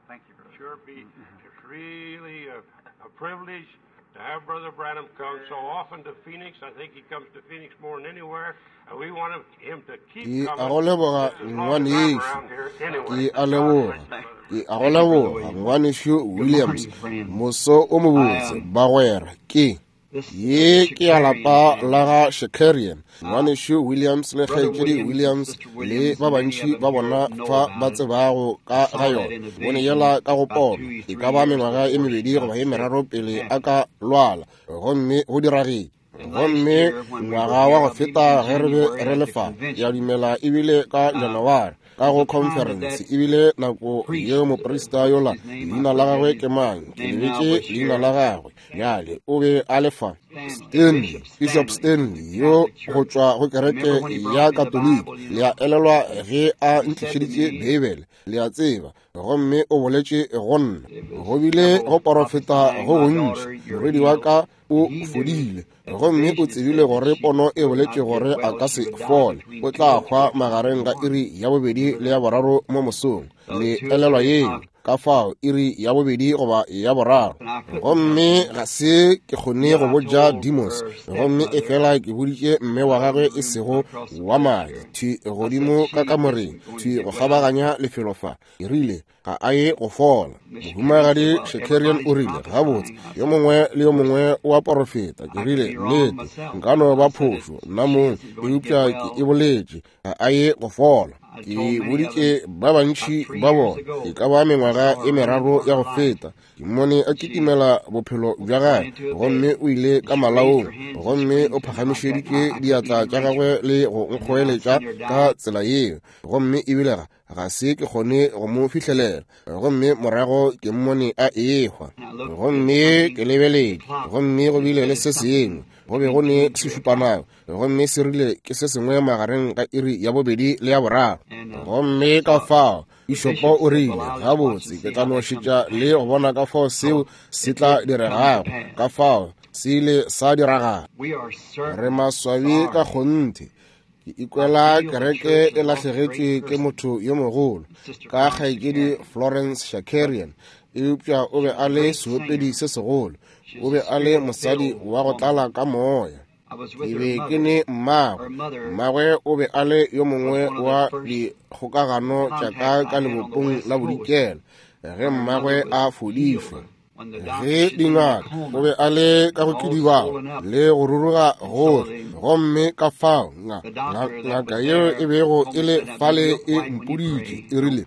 Thank you, brother. Sure be it's really a privilege to have Brother Branham come so often to Phoenix. I think he comes to Phoenix more than anywhere, and we want him to keep Ke a coming go leboga just as long as I'm ngwanešu. around here Ke anyway. a leboga. Ke a go leboga ngwanešu Williams. Moso o mobotse bagwera ke ye ke ya lapa la ga Shakarian, ngwanešu Williams le kgaetšedi Williams le ba bantši ba bona fa ba tsebago ka ga yona. Bone yela ka go pono e ka ba mengwaga e mebedi goba e meraro pele a ka lwala, gomme go diragetše. Gomme ngwaga wa go feta ge re be re le fa, ke a dumela ebile ka Janaware ka go conference, ebile nako yeo moprista yola, leina la gagwe ke mang, ke lebetše leina la gagwe bjale, o be a le fa, Stanley, Bishop Stanley yo go tšwa go kereke ya Katoliki. Le a elelwa ge a ntlišeditše Beibele, le a tseba, gomme o boletše go nna. Go bile go porofeta go gontši. Morwedi wa ka o fodile, gomme o tsebile gore pono e boletše gore a ka se fole, o tla hwa magareng ga iri ya bobedi le ya boraro mo mosong. Le elelwa yeo? Ka fao iri ya bobedi goba ya boraro. Gomme ga se ke kgone go botša Demos, gomme efela ke boditše mme wa gagwe e sego wa madi, thwi godimo ka kamoreng, thwi go kgabaganya lefelo fa. Ke rile, ga a ye go fola. Mohumagadi Shakarian o rile, gabotse, yo mongwe le yo mongwe o a porofeta. Ke rile, nnete, nka no ba phošo nna mong, eupša ke e boletše, ga a ye go fola. Ke boditše ba bantši ba bona, e ka ba mengwaga e meraro ya go feta, ke mmone a kitimela bophelo bja gagwe, gomme o ile ka malaong, gomme o phagamišeditše diatla tša gagwe le go nkgoeletša ka tsela yeo, gomme ebile ga se ke kgone go mo fihlelela. Gomme morago ke mmone a ehwa, gomme ke lebeletše, gomme go bile le se sengwe, go be go ne sešupanako, gomme se rile ke se sengwe magareng ga iri ya bobedi le ya boraro. Gomme ka fao Bishopo o rile, gabotse, ke tla no šetša le go bona ka fao seo se tla diregago. Ka fao se ile sa diragala. Re maswabi ka kgonthe. Ke ikwela kereke e lahlegetšwe ke motho yo mogolo ka kgaetšedi Florence Shakarian, eupša o be a le seopedi se segolo, o be a le mosadi wa go tlala ka moya. Ke be ke ne mmagwe, mmagwe o be a le yo mongwe wa dikgokagano tša ka ka lebopong la bodikela ge mmagwe a fodišwa. Ge dingaka, o be a le ka go kidibala le go ruruga gohle, gomme ka fao ngaka yeo e bego e le fale e mpoditše, e rile,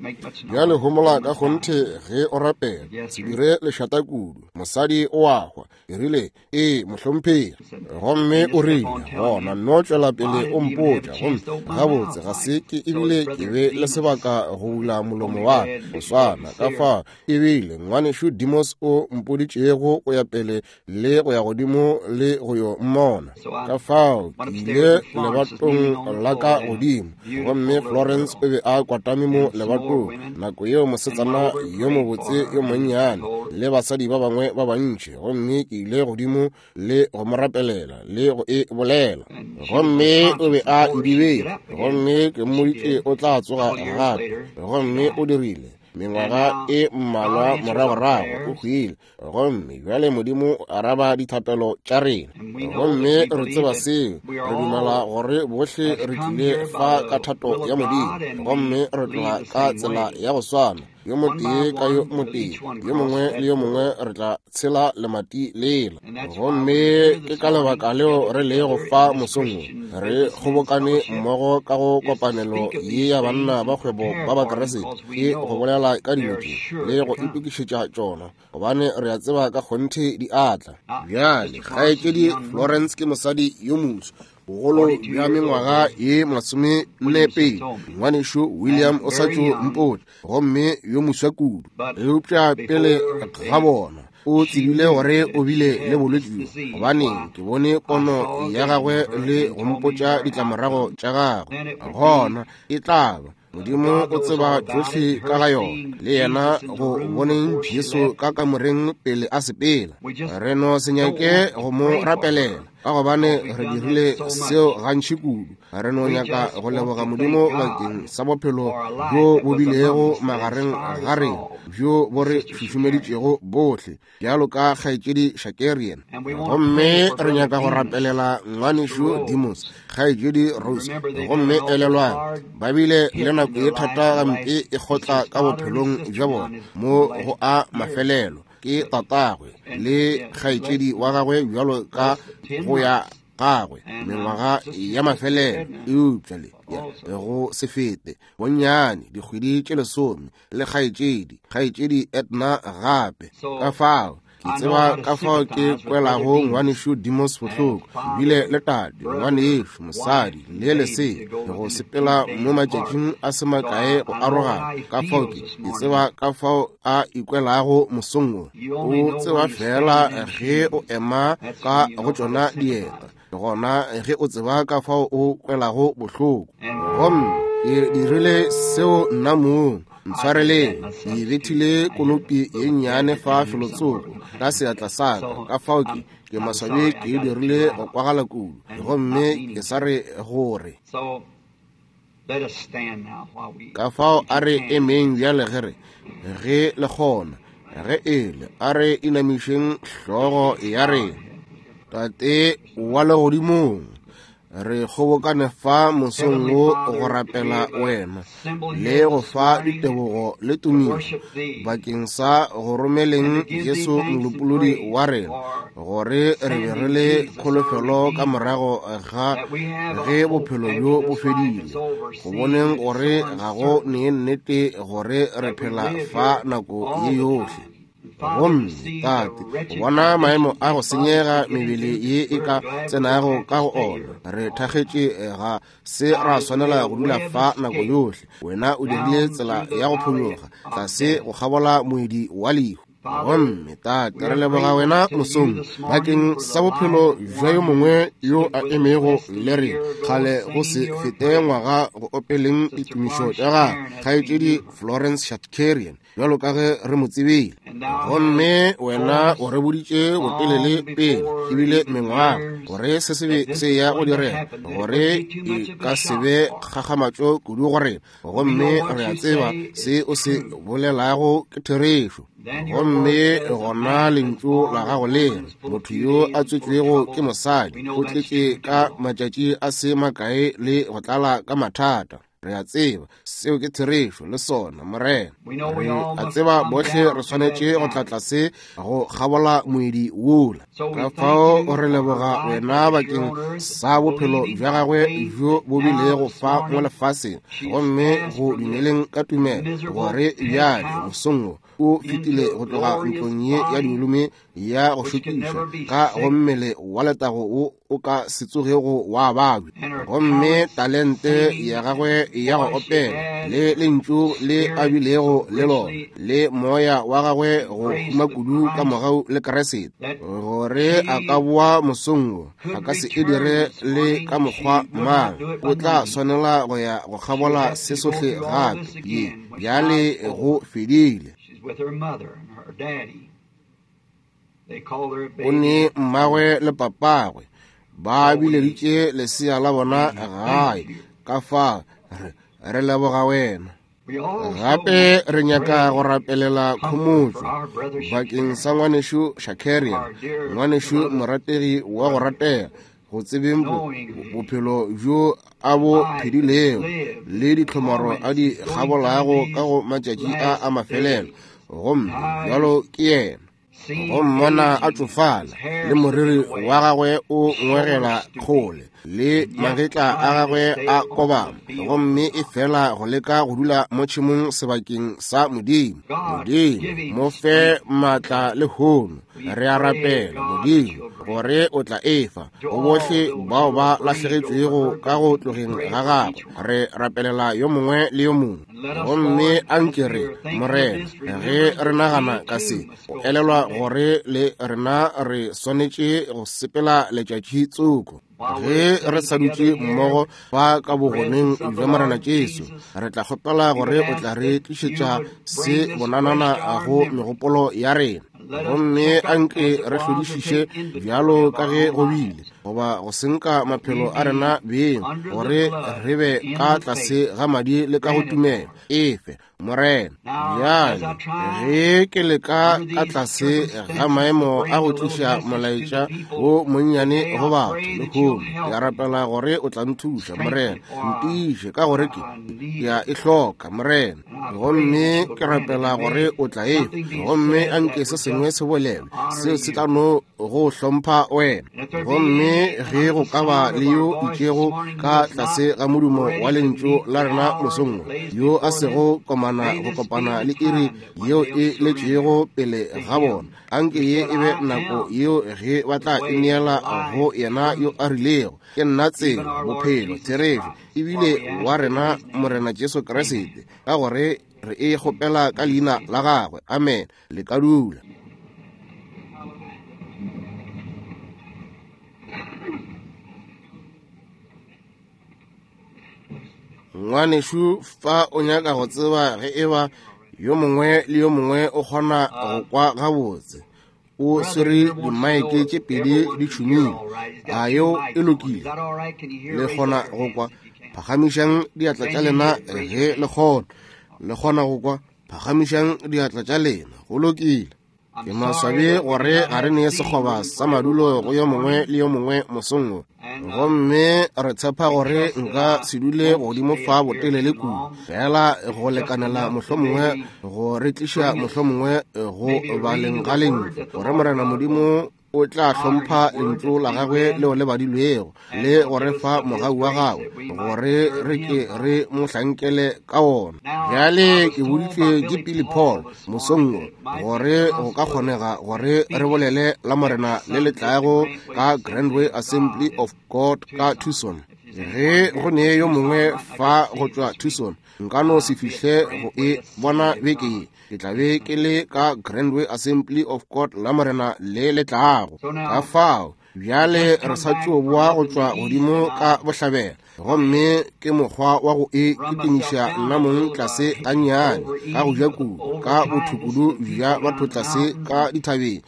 bjale homola ka kgonthe ge o rapela, se dire lešata kudu, mosadi o a hwa. E rile, ee mohlomphegi. Gomme o rile, gona nno tšwela pele o mpotša. Gomme gabotse ga se ke ebile ke be le sebaka go bula molomo wa ka go swana ka fao ebile ngwanešu Demos o mpoditšego go ya pele le go ya godimo le go yo mmona. Ka fao ke ile lebatong la ka godimo, gomme Florence o be a kwatame mo lebatong nako yeo, mosetsana yo mobotse yo monnyane le basadi ba bangwe ba bantši, gomme ke ile godimo le go mo rapelela le go e bolela, gomme o be a idibele, gomme ke mmoditše o tla tsoga gape, gomme o dirile. Mengwaga e mmalwa moragorago o hwile, gomme bjale Modimo o araba dithapelo tša rena, gomme re tseba seo. Re dumela gore bohle re tlile fa ka thato ya Modimo, gomme re tloga ka tsela ya go swana, yo motee ka yo motee, yo mongwe le yo mongwe re tla tshela lemati lela. Gomme ke ka lebaka leo re lego fa mosong wo, re kgobokane mmogo ka go kopanelo ye ya banna ba kgwebo ba Bakriste, ke go bolela ka dilo tše le go itokišetša tšona, gobane re a tseba ka kgonthe di atla. Bjale kgaetšedi Florence ke mosadi yo moso, bogolo bja mengwaga ye 42. Ngwanešu William o sa tšo mpotša, gomme yo moswa kudu, eupša pele ga bona o tsebile gore o bile le bolwetši bjo, gobane ke bone pono ya gagwe le go mpotša ditlamorago tša gagwe. Gona e tla ba Modimo o tseba tšohle ka ga yona, le yena go boneng Jesu ka kamoreng pele a sepela. Re no se nyake go mo rapelela. ka gobane re dirile seo gantši kudu. Re no nyaka go leboga Modimo bakeng sa bophelo bjo bo bilego magareng ga rena, bjo bo re šušumeditšego bohle bjalo ka kgaetšedi Shakarian. Gomme re nyaka go rapelela ngwanešu Demos, kgaetšedi Rose. Gomme elelwang, ba bile le nako ye thata gampe e kgotla ka bophelong bja bona mo go a mafelelo. Ke tatagwe le kgaetšedi wa gagwe bjalo ka go ya gagwe mengwaga ya mafelelo, eupša le go se fete bonnyane dikgwedi tše 10 le kgaetšedi Edna gape. Ka fao ke tseba ka fao ke kwelago ngwanešu Demos bohloko, ebile le tate, ngwanešu, mosadi le lesea go sepela mo matšatšing a se makae go arogana. Ka fao ke tseba ka fao a ikwelago mosong wo. O tseba fela ge o ema ka go tšona dieta, gona ge o tseba ka fao o kwelago bohloko. Gomme ke dirile seo nna mong. Ntshwareleng, ke bethile konopi ye nnyane fa felotsoko ka seatla sa ka. Ka fao ke maswabi ke dirile go kwagala kudu, gomme ke sa re gore. Ka fao a re emeng bjale ge re ge le kgona, ge ele a re inamišeng hlogo ya rena. Tate wa legodimong, re kgobokane fa mosong wo go rapela wena le go fa ditebogo le tumišo bakeng sa go romeleng Jesu molopolodi wa rena, gore re be re le kholofelo ka morago ga ge bophelo bjo bo fedile, go boneng gore ga go nee nnete gore re phela fa nako ye yohle. Gomme Tate, go bona maemo a go senyega mebele ye e ka tsenago ka go ona, re thakgetše ga se ra swanela go dula fa nako yohle. Wena o dirile tsela ya go phonyoga tlase go kgabola moedi wa lehu. Gomme Tate, re leboga wena mosong bakeng sa bophelo bja yo mongwe yo a emego le rena kgale go se fete ngwaga go opeleng ditumišo tša gagwe, kgaetšedi Florence Shakarian, bjalo ka ge re mo tsebile. Gomme wena o re boditše botelele pele ebile mengwaga gore se se be se ya go direga, gore e ka se be kgakgamatšo kudu go rena. Gomme re a tseba se o se bolelago ke therešo. Gomme gona lentšu la gago le re, motho yo a tswetšwego ke mosadi o tletše ka matšatši a se makae le go tlala ka mathata. Re a tseba seo ke therešo le sona, Morena. Re a tseba bohle re swanetše go tla tlase go kgabola moedi wola. Ka fao re leboga wena bakeng sa bophelo bja gagwe bjo bo bilego fa mo lefaseng, gomme go dumeleng ka tumelo gore bjale mosong wo o fetile go tloga ntlong ye ya dilume ya go šokiša ka go mmele wa letago wo o ka se tsogego wa babja. Gomme talente ya gagwe ya go opela le lentšu le a bilego le lona le moya wa gagwe go huma kudu ka mogau le Kriste, gore a ka boa mosong wo, a ka se e dire le ka mokgwa mang. O tla swanela go ya go kgabola se sohle gape. Ye bjale go fedile. O ne mmagwe le papagwe ba bileditše lesea la bona gae. Ka fa re leboga wena. Gape re nyaka go rapelela khomotšo bakeng sa ngwanešu Shakarian, ngwanešu morategi wa go ratega, go tsebeng bophelo bjo a bo phedilego le ditlhomaro a di kgabolago ka go matšatši a a mafelelo. Gomme bjalo ke yena, go mmona a tšofala le moriri wa gagwe o ngwegela kgole le magetla a gagwe a kobama, gomme e fela go leka go dula mo tšhemong sebakeng sa Modimo. Modimo, mo fe maatla le hono. Re a rapela, Modimo, gore o tla efa go bohle bao ba lahlegetšwego ka go tlogeng ga gagwe. Re rapelela yo mongwe le yo mongwe. Gomme a nke re, Morena, ge re nagana ka se, go elelwa gore le rena re swanetše go sepela letšatši tsoko. Ge re sa dutše mmogo fa ka bogoneng bja Morena Jesu, re tla kgopela gore o tla re tlišetša se bonanana go megopolo ya rena. Gomme anke re hlodišiše bjalo ka ge go bile, goba go senka maphelo a rena beng, gore re be ka tlase ga madi le ka go tumelo efe, Morena. Bjale ge ke leka ka tlase ga maemo a go tliša molaetša wo monnyane go batho lehono, ke a rapela gore o tla nthuša, Morena. Ntiše ka gore ke a e hloka, Morena. Gomme ke rapela gore o tla e, gomme anke se sengwe se bolelwe seo se tla no go hlompha wena. Gomme ge go ka ba le yo itšego ka tlase ga modumo wa lentšu la rena mosong yo a sego komana go kopana le iri yeo e letšego pele ga bona, anke ye e be nako yeo ge ba tla ineela go yena yo a rilego, Ke nna tsela, bophelo, therešo, ebile wa rena Morena Jesu Kriste, ka gore re e kgopela ka leina la gagwe. Amen. Le ka dula. Ngwanešu fa o nyaka go tseba ge eba yo mongwe le yo mongwe o kgona go kwa gabotse, o swere dimaeke tše pedi di tšhumile. A yeo e lokile? Le kgona go kwa? Phagamišang diatla tša lena ge le kgona. Le kgona go kwa? Phagamišang diatla tša lena. Go lokile. Ke maswabi gore ga re nee sekgoba sa madulo go yo mongwe le yo mongwe mosong wo. Gomme re tshepa gore nka se dule godimo fa botelele kudu, fela go lekanela mohlomongwe go re tliša mohlomongwe go baleng ga lentšu, gore Morena Modimo o tla hlompha lentšu la gagwe leo le badilwego, le go re fa mogau wa gagwe gore re ke re mo hlankele ka wona. Bjale ke boditšwe ke Billy Paul mosong wo gore go ka kgonega gore re bolele la Morena le le tlago ka Grandway Assembly of God ka Tucson. Ge go ne yo mongwe fa go tšwa Tucson, nka no se fihle go e bona beke ye. Ke tla be ke le ka Grandway Assembly of God la Morena le le tlago. Ka fao bjale re sa tšo boa go tšwa godimo ka bohlabela, gomme ke mokgwa wa go e kitimiša nna mong tlase gannyane ka go ja kudu ka bothokudu bja batho tlase ka dithabeng,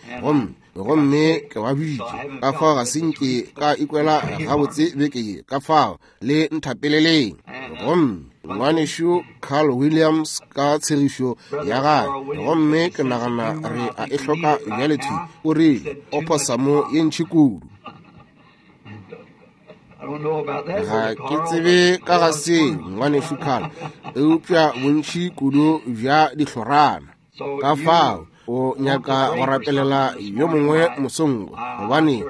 gomme ke ba bitše. Ka fao ga se nke ka ikwela gabotse beke ye, ka fao le nthapeleleng. Gomme ngwanešu Carl Williams ka tshegišo ya gagwe, gomme ke nagana re a e hloka bjale thwi, o rile oposamo ye ntši kudu. Ga ke tsebe ka ga seo, ngwanešu Carl, eupša bontši kudu bja dihlorana. Ka fao o nyaka go rapelela yo mongwe mosong, gobane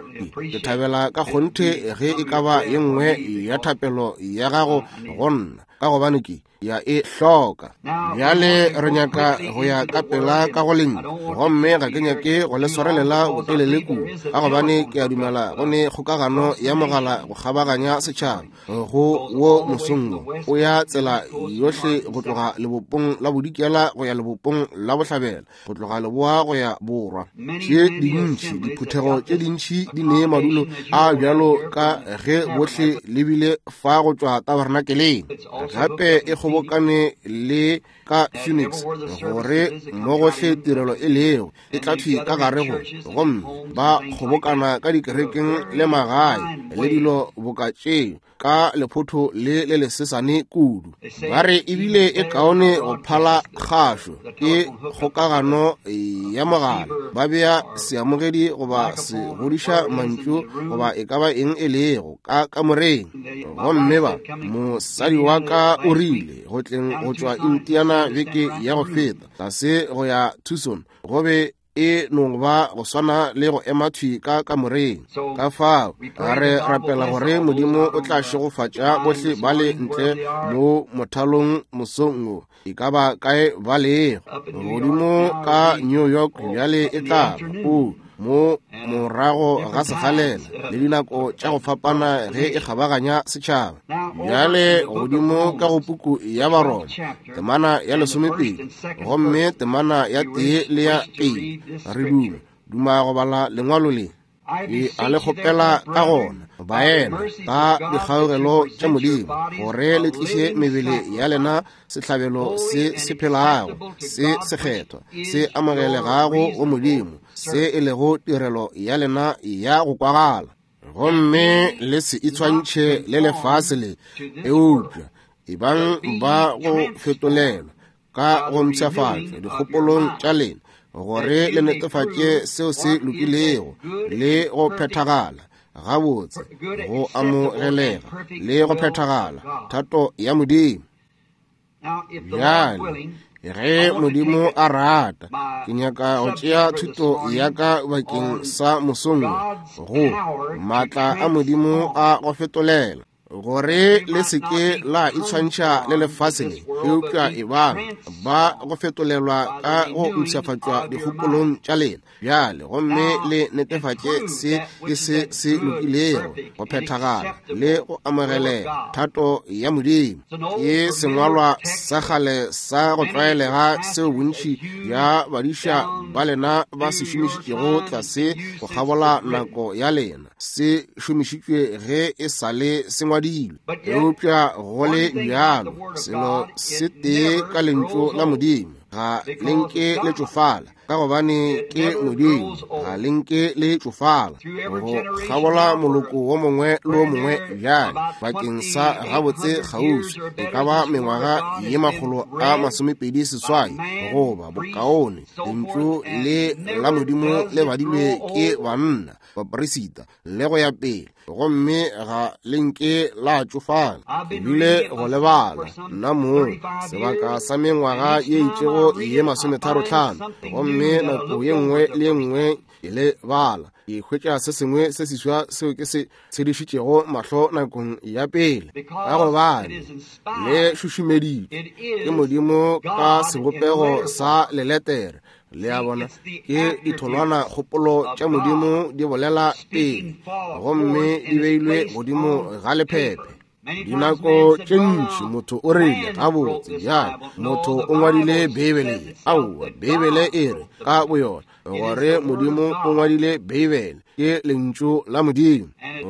ke thabela ka kgonthe ge e ka ba ye nngwe ya thapelo ya gago go nna, ka gobane ke ya e hloka. Bjale re nyaka go ya ka pela ka go lentšu, gomme ga ke nyake go le swarelela botelele kudu, ka gobane ke a dumela go ne kgokagano ya mogala go kgabaganya setšhaba go wo mosong wo, o ya tsela yohle go tloga lebopong la bodikela go ya lebopong la bohlabela, go tloga leboa go ya borwa. Tše dintši diphuthego tše dintši di nee madulo a bjalo ka ge bohle le bile fa go tšwa tabernakeleng. Gape e kgobokane le ka Phoenix, gore mo gohle tirelo e lego e tla thwi ka gare go, gomme ba kgobokana ka dikerekeng le magae le dilo boka tšeo ka lephotho le le lesesane kudu. Ba re ebile e kaone go phala kgašo ke kgokagano ya mogala, ba bea seamogedi goba se godiša mantšu goba e ka ba eng e lego ka kamoreng. Gomme ba mosadi wa ka o rile go tleng go tšwa Indiana beke ya go feta tlase go ya Tucson, go be e no ba go swana le go ema thwi ka kamoreng. Ka fao re rapela gore Modimo o tla šegofatša bohle ba le ntle mo mothalong mosong wo, e ka ba kae ba lego, godimo ka New York bjale e tla ba o mo morago ga sekgalela le dinako tša go fapana ge e kgabaganya setšhaba. Bjale godimo ka go puku ya Baroma temana ya 12 gomme temana ya 1 le ya 2, re duma go bala lengwalo le. Ke a le kgopela ka gona, baena, ka dikgaugelo tša Modimo, gore le tliše mebele ya lena sehlabelo se se phelago, se sekgethwa, se amogelegago go Modimo, se e lego tirelo ya lena ya go kwagala. Gomme le se itshwantšhe le lefase le, eupša ebang ba go fetolelwa ka go mpshafatšwa dikgopolong tša lena, gore le netefatše seo se lokilego le go phethagala gabotse, go amogelega le go phethagala thato ya Modimo. Bjale, ge Modimo a rata, ke nyaka go tšea thuto ya ka bakeng sa mosong go maatla a Modimo a go fetolela, gore le se ke la itshwantšha le lefase le, eupša ebang ba go fetolelwa ka go mpshafatšwa dikgopolong tša lena bjale, gomme le netefatše se ke se se lokilego, go phethagala le go amogelega thato ya Modimo. Ke sengwalwa sa kgale sa go tlwaelega seo bontši bja badiša ba lena ba se šomišitšego tlase go kgabola nako ya lena. Se šomišitšwe ge e sa le se ngwadilwe, eupša go le bjalo selo se tee ka lentšu la Modimo ga le nke le tšofala, ka gobane ke Modimo, ga le nke le tšofala go kgabola moloko wo mongwe le wo mongwe. Bjale bakeng sa gabotse kgauswi e ka ba mengwaga ye 128 goba bokaone, lentšu le la Modimo le badilwe ke banna, baperisita le go ya pele, gomme ga le nke la tšofala. Ke bile go lebala nna mong sebaka sa mengwaga ye itšego ye 35, gomme nako ye nngwe le ye nngwe ke le bala, ke hwetša se sengwe se seswa seo ke se tshedišitšego mahlo nakong ya pele, ka gobane le šušumeditšwe ke Modimo ka sebopego sa leletere. Le a bona, ke ditholwana kgopolo tša Modimo di bolela pele, gomme di beilwe godimo ga lephephe. Dinako tše ntši motho o rile, gabotse bjale motho o ngwadile Beibele. Aowa, Beibele e re ka boyona gore Modimo o ngwadile Beibele, ke lentšu la Modimo,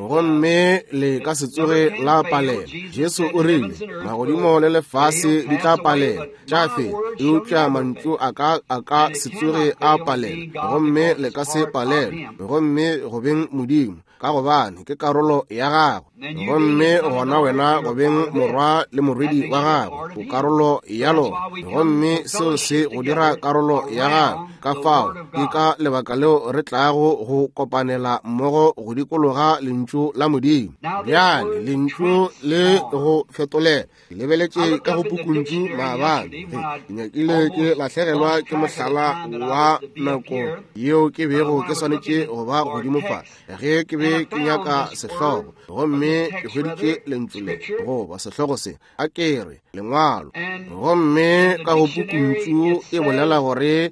gomme le ka se tsoge la palela. Jesu o rile, magodimo le lefase di tla palela tša fela, eupša mantšu a ka a ka se tsoge a palela, gomme le ka se palelwe, gomme go beng Modimo, ka gobane ke karolo ya gagwe, gomme gona wena go beng morwa le morwedi wa gagwe, o karolo ya lona, gomme seo se go dira karolo ya gagwe. Ka fao ke ka lebaka leo re tlago go kopanela mmogo go dikologa lentšu la Modimo. Bjale lentšu le go fetolela, ke lebeletše ka go pukuntšu maabane, ke nyakile ke lahlegelwa ke mohlala wa nako yeo ke bego ke swanetše go ba godimo fa ge ke be ke nyaka sehlogo, gomme ke hweditše lentšu le goba sehlogo se, a ke re lengwalo, gomme ka go pukuntšu e bolela gore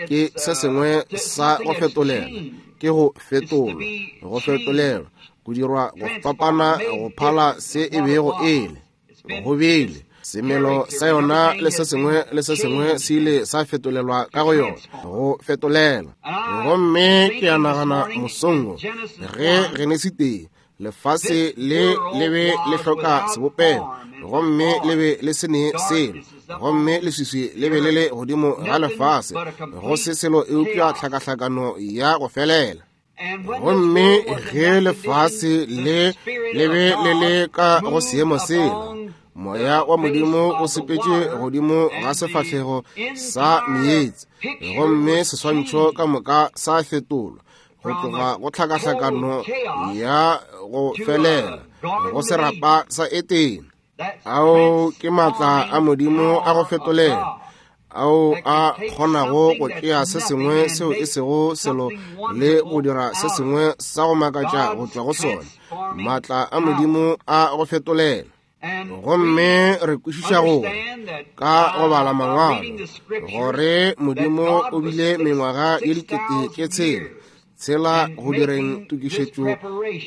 ke se sengwe sa go fetolela, ke go fetolwa, go fetolelwa, go dirwa go fapana go phala se e bego e le. Go bile semelo sa yona le se sengwe le se sengwe se ile sa fetolelwa ka go yona, go fetolela. Gomme ke a nagana mosong ge Genesi 1, lefase le le be le hloka sebopego, gomme le be le se ne selo, gomme leswiswi le be le le godimo ga lefase, go se selo eupša tlhakahlakano ya go felela. Gomme ge lefase le le be le le ka go seemo sela, moya wa Modimo o sepetše godimo ga sefahlego sa meetse, gomme seswantšho ka moka sa fetolwa go tloga go tlhakahlakano ya go felela go serapa sa Etene. Ao ke maatla a Modimo a go fetolela, ao a kgonago go tšea se sengwe seo e sego selo le go dira se sengwe sa go makatša go tšwa go sona. Maatla a Modimo a go fetolela. Gomme re kwešiša gore ka go bala mangwalo gore Modimo o bile mengwaga ye 6,000 tshela go direng tokišetšo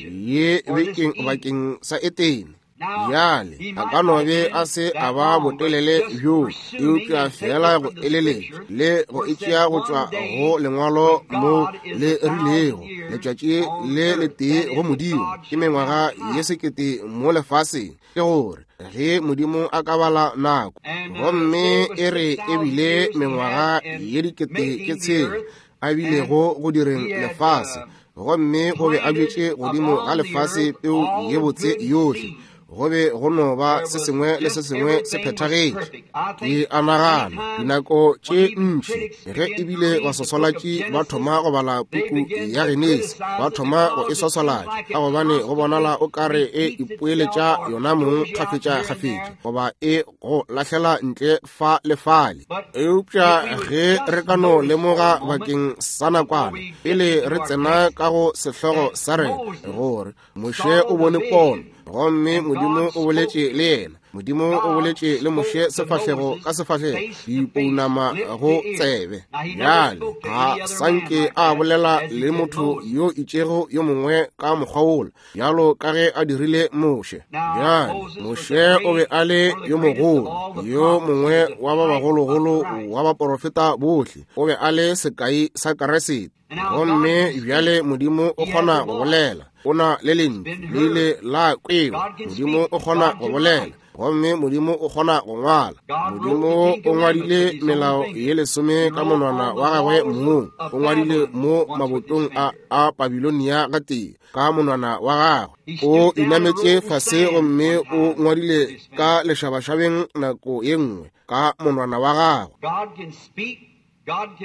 ye bekeng bakeng sa Etene. Bjale a ka no be a se a ba botelele bjo, eupša fela go eleletša le go itšea go tšwa go lengwalo mo le rilego, letšatši le letee go Modimo ke mengwaga ye 1000 mo lefaseng. Ke gore ge Modimo a ka bala nako, gomme e re ebile mengwaga ye 6000 a bilego go direng lefase, gomme o be a bjetše godimo ga lefase peu ye botse yohle, go be go no ba se sengwe le se sengwe se phethagetše. Ke a nagana dinako tše ntši ge ebile baswaswalatši ba thoma go bala puku ya Genesi, ba thoma go e swaswalatša ka gobane go bonala o kare e ipoeletša yona mong kgafetša-kgafetša, goba e go lahlela ntle fa le fale. Eupša ge re ka no lemoga bakeng sa nakwana pele re tsena ka go sehlogo sa rena, gore Moshe o bone pono, gomme Modimo o boletše le yena. Modimo o boletše le Moshe sefahlego ka sefahlego, dipounama go tsebe. Bjale ga sanke a bolela le motho yo itšego yo mongwe ka mokgwa wola, bjalo ka ge a dirile Moshe. Bjale Moshe o be a le yo mogolo, yo mongwe wa ba bagologolo wa baporofeta bohle. O be a le sekai sa Keresete. Gomme bjale Modimo o kgona go bolela, o na le lentšu, le ile la kwewa. Modimo o kgona go bolela, gomme Modimo o kgona go ngwala. Modimo o ngwadile melao ye 10 ka monwana wa gagwe mong, o ngwadile mo mabotong a Babilonia gatee ka monwana wa gagwe. O inametše fase gomme o ngwadile ka lešabašabeng nako ye nngwe ka monwana wa gagwe.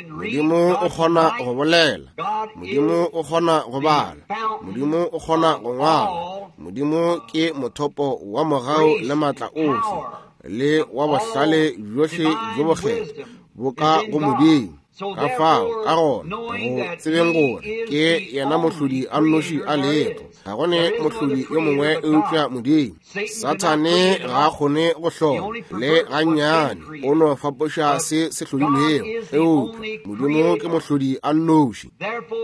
Modimo o kgona go bolela, Modimo o kgona go bala, Modimo o kgona go ngwala. Modimo ke mothopo wa mogau le maatla ohle le wa bohlale bjohle bjo bokgethwa bo ka go Modimo. Ka fao, ka gona, go tsebeng gore ke yena mohlodi a nnoši a lego, ga go ne mohlodi yo mongwe eupša Modimo. Sathane ga a kgone go hlola le gannyane, o no fapoša se se hlodilwego, eupša Modimo ke mohlodi a nnoši.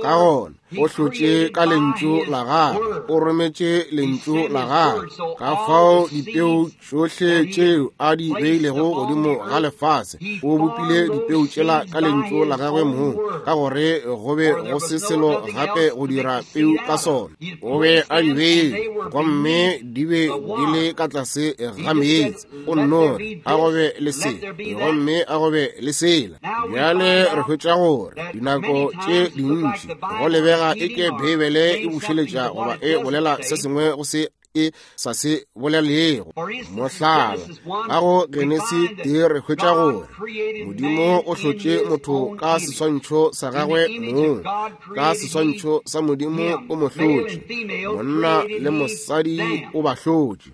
Ka gona o hlotše ka lentšu la gagwe, o rometše lentšu la gagwe. Ka fao dipeu tšohle tšeo a di beilego godimo ga lefase, o bopile dipeu tšela ka lentšu la gagwe mong, ka gore go be go se selo gape go dira peu ka sona. O be a di beile, gomme di be di le ka tlase ga meetse. O nno re, a go be le se, gomme a go be le sela. Bjale re hwetša gore dinako tše dintši go lebega eke Beibele e bušeletša goba e bolela se sengwe go se e sa se bolelego. Mohlala, ka go Genesi 3 re hwetša gore Modimo o hlotše motho ka seswantšho sa gagwe mong, ka seswantšho sa Modimo o mo hlotše, monna le mosadi o ba hlotše.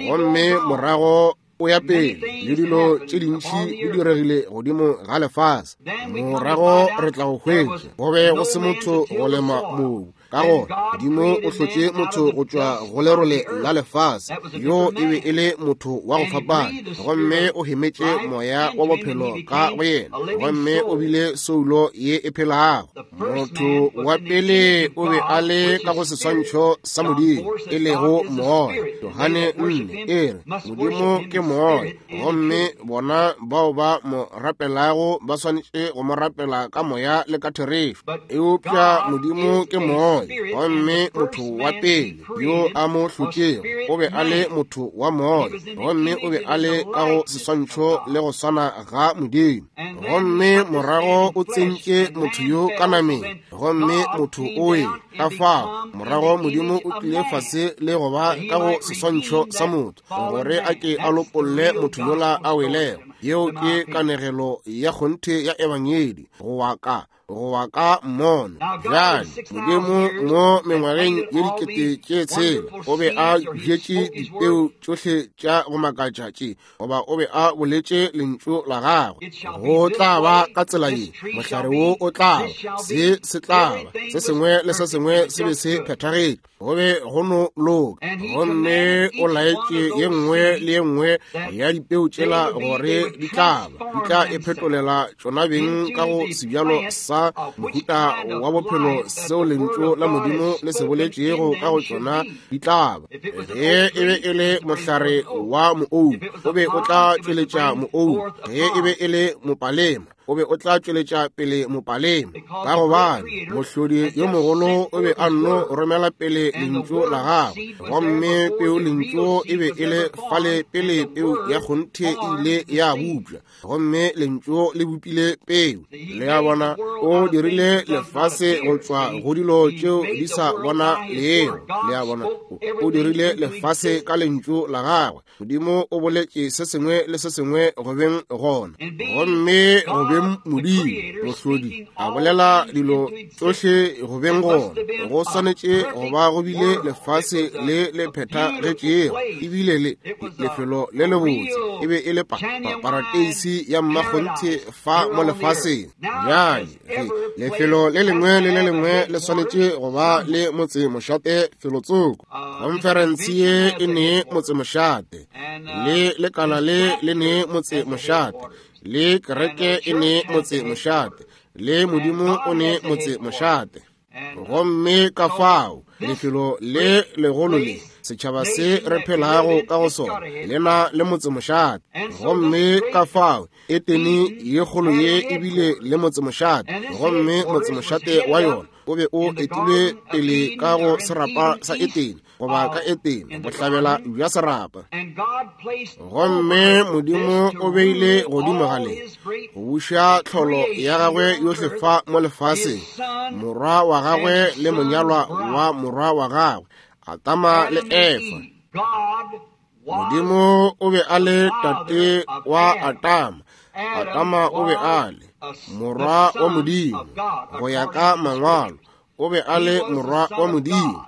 Gomme morago o ya pele le dilo tše dintši di diregile godimo ga lefase. Morago re tla go hwetša go be go se motho go lema mobu. Ka gona Modimo o hlotše motho go tšwa go lerole la lefase, yo e be e le motho wa go fapana, gomme o hemetše moya wa bophelo ka go yena, gomme o bile soulo ye e phelago. Motho wa pele o be a le ka go seswantšho sa Modimo, e lego moya. Johane 4 e re Modimo ke moya, gomme bona bao ba mo rapelago ba swanetše go mo rapela ka moya le ka therešo. Eupša Modimo ke moya, gomme motho wa pele yo a mo hlotšego o be a le motho wa moya, gomme o be a le ka go seswantšho le go swana ga Modimo. Gomme morago o tsentše motho yo ka nameng, gomme motho o wele. Ka fao morago Modimo o tlile fase le go ba ka go seswantšho sa motho, gore a ke a lopolle motho yola a welego. Yeo ke kanegelo ya kgonthe ya Ebangedi, go wa ka go wa ka mmono. Bjale Modimo mo mengwageng ye 6000 o be a bjetše dipeu tšohle tša go makatša tše, goba o be a boletše lentšu la gagwe, go tla ba ka tsela ye, mohlare wo o tla ba, se se tla ba, se sengwe le se sengwe se be se phethagetše, go be go no loka. Gomme o laetše ye nngwe le ye nngwe ya dipeu tšela gore tšohle di tla ba, di tla iphetolela tšona beng ka go sebjalo sa mohuta wa bophelo seo Lentšu la Modimo le se boletšego ka go tšona di tla ba. Ge e be e le mohlare wa moou, o be o tla tšweletša moou. Ge e be e le mopalema, o be o tla tšweletša pele mopalema, ka gobane mohlodi yo mogolo o be a nno romela pele lentšu la gagwe, gomme peu lentšu e be e le fale pele peu ya kgonthe e ile ya bupša, gomme lentšu le bopile peu. Le a bona, o dirile lefase go tšwa go dilo tšeo di sa bona lego. Le a bona, o dirile lefase ka lentšu la gagwe. Modimo o boletše se sengwe le se sengwe go beng gona, gomme go beng Modimo mohlodi a bolela dilo tšohle go beng gona. Go swanetše go ba go bile lefase le le phethagetšego, ebile le lefelo le lebotse, e be e le parateisi ya mmakgonthe fa mo lefaseng. Bjale ge lefelo le lengwe le le lengwe le swanetše go ba le motse mošate felotsoko, Konferense ye e ne motsemošate, le lekala le le ne motsemošate, le kereke e ne motsemošate, le Modimo o ne motsemošate. Gomme ka fao lefelo le legolo le setšhaba se re phelago ka go sona le na le motsemošate. Gomme ka fao Etene ye kgolo ye e bile le motsemošate, gomme motsemošate wa yona o be o etilwe pele ka go serapa sa Etene, goba ka Etene, bohlabela bja serapa. Gomme Modimo o beile godimo ga le go buša tlholo ya gagwe yohle fa mo lefaseng, morwa wa gagwe le monyalwa wa morwa wa gagwe, Adama le Efa. Modimo o be a le tate wa Adama, Adama o be a le morwa wa Modimo go ya ka Mangwalo, o be a le morwa wa Modimo.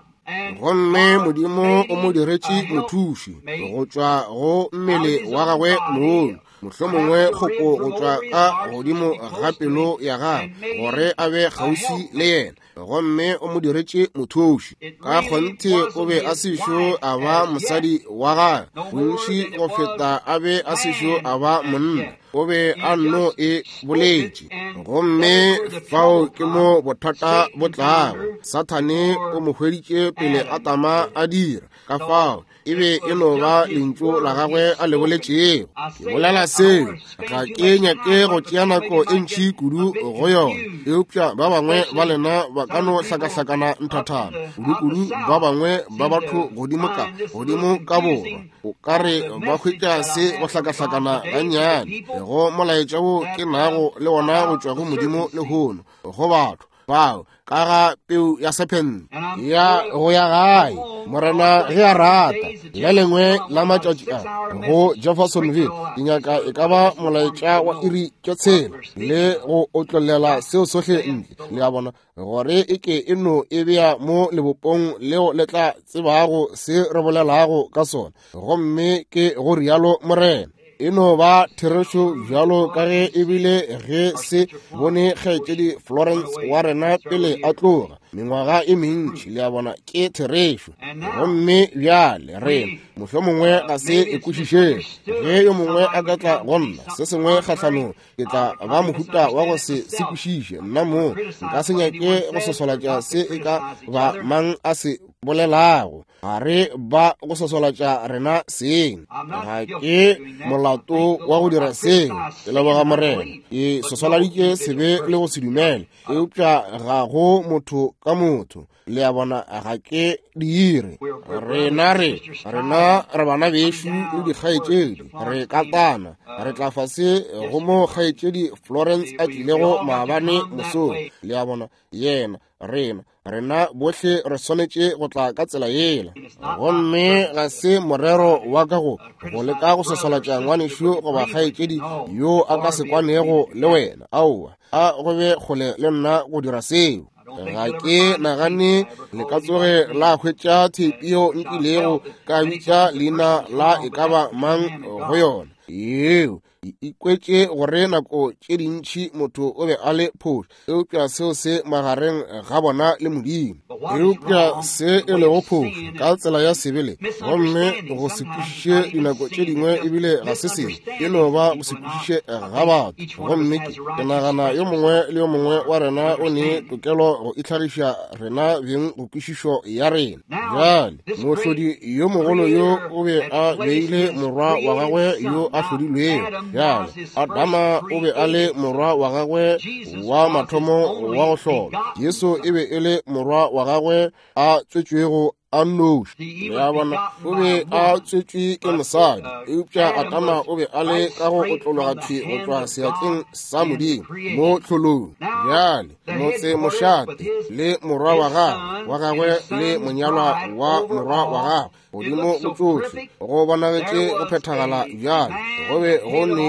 Gomme Modimo o mo diretše mothuši go tšwa go mmele wa gagwe mogolo, mohlomongwe kgopo go tšwa ka godimo ga pelo ya gagwe, gore a be kgauswi le yena. Gomme o mo diretše mothuši. Ka kgonthe o be a sešo a ba mosadi wa gagwe bontši go feta a be a sešo a ba monna, o be a nno e boletše. Gomme fao ke mo bothata bo tlago. Sathane o mo hweditše pele Adama a dira, ka fao e be e no ba lentšu la gagwe a le boletšego. Ke bolela seo, ga ke nyake go tšea nako e ntši kudu go yona, eupša ba bangwe ba lena ba ka no hlakahlakana nthathana, kudu-kudu ba bangwe ba batho godimo ka godimo ka borwa, o ka re ba hwetša se go hlakahlakana gannyane go molaetša wo ke nago le wona go tšwa go Modimo lehono go batho bao ka ga peu ya sephente ya go ya gae. Morena ge a rata, le lengwe la matšatši a go Jeffersonville ke nyaka e ka ba molaetša wa iri tše 6 le go otlollela seo sohle ntle, le a bona, gore e ke e no e bea mo lebopong leo le tla tsebago se re bolelago ka sona. Gomme ke go rialo Morena. E no ba therešo bjalo ka ge e bile ge se bone kgaetšedi Florence wa rena pele a tloga mengwaga e mentši, le a bona, ke therešo. Gomme bjale rena mohlomongwe ga se e kwešišege. Ge yo mongwe a ka tla go nna se sengwe kgahlanong, ke tla ba mohuta wa go se se kwešiše nna moo. Nka se nyake go sosolatša se e ka ba mang a se bolelago. Ga re ba go sosolatša rena seng. Ga ke molato wa go dira seo, ke leboga Morena. Ke sosoladitše sebe le go se dumele, eupša ga go motho ka motho, le a bona, ga ke dire. Rena re rena re bana bešo le dikgaetšedi, re katana, re tla fase go mo kgaetšedi Florence a tlilego maabane mosong, le a bona, yena, rena rena bohle re swanetše go tla ka tsela yela. Gomme ga se morero wa ka go go leka go sosolatša ngwanešu goba kgaetšedi yo a ka se kwanego le wena. Aowa, a go be kgole le nna go dira seo. Ga ke nagane le ka tsoge la hwetša theipi yeo nkilego ka bitša leina la e ka ba mang go yona. Yeo e ikwetše gore nako tše dintši motho o be a le phošo, eupša seo se magareng ga bona le Modimo. Eupša se e lego phošo ka tsela ya sebele, gomme go se kwešiše dinako tše dingwe ebile ga se sebe, e no ba go se kwešiše ga batho. Gomme ke nagana yo mongwe le yo mongwe wa rena o ne tokelo go itlhagiša rena beng go kwešišo ya rena. Bjale mohlodi yo mogolo yo o be a beile morwa wa gagwe yo a hlodilwego. Bjale Adama o be a le morwa wa gagwe wa mathomo wa go hlola. Jesu e be e le morwa wa gagwe a tswetšwego a nnoši. Le a bona, o be a tswetšwe ke mosadi, eupša Adama o be a le ka go otlologa thwi go tšwa seatleng sa Modimo mo tlholong. Bjale motse mošate le morwa wa gagwe wa gagwe le monyalwa wa morwa wa gagwe godimo go tšohle go bonagetše go phethagala. Bjale go be go ne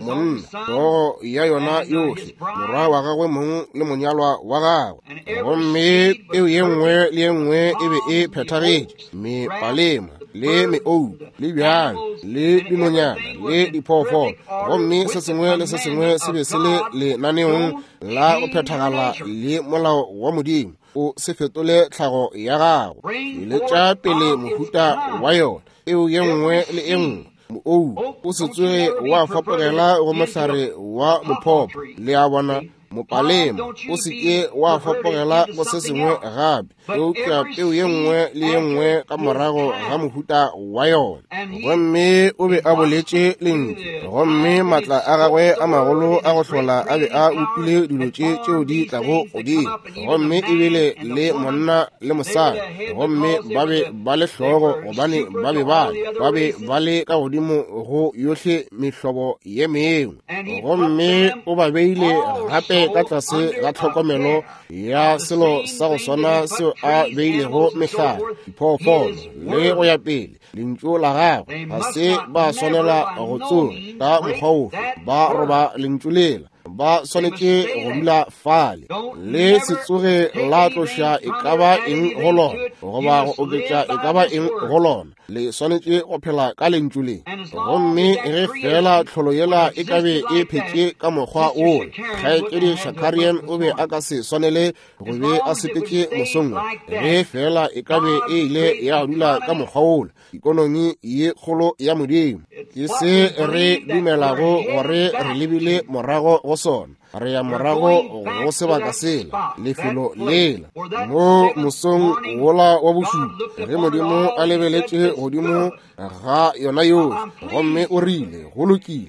monna hlogo ya yona yohle, morwa wa gagwe mong le monyalwa wa gagwe, gomme peo ye nngwe le ye nngwe e be e phethagetše, mepalema le meou le bjang le dinonyana le diphoofolo, gomme se sengwe le se sengwe se be se le lenaneong la go phethagala le molao wa Modimo. O se fetole tlhago ya gago, tšweletša pele mohuta wa yona, peo ye nngwe le e nngwe. Moou o se tsoge wa fapogela go mohlare wa mophopo, le a bona. Mopalema o se ke wa fapogela go se sengwe gape, eupša peo ye nngwe le ye nngwe ka morago ga mohuta wa yona. Gomme o be a boletše lentšu, gomme maatla a gagwe a magolo a go hlola a be a upile dilo tše tšeo di tlago godimo, gomme ebile le monna le mosadi, gomme ba be ba le hlogo, gobane ba be ba be ba le ka godimo go yohle mehlobo ye mengwe. Gomme o ba beile gape ka tlase ga tlhokomelo ya selo sa go swana seo a beilego mehlare, diphoofolo le go ya pele. Lentšu la gagwe ga se ba swanela go tsoga ka mokgwa ofe, ba roba lentšu lela, ba swanetše go dula fale. Le se tsoge la tloša e ka ba eng go lona, goba go oketša e ka ba eng go lona. Le swanetše go phela ka lentšu le. Gomme ge fela tlholo yela e ka be e phetše ka mokgwa wola, kgaetšedi Shakarian o be a ka se swanele go be a sepetše mosong wo. Ge fela e ka be e ile ya dula ka mokgwa wola, ikonomi ye kgolo ya Modimo ke se re dumelago gore re lebile morago go sona. Re ya morago go sebaka sela, lefelo lela, mo mosong wola wa bošupa, ge Modimo a lebeletše godimo ga yona yohle, gomme o rile, go lokile,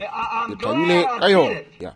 ke thabile ka yona,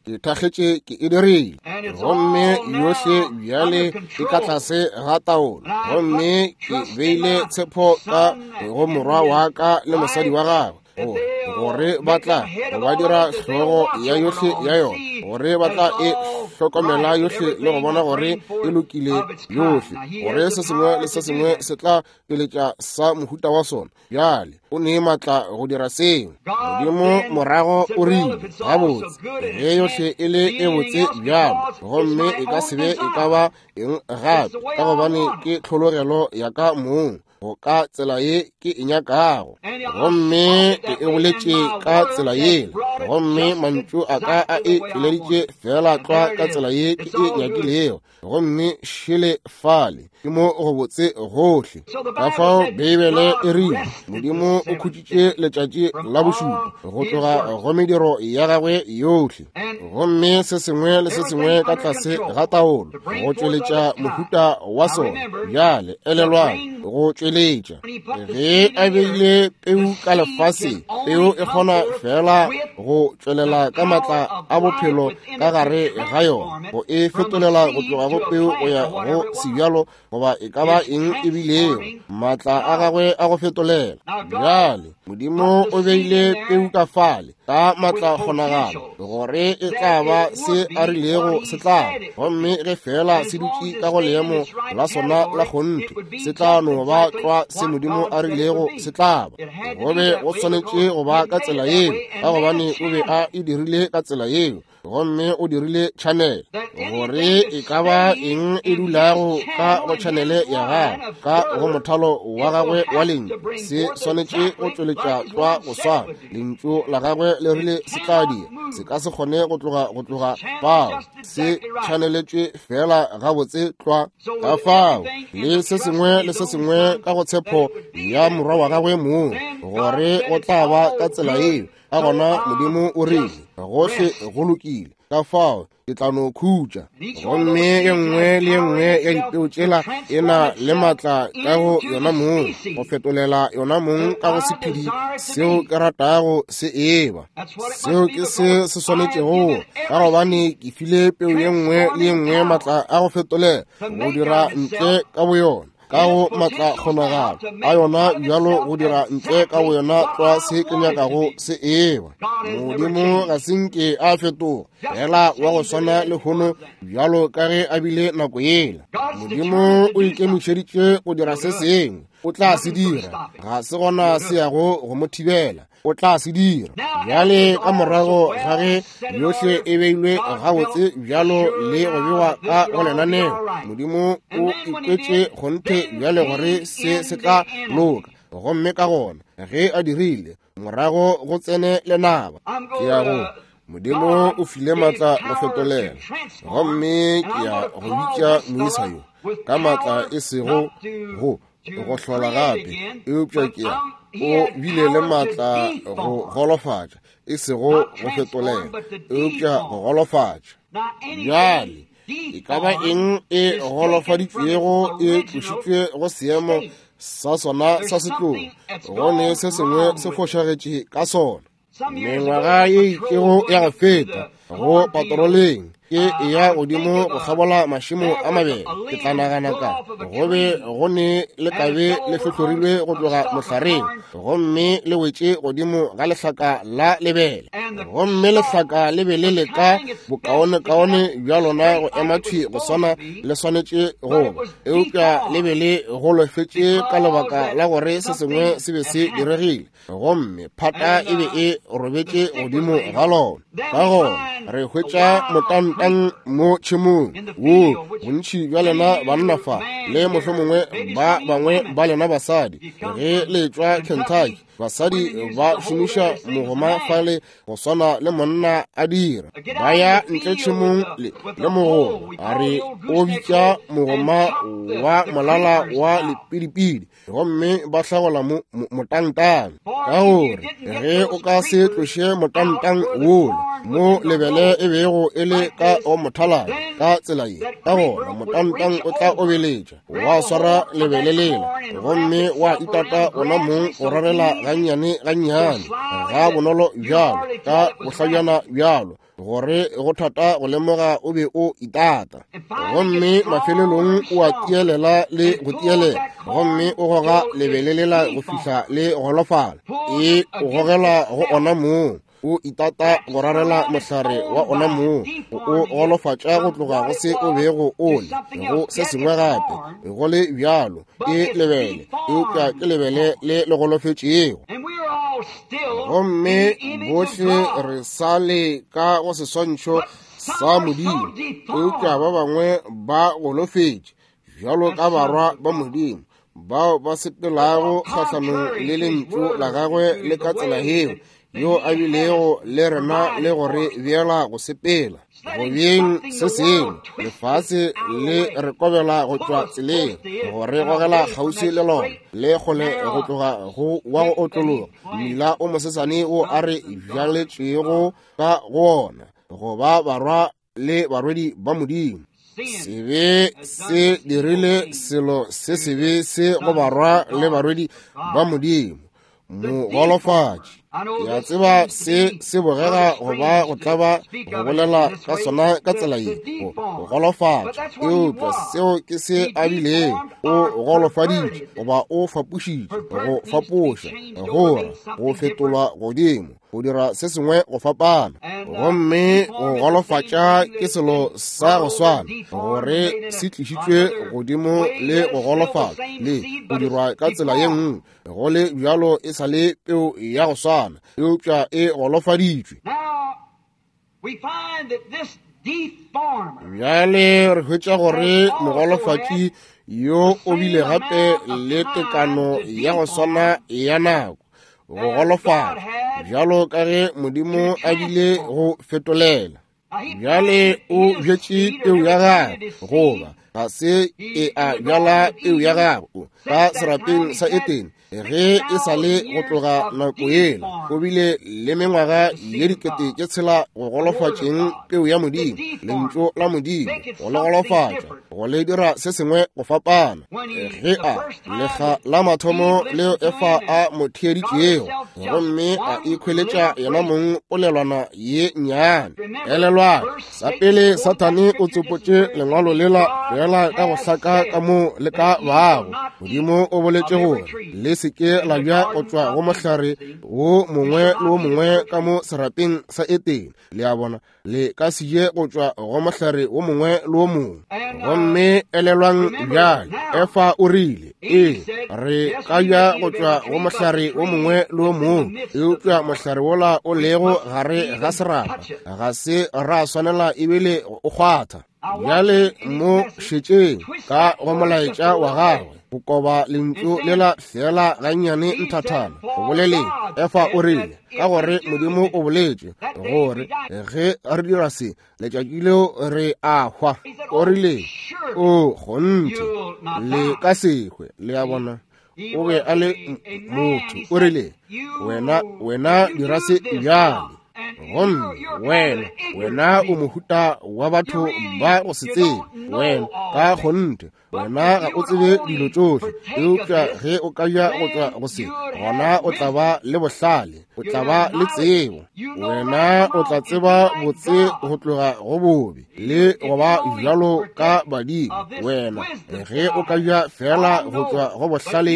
ke thakgetše ke e dirile, gomme yohle bjale e ka tlase ga taolo, gomme ke beile tshepo ka go morwa wa ka le mosadi wa gagwe, gore ba tla ba dira hlogo ya yohle ya yona, gore ba tla e hlokomela yohle le go bona gore e lokile yohle, gore se sengwe le se sengwe se tla tšweletša sa mohuta wa sona. Bjale o ne maatla go dira seo. Modimo morago o rile, gabotse, ge yohle e le e botse bjalo, gomme e ka se be e ka ba eng gape, ka gobane ke tlhologelo ya ka mong go ka tsela ye ke e nyakago, gomme ke e boletše ka tsela yela, gomme mantšu a ka a e tšweleditše fela tlwa ka tsela ye ke e nyakilego, gomme šele fale ke mo go botse gohle. Ka fao Beibele e rile Modimo o khutšitše letšatši la bošupa go tloga go mediro ya gagwe yohle, gomme se sengwe le se sengwe ka tlase ga taolo go tšweletša mohuta wa sona. Bjale elelwang, go tšweletša, ge a beile peu ka lefaseng, peu e kgona fela go tšwelela ka maatla a bophelo ka gare ga yona, go e fetolela go tloga go peu go ya go sebjalo goba e ka ba eng e bilego, maatla a gagwe a go fetolela. Bjale Modimo o beile peu ka fale ka maatla kgonagalo gore e tla ba se a rilego se tla, gomme ge fela se dutše ka go leemo la sona la kgonthe, se tla no ba tlwa se Modimo a rilego se tla ba. Go be go swanetše go ba ka tsela yeo, ka gobane o be a e dirile ka tsela yeo. Gomme o dirile tšhanele gore e ka ba eng e dulago ka go tšhanele ya gagwe, ka go mothalo wa gagwe wa lentšu, se swanetše go tšweletša tlwa go swana. Lentšu la gagwe le rile se tla dira. Se ka se kgone go tloga go tloga fao. Se tšhaneletšwe feela gabotse tlwa. Ka fao le se sengwe le se sengwe ka go tshepo ya morwa wa gagwe mong, gore go tla ba ka tsela yeo. Ka gona Modimo o rile, gohle go lokile, ka fao ke tla no khutša. Gomme ye nngwe le ye nngwe ya dipeo tšela e na le maatla ka go yona mong, go fetolela yona mong ka go sephedi seo ke ratago se eba. Seo ke se se swanetšego, ka gobane ke file peo ye nngwe le ye nngwe maatla a go fetolela, go dira ntle ka boyona, ka go maatla kgonagalo a yona bjalo, go dira ntle ka boyona tlwa se ke nyakago se eba. Modimo ga se nke a fetoga, fela wa go swana lehono bjalo ka ge a bile nako yela. Modimo o ikemišeditše go dira se sengwe, o tla se dira, ga se gona se yago go mo thibela, o tla se dira. Bjale ka morago ga ge yohle e beilwe gabotse bjalo le go bewa ka go lenaneo, Modimo o ikwetše kgonthe bjale gore se se tla loka. Gomme ka gona ge a dirile, morago go tsene lenaba. Ke ya go Modimo o file maatla go fetolela, gomme ke ya go bitša moisa yo ka maatla e sego go go hlola gape, eupša ke ya o bile le maatla go golofatša, e sego go fetolela, eupša go golofatša. Bjale e ka ba eng e golofaditšwego e tlošitšwe go seemo sa sona sa setlogo, go ne se sengwe se fošagetše ka sona. Mengwaga ye itšego ya go feta go patroleng ke eya godimo go kgabola mašemo a mabele, ke tla nagana ka go be go ne lekabe le hlohlorilwe go tloga mohlareng, gomme le wetše godimo ga lehlaka la lebele, gomme lehlaka le be le leka bokaonekaone bja lona go ema thwi go swana le swanetše go ba, eupša le be le golofetše ka lebaka la gore se sengwe se be se diregile, gomme phata e be e robetše godimo ga lona. Ka gona re hwetša motantang mo tšhemong wo, bontši bja lena banna fa, le mohlomongwe ba bangwe ba lena basadi, ge le tšwa Kentucky, basadi ba šomiša mogoma fale go swana le monna a dira, ba ya ntle tšhemong le mogoma, a re o bitša mogoma wa molala wa lepidipidi, gomme ba hlagola motantang. Ka gore ge o ka se tloše motantang wola mo lebele e bego e le ka o mothalana ka tsela ye, ka gona motantang o tla obeletša wa swara lebele lela, gomme wa itata ona mong go rarela gannyane gannyane ga bonolo bjalo ka bohlabjana bjalo, gore go thata go lemoga o be o itata. Gomme mafelelong o a tielela le go tielela, gomme o goga lebele lela go fihla le golofala, e o gogela go ona mong, o itata go rarela mohlare wa ona mong, o golofatša go tloga go se o bego o le go se sengwe gape. Go le bjalo ke lebele, eupša ke lebele le le golofetšego. Gomme bohle re sa le ka go seswantšho sa Modimo, eupša ba bangwe ba golofetše bjalo ka barwa ba Modimo, bao ba sepelago kgahlanong le lentšu la gagwe le ka tsela yeo yo a bilego le rena le go re beela go sepela go beng se sengwe. Lefase le re kobela go tšwa tseleng, go re gogela kgauswi le lona, le kgole go tloga go wa go otlologa mmila o mosesane wo a re bjaletšego ka go ona, go ba barwa le barwedi ba Modimo. Sebe se dirile selo se sebe se go barwa le barwedi ba Modimo, mogolofatši. Ke a tseba se se bogega go ba go tlaba go bolela ka sona ka tsela ye, go golofatša, eupša seo ke se a bilego. O golofaditše goba o fapošitše, go fapoša, gora, go fetolwa godimo, go dira se sengwe go fapana. Gomme go golofatša ke selo sa go swana, gore se tlišitšwe godimo le go golofatša le go dirwa ka tsela ye nngwe. Go le bjalo e sa le peo ya go swana, eupša e golofaditšwe. Bjale re hwetša gore mogolofatši yo o bile gape le tekano ya go swana ya nako go golofala bjalo ka ge Modimo a bile go fetolela. Bjale o bjetše peu ya gagwe, goba ga se e a bjala peu ya gagwe ka serapeng sa Etene ge e sa le go tloga nako yela. O bile le mengwaga ye 6,000 go golofatšeng peu ya Modimo, lentšu la Modimo, go le golofatša, go le dira se sengwe go fapana. Ge a lekga la mathomo leo Efa a mo theeditšego gomme a ikhweletša yena mong polelwana ye nnyane. Elelwang, sa pele Sathane o tsopotše lengwalo lela fela ka go hlaka ka mo le ka bago. Modimo o boletše gore le se ke la bja go tšwa go mohlare wo mongwe le wo mongwe ka mo serapeng sa Etene. Le a bona, le ka se je go tšwa go mohlare wo mongwe le wo mongwe. Gomme elelwang bjale, Efa o rile, ee, re ka ja go tšwa go mohlare wo mongwe le wo mongwe, eupša mohlare wola o lego gare ga serapa ga se ra swanela ebile o kgwatha. Bjale mo šetšeng ka go molaetša wa gagwe, go koba lentšu lela fela gannyane nthathana go boleleng. Efa o rile, ka gore Modimo o boletše gore ge re dira se, letšatši leo re a hwa. O rile, o kgonthe le ka se hwe. Le a bona, o be a le motho. O rile, wena dira se bjale, gomme wena o mohuta wa batho ba go se tsebe. Wena ka kgonthe wena ga o tsebe dilo tšohle, eupša ge o ka ja go tšwa go se, gona o tla ba le bohlale, o tla ba le tsebo. Wena o tla tseba botse go tloga go bobe le go ba bjalo ka badimo. Wena ge o ka ja fela go tšwa go bohlale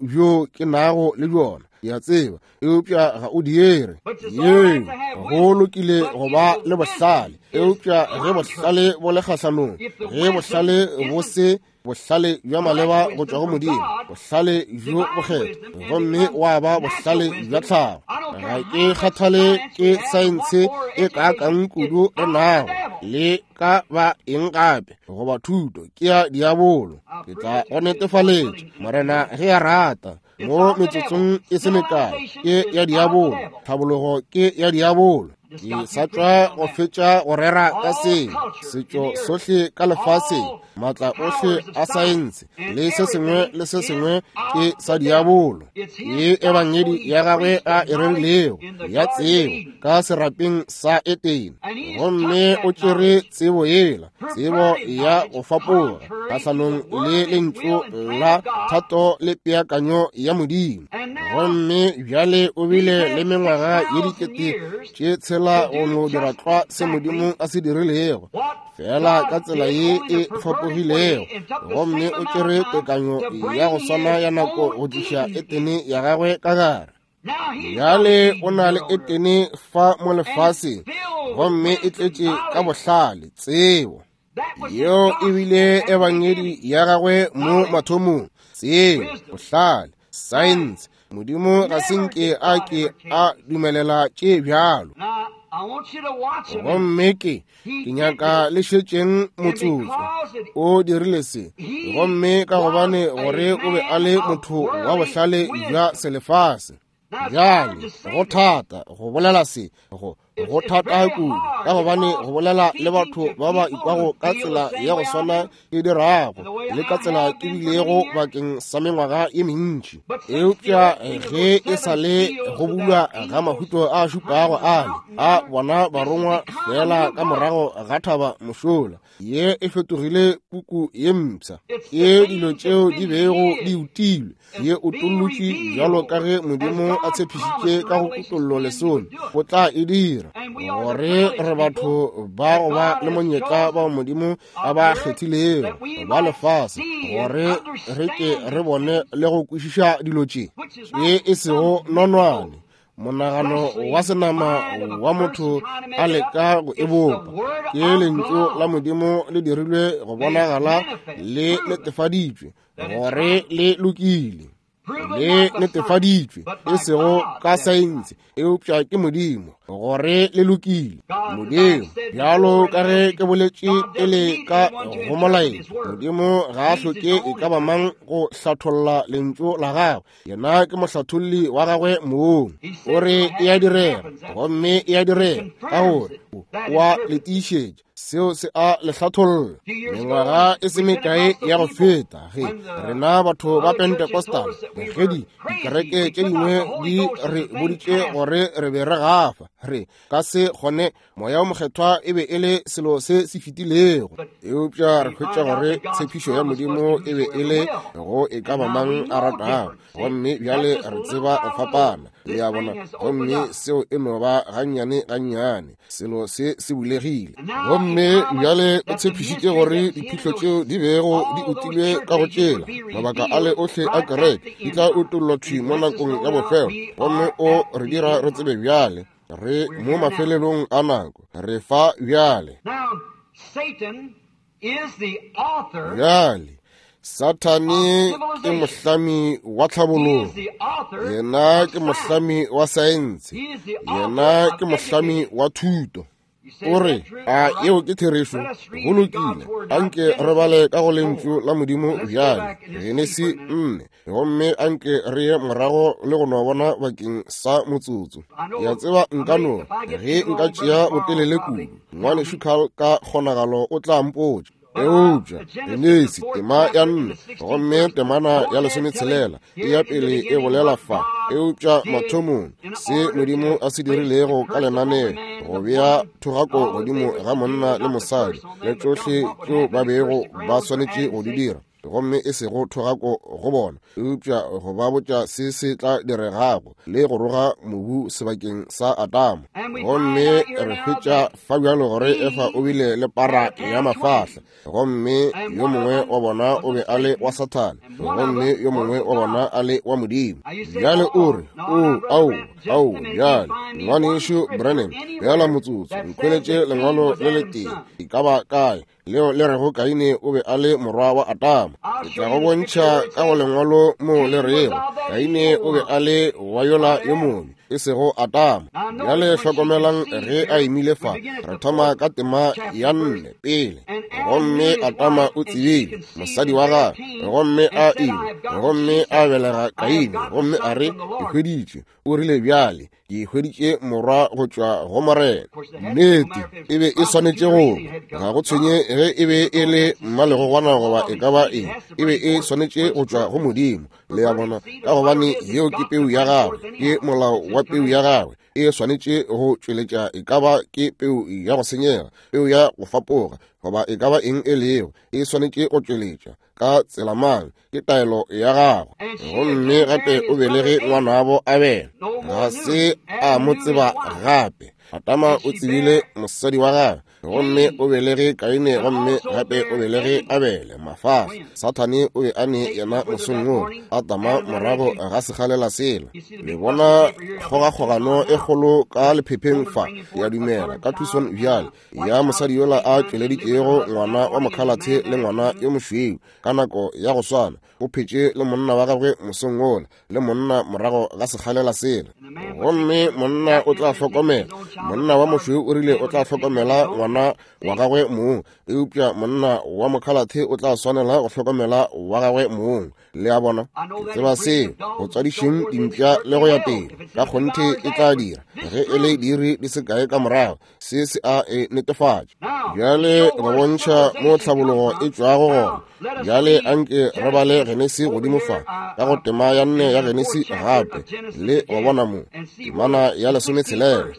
bjo ke nago le bjona, ke a tseba, eupša ga o diere. Yeo, go lokile go ba le bohlale, eupša ge bohlale bo le kgahlanong, ge bohlale bo se bohlale bja maleba go tšwa go Modimo, bohlale bjo bokgethwa, gomme wa ba bohlale bja tlhago. Ga ke kgathale ke saense e kaakang kudu re nago le ka ba eng gape goba thuto, ke ya diabolo. Ke tla go netefaletša, Morena ge a rata, mo metsotsong e se mekae. Ke ya diabolo, tlhabologo ke ya diabolo. Ke sa tšwa go fetša go rera ka se setšo sohle ka lefaseng, maatla ohle a saense le se sengwe le se sengwe ke sa diabolo. Ye ebangedi ya gagwe a e rerilego ya tsebo ka serapeng sa Etene, gomme o tšere tsebo yela, tsebo ya go fapoga kgahlanong le lentšu la thato le peakanyo ya Modimo. Gomme bjale o bile le mengwaga ye 6,000 go no dira tlwa se Modimo a se dirilego, fela ka tsela ye e fapogilego. Gomme o tšere tekanyo ya go swana ya nako go tliša Etene ya gagwe ka gare. Bjale o na le Etene fa mo lefaseng, gomme e tletše ka bohlale, tsebo. Yeo e bile ebangedi ya gagwe mo mathomong, tsebo, bohlale, saense. Modimo ga se nke a ke a dumelela tše bjalo. Gomme ke nyaka le šetšeng motsotso. O dirile se, gomme ka gobane gore o be a le motho wa bohlale bja selefase. Bjale go thata go bolela se, go thata kudu, ka gobane go bolela le batho ba ba ikwago ka tsela ya go swana ke dirago le ka tsela ke bilego bakeng sa mengwaga ye mentši. Eupša ge e sa le go bulwa ga mahuto a šupago ale a bona barongwa fela ka morago ga thaba mošola, ye e fetogile puku ye mpsha. Ke dilo tšeo di bego di utilwe, ye o tollotše bjalo ka ge Modimo a tshepišitše ka go kutollo lesome o tla e dira, gore re batho ba go ba le monyetla bao Modimo a ba kgethilego ba lefase, gore re ke re bone le go kwešiša dilo tše ye e sego nonwane, monagano wa senama wa motho a leka go e bopa. Ke lentšu la Modimo le dirilwe go bonagala le netefaditšwe gore le lokile. Le netefaditšwe, e sego ka saense, eupša ke Modimo, gore le lokile. Modimo, bjalo ka ge ke boletše pele ka go molaetša, Modimo ga a hloke e ka ba mang go hlatholla lentšu la gagwe. Yena ke mohlatholli wa gagwe mong. O re e a direga, gomme e a direga, ka gore o a le tiišetša. Seo se a le hlatholla. Mengwaga e se mekae ya go feta, ge rena batho ba Pentecostal, ge dikereke tše dingwe di re boditše gore re be re gafa, re ka se kgone, Moya o Mokgethwa e be e le selo se se fetilego. Eupša re hwetša gore tshepišo ya Modimo e be e le go e ka ba mang a ratago, gomme bjale re tseba go fapana, le a bona, gomme seo e no ba gannyane gannyane. Selo se se bulegile, gomme bjale o tshepišitše gore diphihlo tšeo di bego di utilwe ka go tšela mabaka ale ohle a kereke di tla utollwa thwi mo nakong ya bofelo, gomme o re dira re tsebe bjale re mo mafelelong a nako, re fa bjale. Bjale Sathane ke mohlami wa tlhabologo, yena ke mohlami wa saense, yena ke mohlami wa thuto. O re, a yeo ke therešo? Go lokile, anke re bale ka go lentšu la Modimo bjale, Genesi 4, gomme anke re ye morago le go no bona bakeng sa motsotso. Ke a tseba nka no, ge nka tšea botelele kudu, Ngwanešu Carl ka kgonagalo o tla mpotša. Eupša Genesi tema ya 4 gomme temana ya 16 e ya pele e bolela fa, eupša mathomong se Modimo a se dirilego ka lenaneo go bea thogako godimo ga monna le mosadi le tšohle tšeo ba bego ba swanetše go di dira, gomme e sego thogako go bona, eupša go ba botša se se tla diregago le go roga mobu sebakeng sa Adama. Gomme re hwetša fa bjalo gore Efa o bile le para ya mafahla, gomme yo mongwe wa bona o be a le wa Sathane, gomme yo mongwe wa bona a le wa Modimo. Bjale o re, o, ao, ao, bjale, Ngwanešu Branham, bjala motsotso, nkhweletše lengwalo le letee, e ka ba kae, leo le rego Kaine o be a le morwa wa Adama. Ke tla go bontšha ka go lengwalo mo le rego Kaine o be a le wa yola yo mobe, e sego Adama. Bjale hlokomelang ge a imile fa, re thoma ka tema ya 4 pele. Gomme Adama o tsebile mosadi wa gagwe, gomme a ima, gomme a belega Kaine, gomme a re, ke hweditše. O rile, bjale ke hweditše morwa go tšwa go Morena. Nnete, e be e swanetše go ba, ga go tshwenye ge e be e le mmalegogwana goba e ka ba eng, e be e swanetše go tšwa go Modimo, le a bona, ka gobane yeo ke peu ya gagwe, ke molao wa peu ya gagwe, e swanetše go tšweletša e ka ba ke peu ya go senyega, peu ya go fapoga, goba e ka ba eng e lego, e swanetše go tšweletša ka tsela mang, ke taelo ya gagwe. Gomme gape o belege ngwanabo Abele, ga se a mo tseba gape. Adama o tsebile mosadi wa gagwe, gomme o belege Kaine, gomme gape o belege Abele. Mafahla Sathane o be a ne yena mosong wo, Adama morago ga sekgalela sela. Le bona kgogakgogano e kgolo ka lephepheng fa, ke a dumela, ka Tucson bjale, ya mosadi yola a tšweleditšego ngwana wa mokhalathe le ngwana yo mošweu ka nako ya go swana. O phetše le monna wa gagwe mosong wola, le monna morago ga sekgalela sela. Gomme monna o tla hlokomela, monna wa mošweu o rile o tla hlokomela ngwana wa gagwe mong, eupša monna wa mokhalathe o tla swanela go hlokomela wa gagwe mong. Le a bona, ke tseba seo, go tswadišeng dimpša le go ya pele, ka kgonthe e tla dira, ge e le diiri di se kae ka morago, se se a e netefatša. Bjale go bontšha mo tlhabologo e tšwago gona. Bjale anke re bale Genesi godimo fa, ka go tema ya 4 ya Genesi gape, le go bona mo, temana ya 16.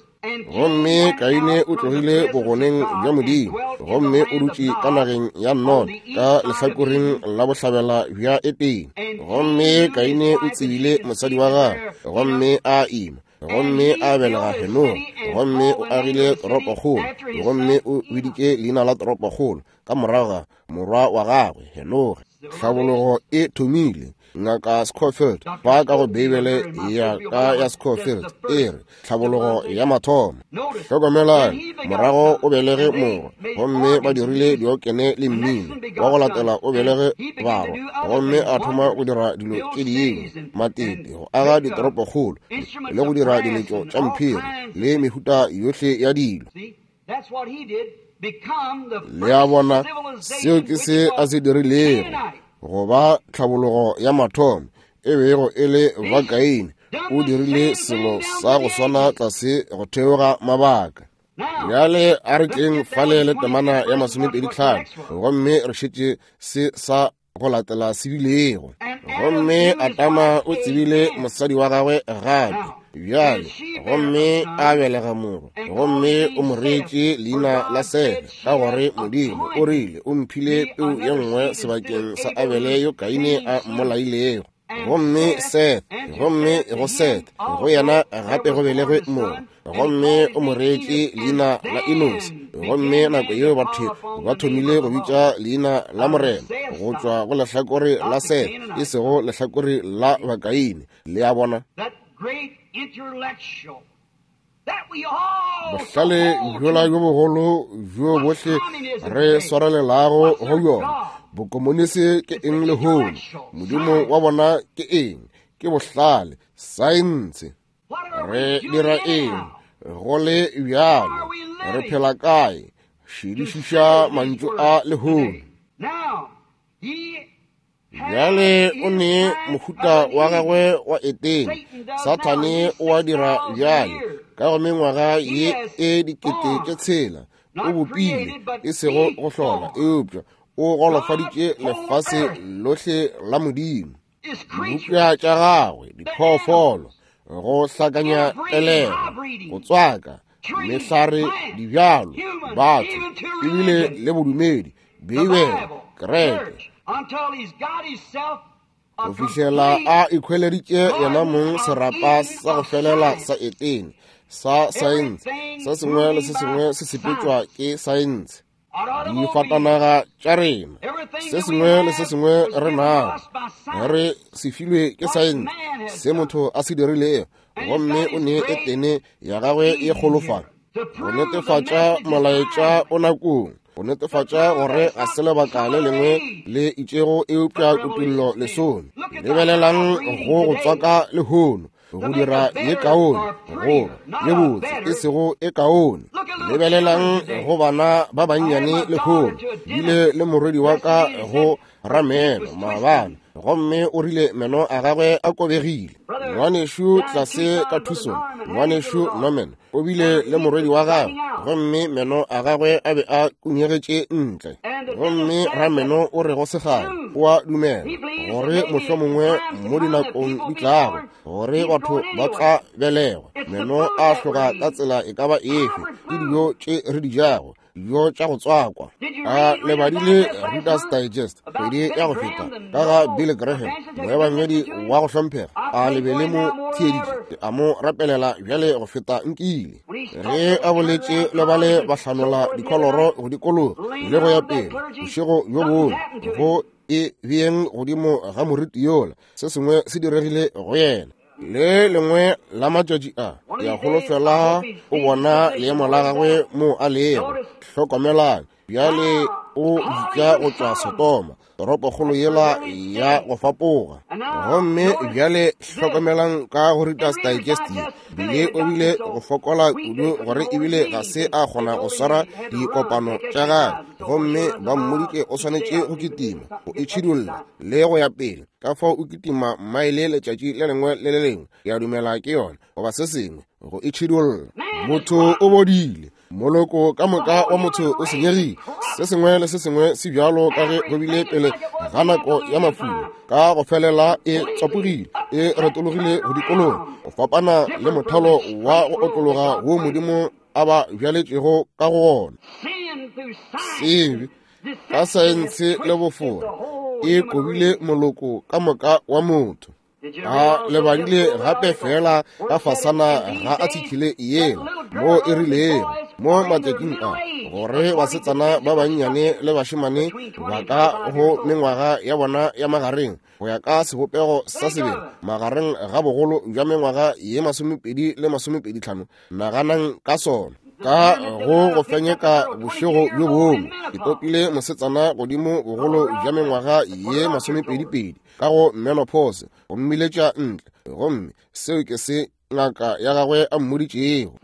Gomme Kaine o tlogile bogoneng bja Modimo, gomme o dutše ka nageng ya Nod, ka lehlakoreng la bohlabela bja Edene. Gomme Kaine o tsebile mosadi wa gagwe, gomme a ima, gomme a belega Henoge, gomme o agile toropokgolo, gomme o biditše leina la toropokgolo ka morago ga morwa wa gagwe Henoge. Tlhabologo e thomile. Ngaka Scofield ba ka go Beibele ya ka ya Scofield e re tlhabologo ya mathomo. Hlokomelang, morago o belege morwa, gomme ba dirile diokene le mmino. Wa go latela o belege barwa, gomme a thoma go dira dilo tše dingwe, matete, go aga ditoropokgolo le go dira diletšo tša mphiri le mehuta yohle ya dilo. Le a bona, seo ke se a se dirilego, go ba tlhabologo ya mathomo e bego e le Bakaine. O dirile selo sa go swana tlase go theoga mabaka. Bjale a re tleng fale le temana ya 25, gomme re šetše se sa go latela se bilego. Gomme Adama o tsebile mosadi wa gagwe gape bjale, gomme a belega morwa, gomme o mo reetše leina la Sethe, ka gore Modimo o rile o mphile peu ye nngwe sebakeng sa Abele yo Kaine a mmolailego. Gomme Seth, gomme go Seth, go yena gape go belegwe morwa, gomme o mo reetše leina la Enos. Gomme nako yeo batho ba thomile go bitša leina la Morena go tšwa go lehlakore la Seth, e sego lehlakore la Bakaine. Le a bona? Bohlale bjola bjo bogolo bjo bohle re swarelelago go bjona, bokomonisi ke eng lehono? Modimo wa bona ke eng? Ke bohlale, saense. Re dira eng go le bjalo? Re phela kae? Šedišiša mantšu a lehono. Bjale o ne mohuta wa gagwe wa Etene. Sathane o a dira bjale ka go mengwaga ye e 6,000. O bopile, e sego go hlola, eupša o golofaditše lefase lohle la Modimo. Dibopša tša gagwe, diphoofolo, go hlakanya pelego, go tswaka mehlare, dibjalo, batho, ebile le bodumedi, Beibele, kereke, go fihlela a ikhweleditše yena mong serapa sa go felela sa Etene sa saense. Se sengwe le se sengwe se sepetšwa ke saense. Difatanaga tša rena, se sengwe le se sengwe re nago, re se filwe ke saense, se motho a se dirilego. Gomme o ne Etene ya gagwe e kgolofala go netefatša molaetša o nakong, go netefatša gore ga se lebaka le lengwe le itšego eupša kutullo lesome. Lebelelang go go tswaka lehono, go dira ye kaone goba ye botse, e sego e kaone. Lebelelang go bana ba bannyane lehono. Bile le morwedi wa ka go rameno maabane, gomme o rile meno a gagwe a kobegile. Ngwanešu tlase ka Tucson, ngwanešu Norman, o bile le morwedi wa gagwe, gomme meno a gagwe a be a kunyegetše ntle. Gomme rameno o re go segale o a dumela gore mohlomongwe mo dinakong di tlago gore batho ba tla belegwa meno a hloga ka tsela e ka ba efe ke dijo tše re di jago, dijo tša go tswakwa. A le badile Reader's Digest kgwedi ya go feta ka ga Billy Graham, moebangedi wa go hlomphega? A le be le mo theeditše? A mo rapelela bjale go feta nkile. Ge a boletše le bale ba hlanola dikholoro go dikologa le go ya pele, bošego bjo bongwe go e beeng godimo ga moriti yola, se sengwe se diregile go yena. Le lengwe la matšatši a ya holofela o bona leemo la gagwe mo a lego. Hlokomelang bjale, o bitša go tšwa Sodoma, toropokgolo yela ya go fapoga. Gomme bjale hlokomelang ka go Reader's Digest ye, bile o bile go fokola kudu gore ebile ga se a kgona go swara dikopano tša gagwe, gomme ba mmoditše o swanetše go kitima, go itšhidulla le go ya pele. Ka fao o kitima maele letšatši le lengwe le le lengwe, ke a dumela ke yona, goba se sengwe, go itšhidulla. Motho o bodile, moloko ka moka wa motho o senyegile. Se sengwe le se sengwe se bjalo ka ge go bile pele ga nako ya mafula, ka go felela e tswapogile, e retologile go dikologa, go fapana le mothalo wa go otlologa wo Modimo a ba bjaletšego ka go ona. Sebe ka saense le bofora e kobile moloko ka moka wa motho. A le badile gape fela ka fasana ga a tshikile yela mo e rilego Mo matšatšing a, gore basetsana ba bannyane le bašemane ba ka go mengwaga ya bona ya magareng, go ya ka sebopego sa sebele, magareng ga bogolo bja mengwaga ye 25 le 25. Naganang ka sona. Ka go go fenyeka bošego bjo bongwe, ke topile mosetsana godimo bogolo bja mengwaga ye 22 ka go menopause, go mmiletša ntle, gomme seo ke se ngaka ya gagwe a mmoditšego.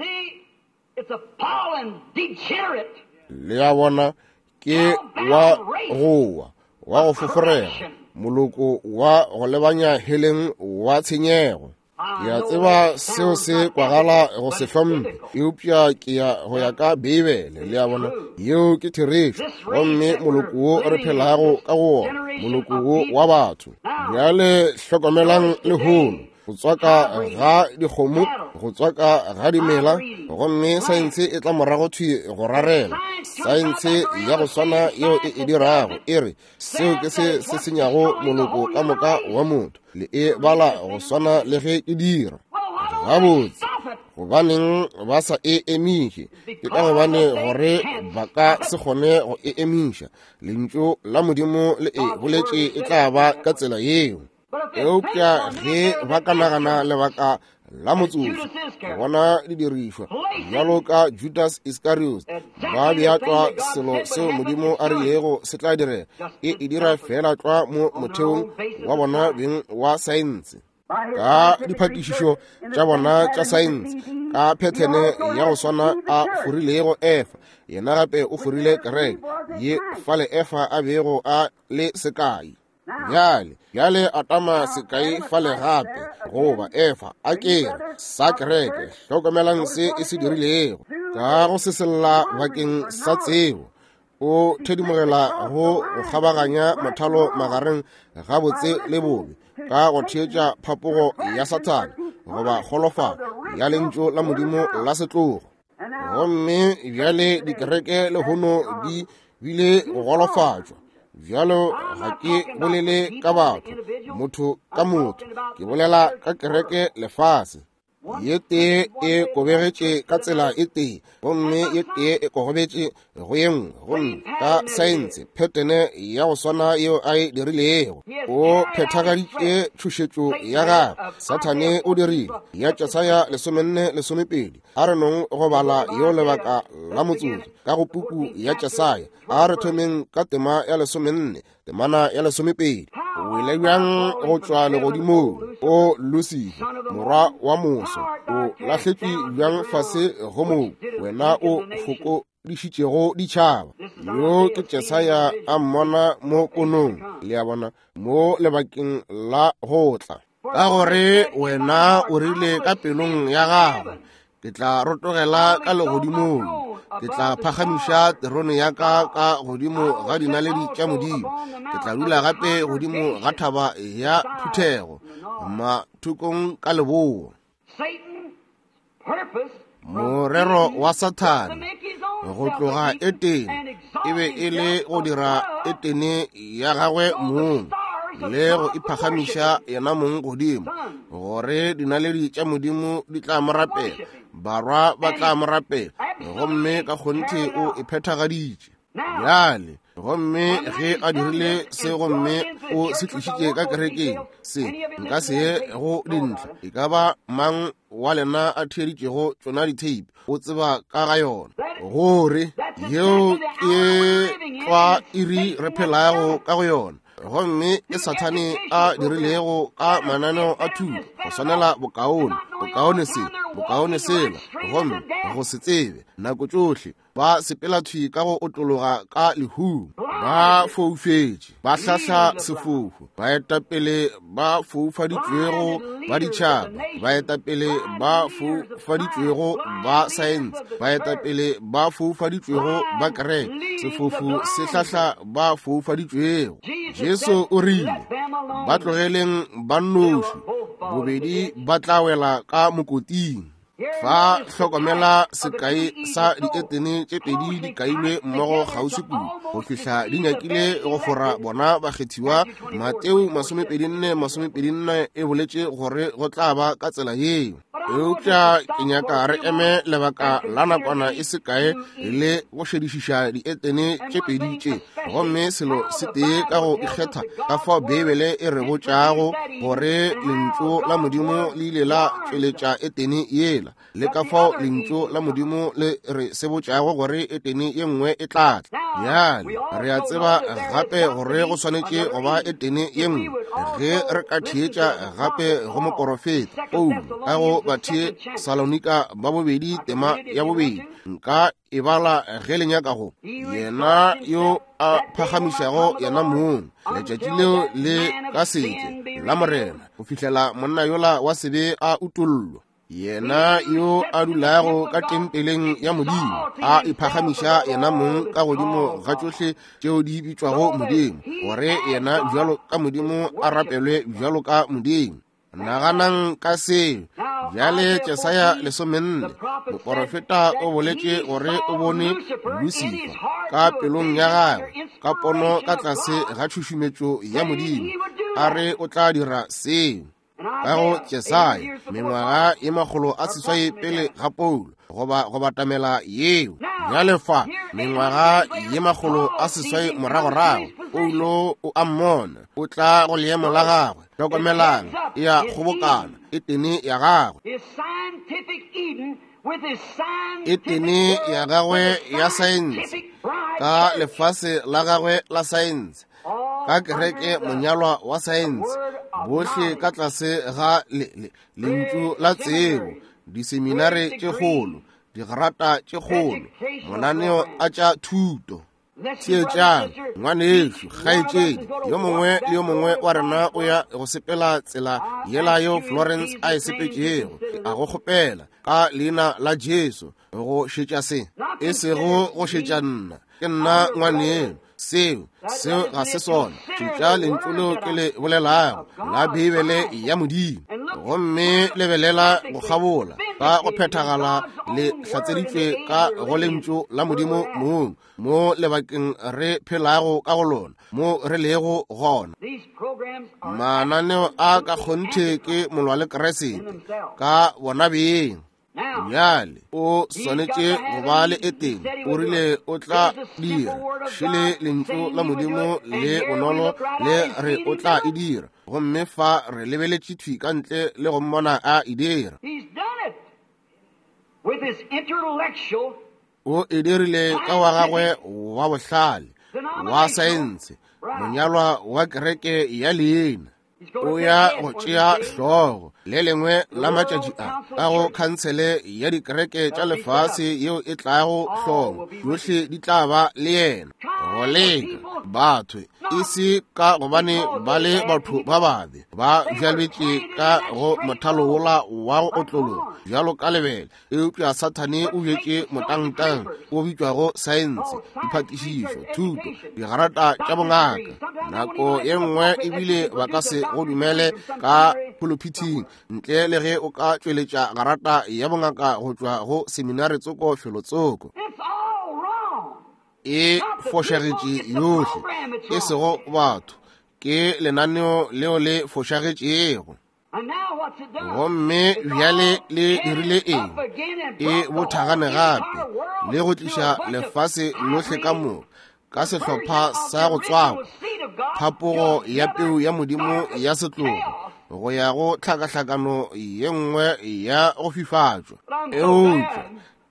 Le a bona, ke wa go wa, wa go foforega, moloko wa go lebanya heleng wa tshenyego. Ke a tseba seo se kwagala go se hlomphe, eupša ke ya go ya ka Beibele. Le a bona, yeo ke therešo. Gomme moloko wo re phelago ka go wona, moloko wo wa batho. Bjale hlokomelang lehono, go tswaka ga dikgomo, go tswaka ga dimela, gomme saense e tla morago thwi go rarela. Saense ya go swana yeo e e dirago, e re seo ke se se senyago moloko ka moka wa motho. Le e bala go swana le ge ke dira. Gabotse, gobaneng ba sa e emiše? Ke ka gobane gore ba ka se kgone go e emiša. Lentšu la Modimo le e boletše e tla ba ka tsela yeo. Eupša ge ba ka nagana lebaka la motsotso, go bona didirišwa bjalo ka Judas Iscariot, ba bea tlwa selo seo Modimo a rilego se tla direga, e e dira fela tlwa mo motheong wa bona beng wa saense, ka diphatišišo tša bona tša saense, ka phethene ya go swana a forilego Efa, yena gape o forile kereke ye fale Efa a bego a le sekai. Bjale, bjale Adama sekai fale gape, goba Efa, a ke re, sa kereke. Hlokomelang se e se dirilego. Ka go sesella bakeng sa tsebo, o thedimogela go go kgabaganya mothalo magareng ga botse le bobe, ka go theetša phapogo ya Sathane goba kgolofalo ya lentšu la Modimo la setlogo. Gomme bjale dikereke lehono di bile go golofatšwa. Bjalo ga ke bolele ka batho, motho ka motho, ke bolela ka kereke lefase. Ye tee e kobegetše ka tsela e tee, gomme ye tee e kogobetše go ye nngwe, gomme ka saense phethene ya go swana yeo a e dirilego, o phethagaditše tšhošetšo ya gagwe. Sathane o dirile ya Jesaya 44:12. A re nong go bala yeo lebaka la motsotso ka go puku ya Jesaya. A re thomeng ka tema ya 14, temana ya 12. O wele bjang go tšwa legodimong, o Lusifa, morwa wa moso, o lahletšwe bjang fase go moo, wena o fokodišitšego ditšhaba. Yo ke Jesaya a mmona mo ponong, le a bona, mo lebakeng la go tla. Ka gore wena o rile ka pelong ya gago, ke tla rotogela ka legodimong, ke tla phagamiša terone ya ka ka godimo ga dinaledi tša Modimo, ke tla dula gape godimo ga thaba ya phuthego mathokong ka leboa. Morero wa Sathane go tloga Etene e be e le go dira Etene ya gagwe mong le go iphagamiša yena mong godimo, gore dinaledi tša Modimo di tla mo rapela, barwa ba tla mo rapela, gomme ka kgonthe o e phethagaditše. Bjale, gomme ge a dirile se gomme o se tlišitše ka kerekeng, se nka se ye go dintlha, e ka ba mang wa lena a theeditšego tšona ditheipi o tseba ka ga yona, gore yeo ke tlwa iri re phelago ka go yona. Gomme ke Sathane a dirilego ka mananeo a thuto, go swanela bokaone, bokaone se, bokaone sela, gomme go se tsebe nako tšohle ba sepela thwi ka go otlologa ka lehung, ba foufetše, ba hlahla sefofu, baetapele ba foufaditšwego ba ditšhaba, baetapele ba foufaditšwego ba saense, baetapele ba foufaditšwego ba kereke. Sefofu se hlahla ba foufaditšwego. Jesu o rile, ba tlogeleng ba nnoši, bobedi ba tla wela ka mokoting. Fa hlokomela sekai sa dietene tše pedi di kailwe mmogo kgauswi kudu go fihla di nyakile go fora bona bakgethiwa. Mateo 24:24 e boletše gore go tla ba ka tsela yeo. Eupša ke nyaka re eme lebaka la nakwana e se kae le go šedišiša dietene tše pedi tše, gomme selo se tee ka go ikgetha ka fao Beibele e re botšago gore lentšu la Modimo le ile la tšweletša etene yela, le ka fao lentšu la Modimo le re se botšago gore etene ye nngwe e tla tla. Bjale re a tseba gape gore go swanetše go ba etene ye nngwe ge re ka theetša gape go moporofeta Paulo ka go Bathesalonika ba bobedi tema ya bobedi. Nka e bala ge le nyaka go. Yena yo a phagamišago yena mong, letšatši leo le ka se tle la Morena go fihlela monna yola wa sebe a utollwa. Yena yo a dulago ka tempeleng ya Modimo, a iphagamiša yena mong ka godimo ga tšohle tšeo di bitšwago Modimo, gore yena bjalo ka Modimo a rapelwe bjalo ka Modimo. Naganang ka seo. Bjale Jesaya 14, moporofeta o boletše gore o bone Lusifa ka pelong ya gagwe, ka pono ka tlase ga tšhušumetšo ya Modimo, a re o tla dira seo. Ka go Jesaya, mengwaga ye 800 pele ga Paulo, goba go batamela yeo. Bjale fa, mengwaga ye 800 moragorago, Paulo o a mmona, o tla go leemo la gagwe. Hlokomelang, e a kgobokana, etene ya gagwe. Etene ya gagwe ya saense, ka lefase la gagwe la saense, ka kereke monyalwa wa saense, bohle ka tlase ga lentšu la tsebo, diseminare tše kgolo, digrata tše kgolo, mananeo a tša thuto. Theetšang, ngwanešu, kgaetšedi, yo mongwe le yo mongwe wa rena o ya go sepela tsela yela yeo Florence a e sepetšego. A go kgopela ka leina la Jesu go šetša se, e sego go šetša nna. Ke nna ngwaneno. Seo ga se sona. Šetša lentšu leo ke le bolelago la Beibele ya Modimo, gomme lebelela go kgabola ka go phethagala le hlatseditšwe ka go lentšu la Modimo mong mo lebakeng re phelago ka go lona, mo re lego gona. Mananeo a ka kgonthe ke molwa le Kriste ka bona beng. Bjale o swanetše go ba le etene. O rile o tla dira. Šele lentšu la Modimo le bonolo le re o tla e dira, gomme fa re lebeletše thwi ka ntle le go mmona a e dira. O e dirile ka wa gagwe wa bohlale, wa saense, monyalwa wa kereke ya leina. O ya go tšea hlogo le lengwe la matšatši a ka go khansele ya dikereke tša lefase yeo e tlago hlogo, tšohle di tla ba le yena. Go leka batho e se ka gobane ba le batho ba babe, ba bjalwetše ka go mothalo wola wa go otlologa bjalo ka lebele, eupša Sathane o bjetše motangtang o bitšwago saense, diphatišišo, thuto, digarata tša bongaka. Nako ye nngwe ebile ba ka se go dumele ka pulpithing ntle le ge o ka tšweletša garata ya bongaka go tšwa go seminare tsoko felotsoko. E fošagetše yohle, e sego batho, ke lenaneo leo le fošagetšego. Gomme bjale le dirile eng? E bothagane gape le go tliša lefase lohle ka moka ka sehlopha sa go tswakwa, phapogo ya peu ya Modimo ya setlogo go ya go tlhakahlakano ye nngwe ya go fifatšwa. Eupša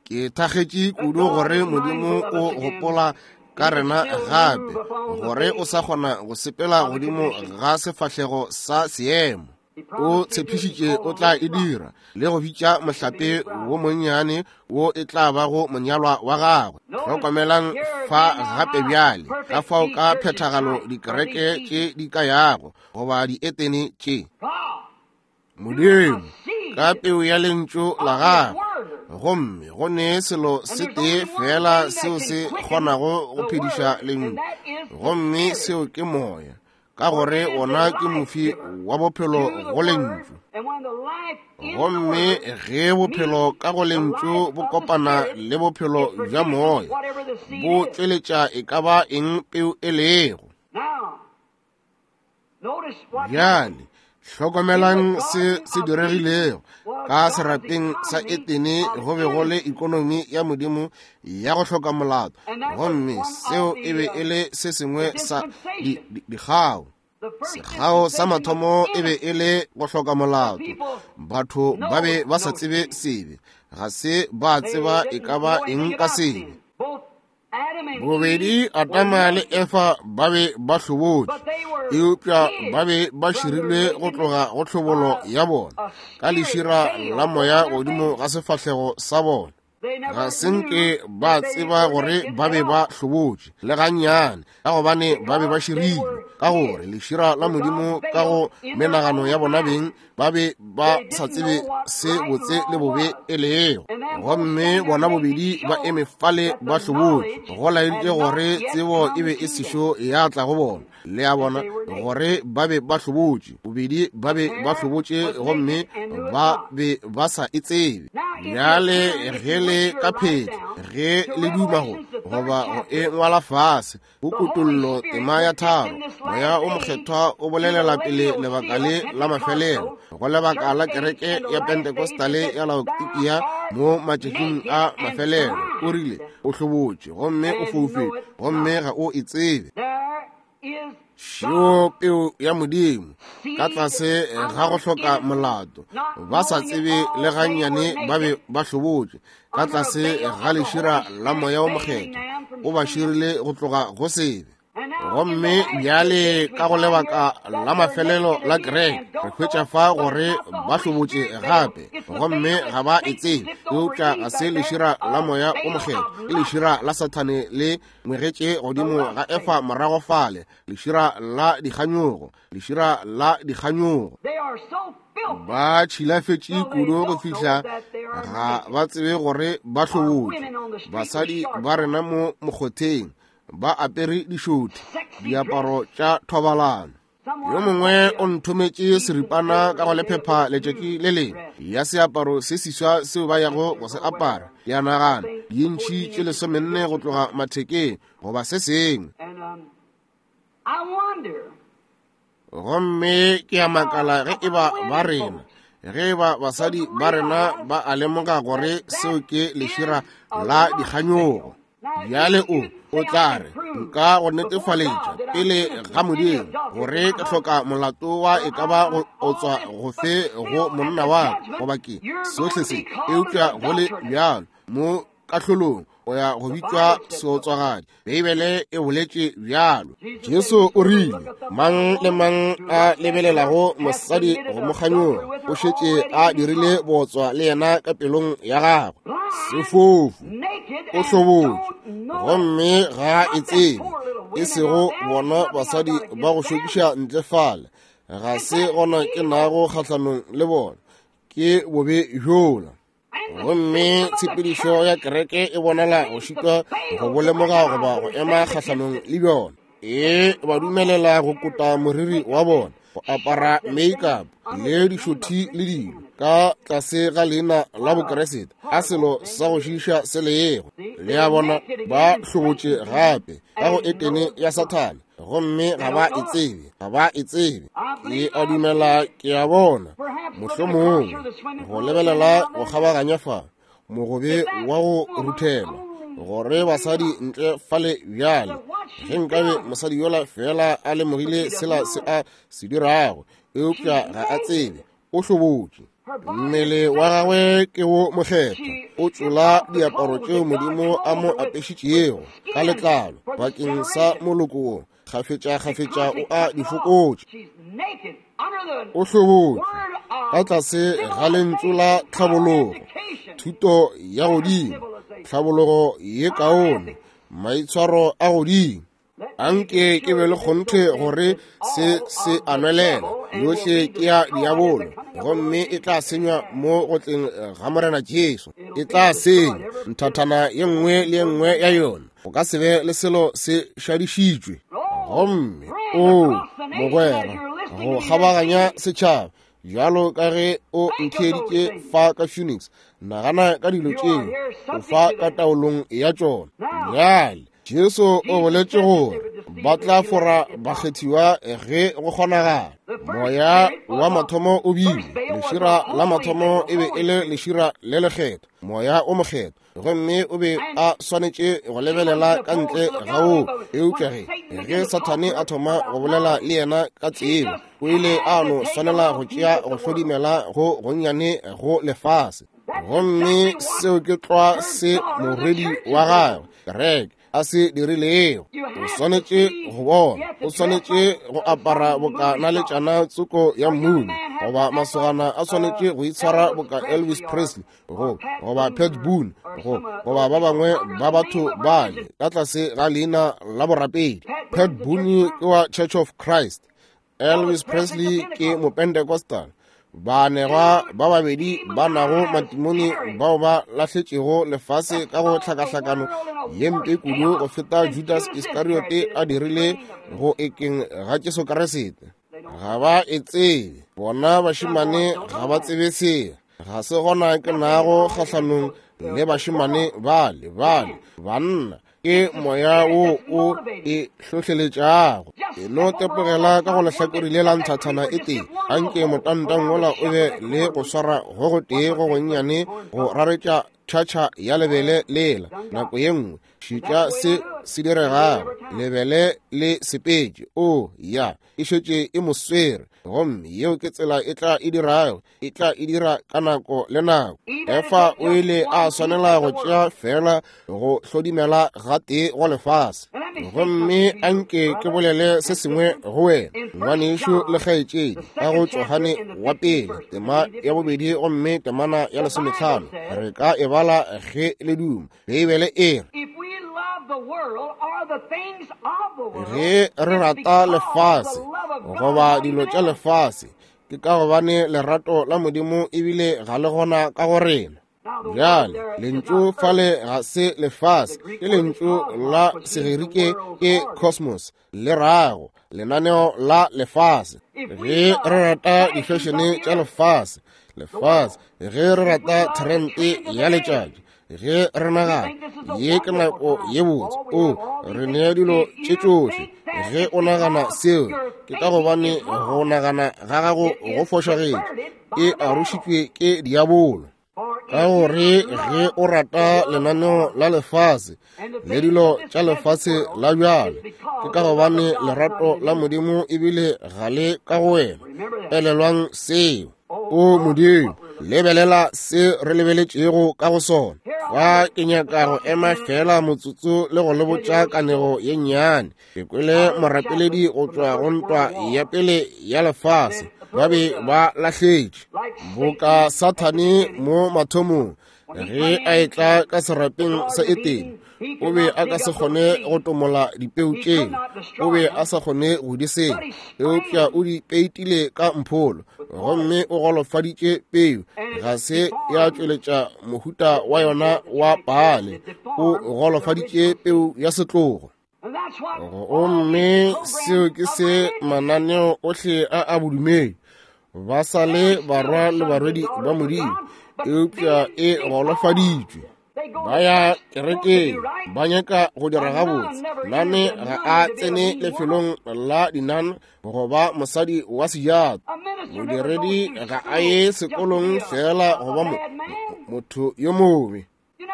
ke thakgetše kudu gore Modimo o gopola ka rena gape, gore o sa kgona go sepela godimo ga sefahlego sa seemo. O tshepišitše o tla e dira, le go bitša mohlape wo monnyane wo e tla bago monyalwa wa gagwe. Hlokomelang fa gape bjale ka fao ka phethagalo dikereke tše di ka yago goba dietene tše. Modimo ka peu ya lentšu la gagwe, gomme go ne selo se tee fela seo se kgonago go phediša lentšu, gomme seo ke moya. ka gore wona ke mofi wa bophelo go lentšu. Gomme ge bophelo ka go lentšu bo kopana le bophelo bja moya, bo tšweletša e ka ba eng peu e lego. Bjale hlokomelang se se diregilego ka serapeng sa Etene. Go be go le ikonomi ya Modimo ya go hloka molato, gomme seo e be e le se sengwe sa dikgao. Sekgao sa mathomo e be e le go hloka molato. Batho ba be ba sa tsebe sebe, ga se ba tseba e ka ba eng ka sebe. Bobedi Adama le Efa ba be ba hlobotše, eupša ba be ba širilwe go tloga go tlhobolo ya bona ka lešira la moya godimo ga sefahlego sa bona. Ga se nke ba tseba gore ba be ba hlobotše le gannyane, ka gobane ba be ba širilwe, ka gore lešira la Modimo ka go menagano ya bona beng ba be ba sa tsebe se botse le bobe e lego. Gomme bona bobedi ba eme fale ba hlobotše, go laeditše gore tsebo e be e sešo ya tla go bona. Le a bona gore ba be ba hlobotše, bobedi ba be ba hlobotše, gomme ba be ba sa e tsebe. Bjale ge le ka phetla, ge le duma go goba go e ngwala fase, go Kutollo tema ya 3, Moya o Mokgethwa o bolelela pele lebaka le la mafelelo, go lebaka la kereke ya Pentecostale ya Laodikia mo matšatšing a mafelelo. O rile, o hlobotše gomme o foufetše, gomme ga o e tsebe. Šeo peu ya Modimo ka tlase ga go hloka molato, ba sa tsebe le gannyane ba be ba hlobotše ka tlase ga lešira la Moya o Mokgethwa, o ba širile go tloga go sebe. Gomme bjale ka go lebaka la mafelelo la kereke, re hwetša fa gore ba hlobotše gape, gomme ga ba e tsebe. Eupša ga se lešira la Moya o Mokgethwa, ke lešira la Sathane le ngwegetše godimo ga Efa morago fale, lešira la dikganyogo, lešira la dikganyogo. Ba tšhilafetše kudu go fihla ga ba tsebe gore ba hlobotše. Basadi ba rena mo mokgotheng ba apere dišothi, diaparo tša thobalano. Yo mongwe o nthometše seripana ka go lephepha letšatši le lengwe ya seaparo se seswa seo ba yago go se apara. Ke a nagana dintšhi tše 14 go tloga mathekeng goba se sengwe. Gomme ke a makala ge e ba ba rena, ge e ba basadi ba rena ba a lemoga gore seo ke lešira la dikganyogo. Bjale o tla re, nka go netefaletša pele ga Modimo gore ke hloka molato wa e ka ba go otswa go fe go monna wa ka, goba ke sohle se, eupša go le bjalo mo kahlolong o ya go bitšwa seotswagadi. Beibele e boletše bjalo. Jesu o rile, mang le mang a lebelelago mosadi go mo kganyoga o šetše a dirile bootswa le yena ka pelong ya gagwe. Sefofu, o hlobotše, gomme ga e tsebe, e sego bona basadi ba go šokiša ntle fale, ga se gona ke nago kgahlanong le bona, ke bobe bjola. Gomme tshepedišo ya kereke e bonala go šitwa go bo lemoga goba go ema kgahlanong le bjona. E ba dumelela go kota moriri wa bona, go apara make-up le dišothi le dilo ka tlase ga leina la Bokeresete, a selo sa go šiiša se lego. Le a bona, ba hlobotše gape ka go Etene ya Sathane, gomme ga ba e tsebe, ga ba e tsebe. Ke a dumela ke a bona, mohlomongwe go lebelela go kgabaganya fa mogobe wa go ruthelwa, gore basadi ntle fale bjale, ge nkabe mosadi yola fela a lemogile sela se a se dirago, eupša ga a tsebe, o hlobotše. Mmele wa gagwe ke wo mokgethwa, o tšola diaparo tšeo Modimo a mo apešitšego ka letlalo bakeng sa moloko wo, kgafetša-kgafetša o a di fokotša. O hlobotše ka tlase ga lentšu la tlhabologo, thuto ya godimo, tlhabologo ye kaone, maitshwaro a godimo. Anke ke be le kgonthe gore se se a nwelela, yohle ke ya diabolo, gomme e tla senywa mo go tleng ga Morena Jesu. E tla senywa nthathana ye nngwe le ye nngwe ya yona, go ka se be le selo se šadišitšwe. Gomme o mogwera go kgabaganya setšhaba bjalo ka ge o ntheeditše fa ka Phoenix, nagana ka dilo tšeo o fa ka taolong ya tšona. Bjale Jesu o boletše gore ba tla fora bakgethiwa ge go kgonagala. Moya wa mathomo o bile lešira la mathomo, e be e le lešira le lekgetho, moya o mokgetho, gomme o be a swanetše go lebelela ka ntle ga woo. Eupša ge Sathane a thoma go bolela le yena ka tsebo, o ile a no swanela go tšea go hlodimela go gonnyane go lefase. Gomme seo ke tlwa se morwedi wa gagwe kereke a se dirilego. O swanetše go bona, o swanetše go apara boka naletšana tsoko ya mmuni, goba masogana a swanetše go itshwara boka Elvis Presley, goba Pat Boone, goba ba bangwe ba batho bale ka tlase ga leina la borapedi. Pat Boone ke wa Church of Christ, Elvis Presley ke Mopentecostal. Baanegwa ba babedi ba nago matimone bao ba lahletšego lefase ka go hlakahlakano ye mpe kudu go feta Judas Iskariote a dirile go ekeng ga Jesu Kriste. Ga ba e tsebe, bona bašemane ga ba tsebe seo. Ga se gona ke nago kgahlanong le bašemane bale bale banna, ke moya wo o e hlohleletšago. E no tepogela ka go lehlakore le la nthathana e tee, anke motantang wola o be le go swara go gotee go gonnyane go raretša tšhatšha ya lebele lela nako ye nngwe. Šetša se se diregago, lebele le sepetše. O ya, e šetše e mo swere, gomme yeo ke tsela e tla e dirago, e tla e dira ka nako le nako. Efa o ile a swanela go tšea fela go hlodimela gatee go lefase. Gomme anke ke bolele se sengwe go wena, ngwanešu le kgaetšedi, ka go Johane wa pele tema ya 2 gomme temana ya 15. Re ka e bala ge le duma. Beibele e re, ge re rata lefase goba dilo tša lefase, ke ka gobane lerato la Modimo ebile ga le gona ka go rena. Bjale lentšu fale ga se lefase, ke lentšu la Segerike ke cosmos, le rago lenaneo la lefase. Ge re rata difešene tša lefase, ge re rata trende ya letšatši, ge re nagana ye ke nako ye botse, o re nea dilo tše tšohle. Ge o nagana seo, ke ka gobane go nagana ga gago go fošagetše, e arošitšwe ke diabolo. Ka gore ge o rata lenaneo la lefase le dilo tša lefase la bjale, ke ka gobane lerato la Modimo ebile ga le ka go wena. Elelwang seo. O Modimo, lebelela se re lebeletšego ka go sona. Fa ke nyaka go ema fela motsotso le go le botša kanego ye nnyane. Ke kwele morapeledi go tšwa go ntwa ya pele ya lefase. Ba be ba lahletše boka Sathane mo mathomong. Ge a etla ka serapeng sa Etene, o be a ka se kgone go tomola dipeu tšeo, o be a sa kgone go di senya, eupša o di peitile ka mpholo, gomme o golofaditše peu, ga se ya tšweletša mohuta wa yona wa paale, o golofaditše peu ya setlogo. Gomme seo ke se mananeo ohle a a bodumedi, ba sa le barwa le barwedi ba Modimo, eupša e golofaditšwe. Ba ya kerekeng, ba nyaka go dira gabotse. Nane ga a tsene lefelong la dinan goba mosadi wa sejato. Modiredi ga a ye sekolong fela goba motho yo mobe.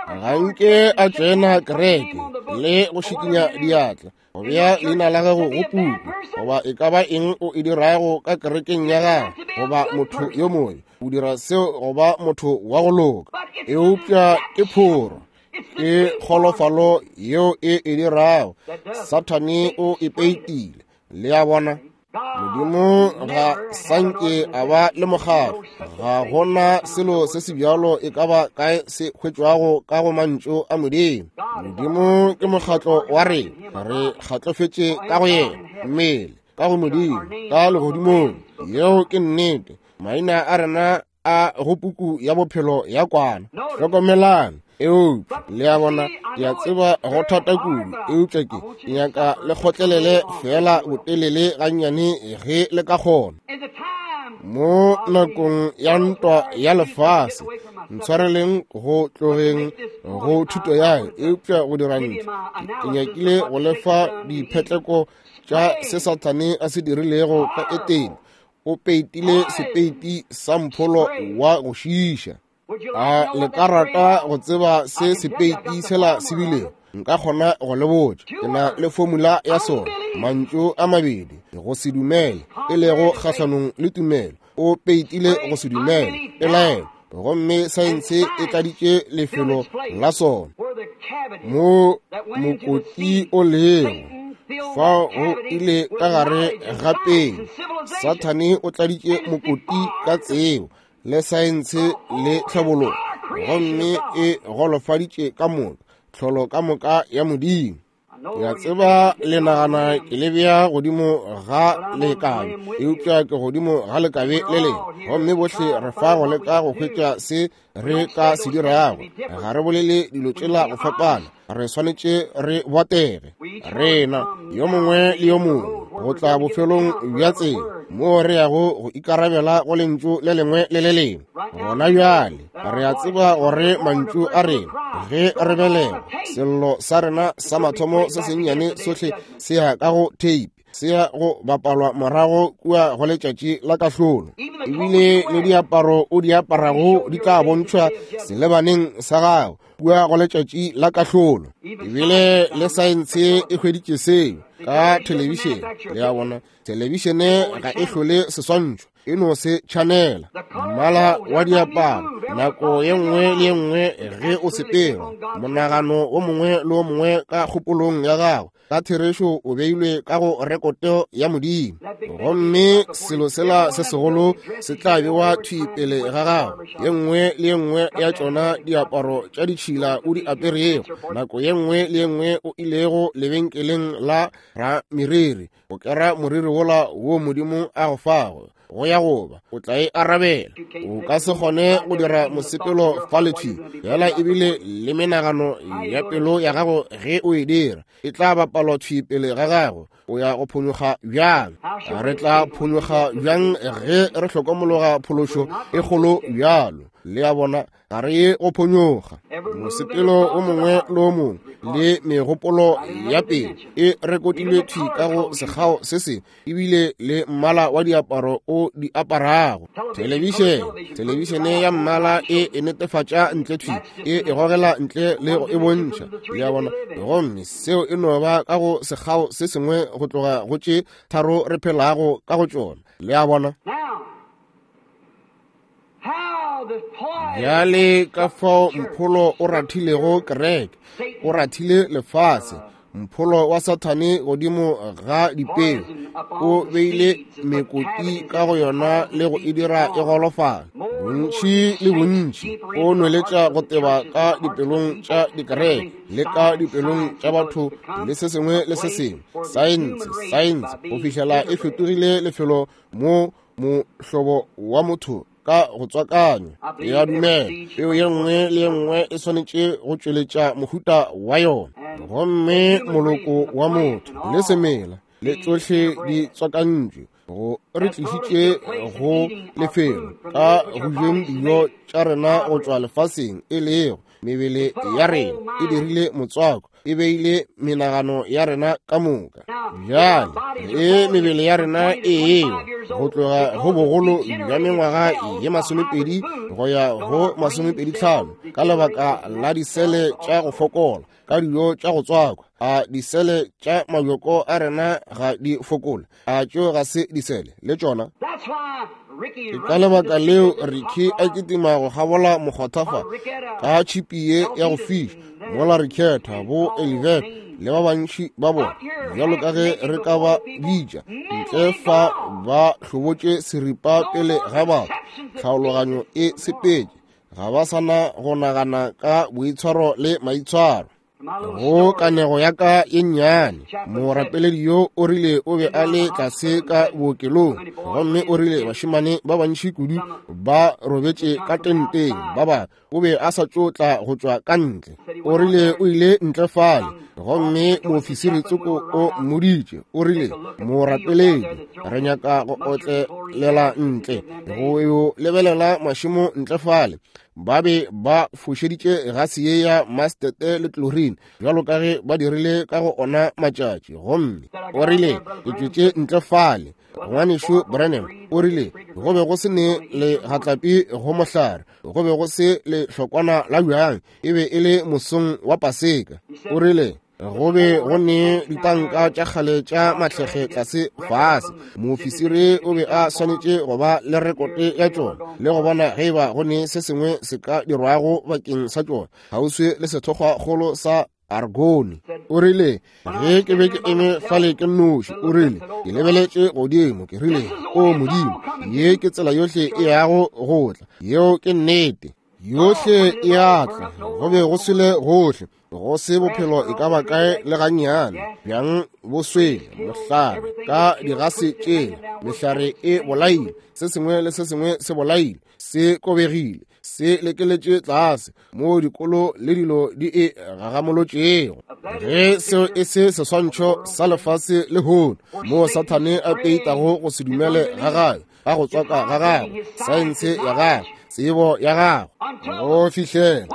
Ga nke a tsena kereke le go šikinya diatla, go bea leina la gago go puku, goba e ka ba eng o e dirago ka kerekeng ya gago, goba motho yo mongwe o dira seo goba motho wa go loka. Eupša ke phoro, ke kgolofalo yeo e e dirago. Sathane o e peitile. Le a bona? Modimo ga sanke a ba le mokgatlo. Ga gona selo se se bjalo e ka ba kae se hwetšwago ka go mantšu a Modimo. Modimo ke mokgatlo wa rena, re kgatlofetše ka go yena, mmele ka go Modimo, ka legodimong. Yeo ke nnete. Maina a rena a go puku ya bophelo ya kwana. Hlokomelang. Eupša, le a bona, ke a tseba go thata kudu, eupša ke nyaka le kgotlelele feela botelele gannyane ge le ka kgona. Mo nakong ya ntwa ya lefase, ntshwareleng go tlogeng go thuto ya, eupša go dira ntho, ke nyakile go lefa diphetleko tša se Sathane a se dirilego ka Etene. O peitile sepeiti sa mpholo wa go šiiša. A le ka rata go tseba se sepeiti sela se bilego? Nka kgona go le botša. Ke na le formula ya sona. Mantšu a mabedi, go se dumele, e lego kgahlanong le tumelo. O peitile go se dumele, pelaelo, gomme saense e tladitše lefelo la sona. Mo mokoti o lego, fao go ile ka gare ga pele. Sathane o tladitše mokoti ka tsebo le saense le tlhabologo, gomme e golofaditše ka moka tlholo ka moka ya Modimo. Ke a tseba le nagana ke le bea godimo ga lekabe, eupša ke godimo ga lekabe le lengwe, gomme bohle re fa go leka go hwetša se re ka se dirago. Ga re bolele dilo tšela go fapana, re swanetše re botege rena yo mongwe le yo mongwe go tla bofelong bja tsela moo re yago go ikarabela go lentšu le lengwe le le lengwe. Gona bjale re a tseba gore mantšu a rena ge re belegwa, sello sa rena sa mathomo se sennyane sohle se ya ka go tape, se ya go bapalwa morago kua go letšatši la kahlolo. Ebile le diaparo o di aparago di tla bontšhwa selebaneng sa gago kua go letšatši la kahlolo. Ebile le saense e hweditše seo ka thelebišene. Le a bona, thelebišene ga e hlole seswantšho, e no se tšhanela. Mmala wa diaparo nako ye nngwe le ye nngwe ge o sepela, monagano o mongwe le o mongwe ka kgopolong ya gago ka therešo o beilwe ka go rekoto ya Modimo, gomme selo sela se segolo se tla bewa thwi pele ga gago. Ye nngwe le ye nngwe ya tšona diaparo tša ditšhila o di aperego, nako ye nngwe le ye nngwe o ilego lebenkeleng la rameriri go kera moriri wola wo Modimo a go fago, go ya goba o tla e arabela. O ka se kgone go dira mosepelo fa le thwi fela, ebile le menagano ya pelo ya gago ge o e dira e tla bapalwa thwi pele ga gago. O ya go phonyokga bjang? Re tla phonyokga bjang ge re hlokomologa phološo e kgolo bjalo? Le a bona, ga re ye go phonyokga. Mosepelo o mongwe le o mongwe le megopolo ya pele e rekotilwe thwi ka go sekgao se sengwe, ebile le mmala wa diaparo o di aparago. Thelebišene ya mmala e e netefatša ntle thwi, e e gogela ntle le go e bontšha. Le a bona? Gomme seo e no ba ka go sekgao se sengwe go tloga go tše tharo re phelago ka go tšona. Le a bona? Bjale ka fao mpholo o rathilego kereke, o rathile lefase, mpholo wa Sathane godimo ga dipeu, o beile mekoti ka go yona le go e dira e golofala. Bontši le bontši o nweletša go teba ka dipelong tša dikereke le ka dipelong tša batho le se sengwe le se sengwe, saense, saense, go fihlela e fetogile lefelo mo mohlobo wa motho ka go tswakanywa. Ke a dumela peo ye nngwe le ye nngwe e swanetše go tšweletša mohuta wa yona, gomme moloko wa motho le semela le tšohle di tswakantšwe go re tlišitše go lefelo ka go jeng dijo tša rena go tšwa lefaseng, e lego mebele ya rena e dirile motswako, e beile menagano ya rena ka moka. Bjale ge mebele ya rena e ewa go tloga go bogolo bja mengwaga ye 20 go ya go 25 ka lebaka la disele tša go fokola ka dijo tša go tswakwa, a disele tša mabjoko a rena ga di fokole? A tšeo ga se disele le tšona? Ke ka lebaka leo Ricky a kitima go kgabola mokgotha fa ka tšhipi ye ya go fiša, mola Ricketta, bo Elivette le ba bantši ba bona, bjalo ka ge re ka ba bitša, ntle fa ba hlobotše seripa pele ga batho. Tlhaologanyo e sepetše, ga ba sa na go nagana ka boitshwaro le maitshwaro. Go kanego ya ka ye nnyane, morapeledi yo o rile o be a le tlase ka bookelong, gomme o rile bašemane ba bantši kudu ba robetše ka tenteng, ba bangwe o be a sa tšo tla go tšwa ka ntle. O rile o ile ntle fale, gomme moofisiri tsoko o mmoditše, o rile, morapeledi, re nyaka go otlelela ntle go yo lebelela mašemo ntle fale. Ba be ba fošeditše gase ye ya mastete le chlorine bjalo ka ge ba dirile ka go ona matšatši. Gomme o rile, ke tšwetše ntle fale, ngwanešu Branham, o rile go be go se ne le gatlapi go mohlare, go be go se le hlokwana la bjang, e be e le mosong wa Paseka. O rile go be go ne ditanka tša kgale tša mahlege tlase fase, moofisiri o be a swanetše go ba le rekote ya tšona le go bona ge eba go ne se sengwe se ka dirwago bakeng sa tšona kgauswi le sethokgwakgolo sa Argone. O rile ge ke be ke eme fale ke nnoši, o rile ke lebeletše godimo, ke rile, o Modimo, ye ke tsela yohle e yago go tla. Yeo ke nnete, yohle e a tla. Go be go swele gohle, go se bophelo e ka ba kae le gannyane, bjang bo swele, mohlare ka digase tšela, mehlare e bolaile, se sengwe le se sengwe se bolaile, se kobegile, se lekeletše tlase moo dikolo le dilo di e gagamolotšego. Ge seo e se seswantšho sa lefase lehono, moo Sathane a peitago go se dumele ga gagwe, ga go tswaka ga gagwe, saense ya gagwe, tsebo ya gagwe, go fihlela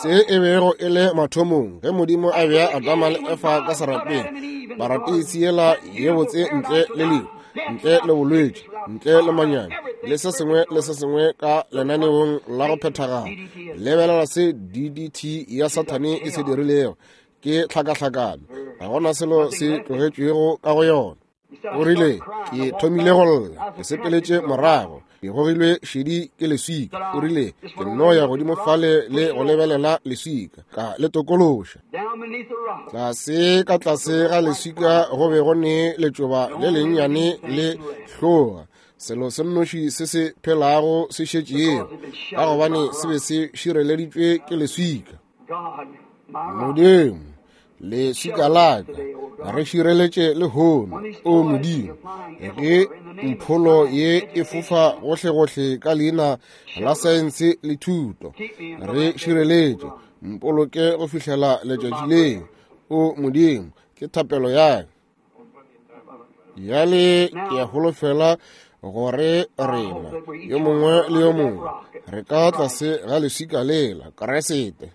se e bego e le mathomong ge Modimo a bea Adama le Efa ka serapeng, paratisi yela ye botse ntle le lehu, ntle le bolwetši, ntle le manyami, le se sengwe le se sengwe ka lenaneong la go phethagala. Lebelela se DDT ya Sathane e se dirilego, ke tlhakahlakano, ga gona selo se tlogetšwego ka go yona. O rile, ke thomile go lla, ke sepeletše morago, ke gogilwe šedi ke leswika. O rile, ke nno ya godimo fale le go lebelela leswika, ka le tokološa. Tlase ka tlase ga leswika go be go ne letšoba le lennyane le hloga, selo se nnoši se se phelago se šetšego, ka gobane se be se šireleditšwe ke leswika. Modimo, leswika la ka, re šireletše lehono, o Modimo, ge mpholo ye e fofa gohlegohle ka leina la saense le thuto, re šireletše, mpoloke go fihlela letšatši leo, o Modimo, ke thapelo ya ka. Bjale ke a holofela gore rena yo mongwe le yo mongwe re ka tlase ga leswika lela, Kriste.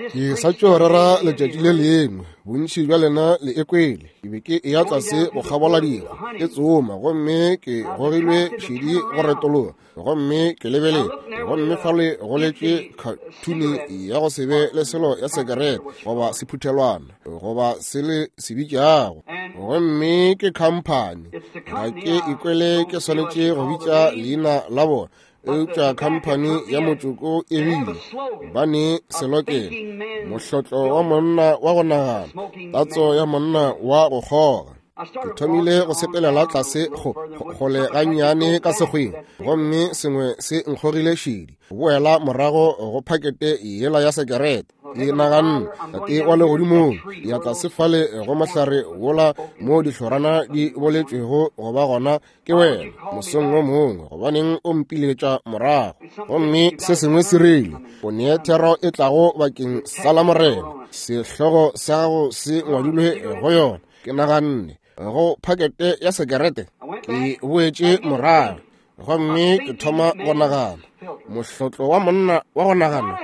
Ke sa tšo rera letšatši le lengwe, bontši bja lena le e kwele. Ke be ke eya tlase go kgabola dikgwa, ke tsoma, gomme ke gogilwe šedi go retologa, gomme ke lebeletše, gomme fale go letše khathuni ya go se be le selo ya sekerete goba sephuthelwana goba se le se bitšago, gomme ke khamphani. Ga ke ikwele ke swanetše go bitša leina la bona, eupša khamphani ya motšoko e bile ba ne selokelo, mohlotlo wa monna wa go nagana, tatso ya monna wa go kgoga. Ke thomile go sepelela tlase kgole gannyane ka sekgweng, gomme sengwe se nkgogile šedi, boela morago go phakete yela ya sekerete. Ke naganne, Tate wa legodimong, ya tlase fale go mohlare wola mo dihlorana di boletšwego go ba gona ke wena mosong wo mongwe, gobaneng o mpiletša morago? Gomme se sengwe se rile, o nee thero e tlago bakeng sa la Morena, sehlogo sa gago se ngwadilwe go yona. Ke naganne, go phakete ya sekerete? Ke boetše morago gomme ke thoma go nagana, mohlotlo wa monna wa go nagana,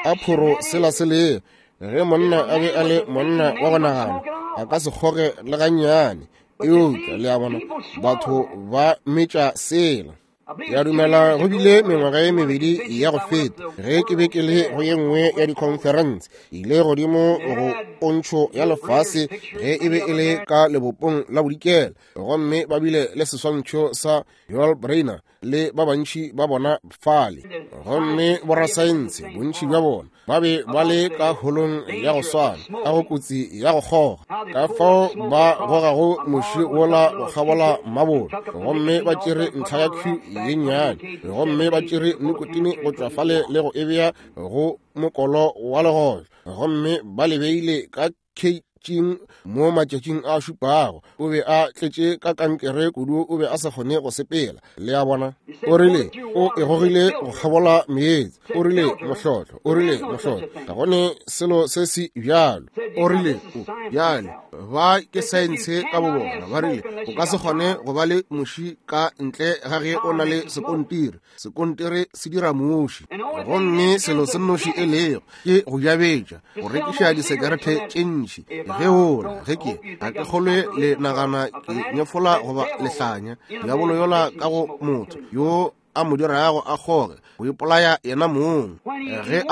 a phoro sela se lego. Ge monna a be a le monna wa go nagana, a ka se kgoge le gannyane. Eupša le a bona, batho ba metša sela. Ke a dumela go bile mengwaga ye mebedi ya go feta ge ke be ke le go ye nngwe ya dikhonferense, ile godimo go pontšho ya lefase ge e be e le ka lebopong la bodikela, gomme ba bile le seswantšho sa Yul Brynner le ba bantši ba bona fale, gomme borasaense bontši bja bona ba be ba le ka holong ya go swana ka go kotsi ya go kgoga, ka fao ba gogago moši wola go kgabola mabolo, gomme ba tšere ntlha ya Q ye nnyane, gomme ba tšere nikotine go tšwa fale le go e bea go mokolo wa legotlo. Gomme ba le beile ka keitšing mo matšatšing a šupago. O be a tletše ka kankere kudu, o be a sa kgone go sepela. Le a bona? O rile o e gogile go kgabola meetse. O rile mohlotlo, o rile mohlotlo, ga go ne selo se se bjalo. O rile o bjale ba ke saense ka bobona. Ba rile o ka se kgone go ba le muši ka ntle ga ge o na le sekontiri. Sekontiri se dira muši, gomme selo se nnoši e lego ke go jabetša, go rekiša disekerete tše ntši. Ge ola ge ke ga ke kgolwe le nagana ke nyefola goba lehlanya diabolo yola ka go motho yo a mo dirago a kgoge go ipolaya yena mong. Ge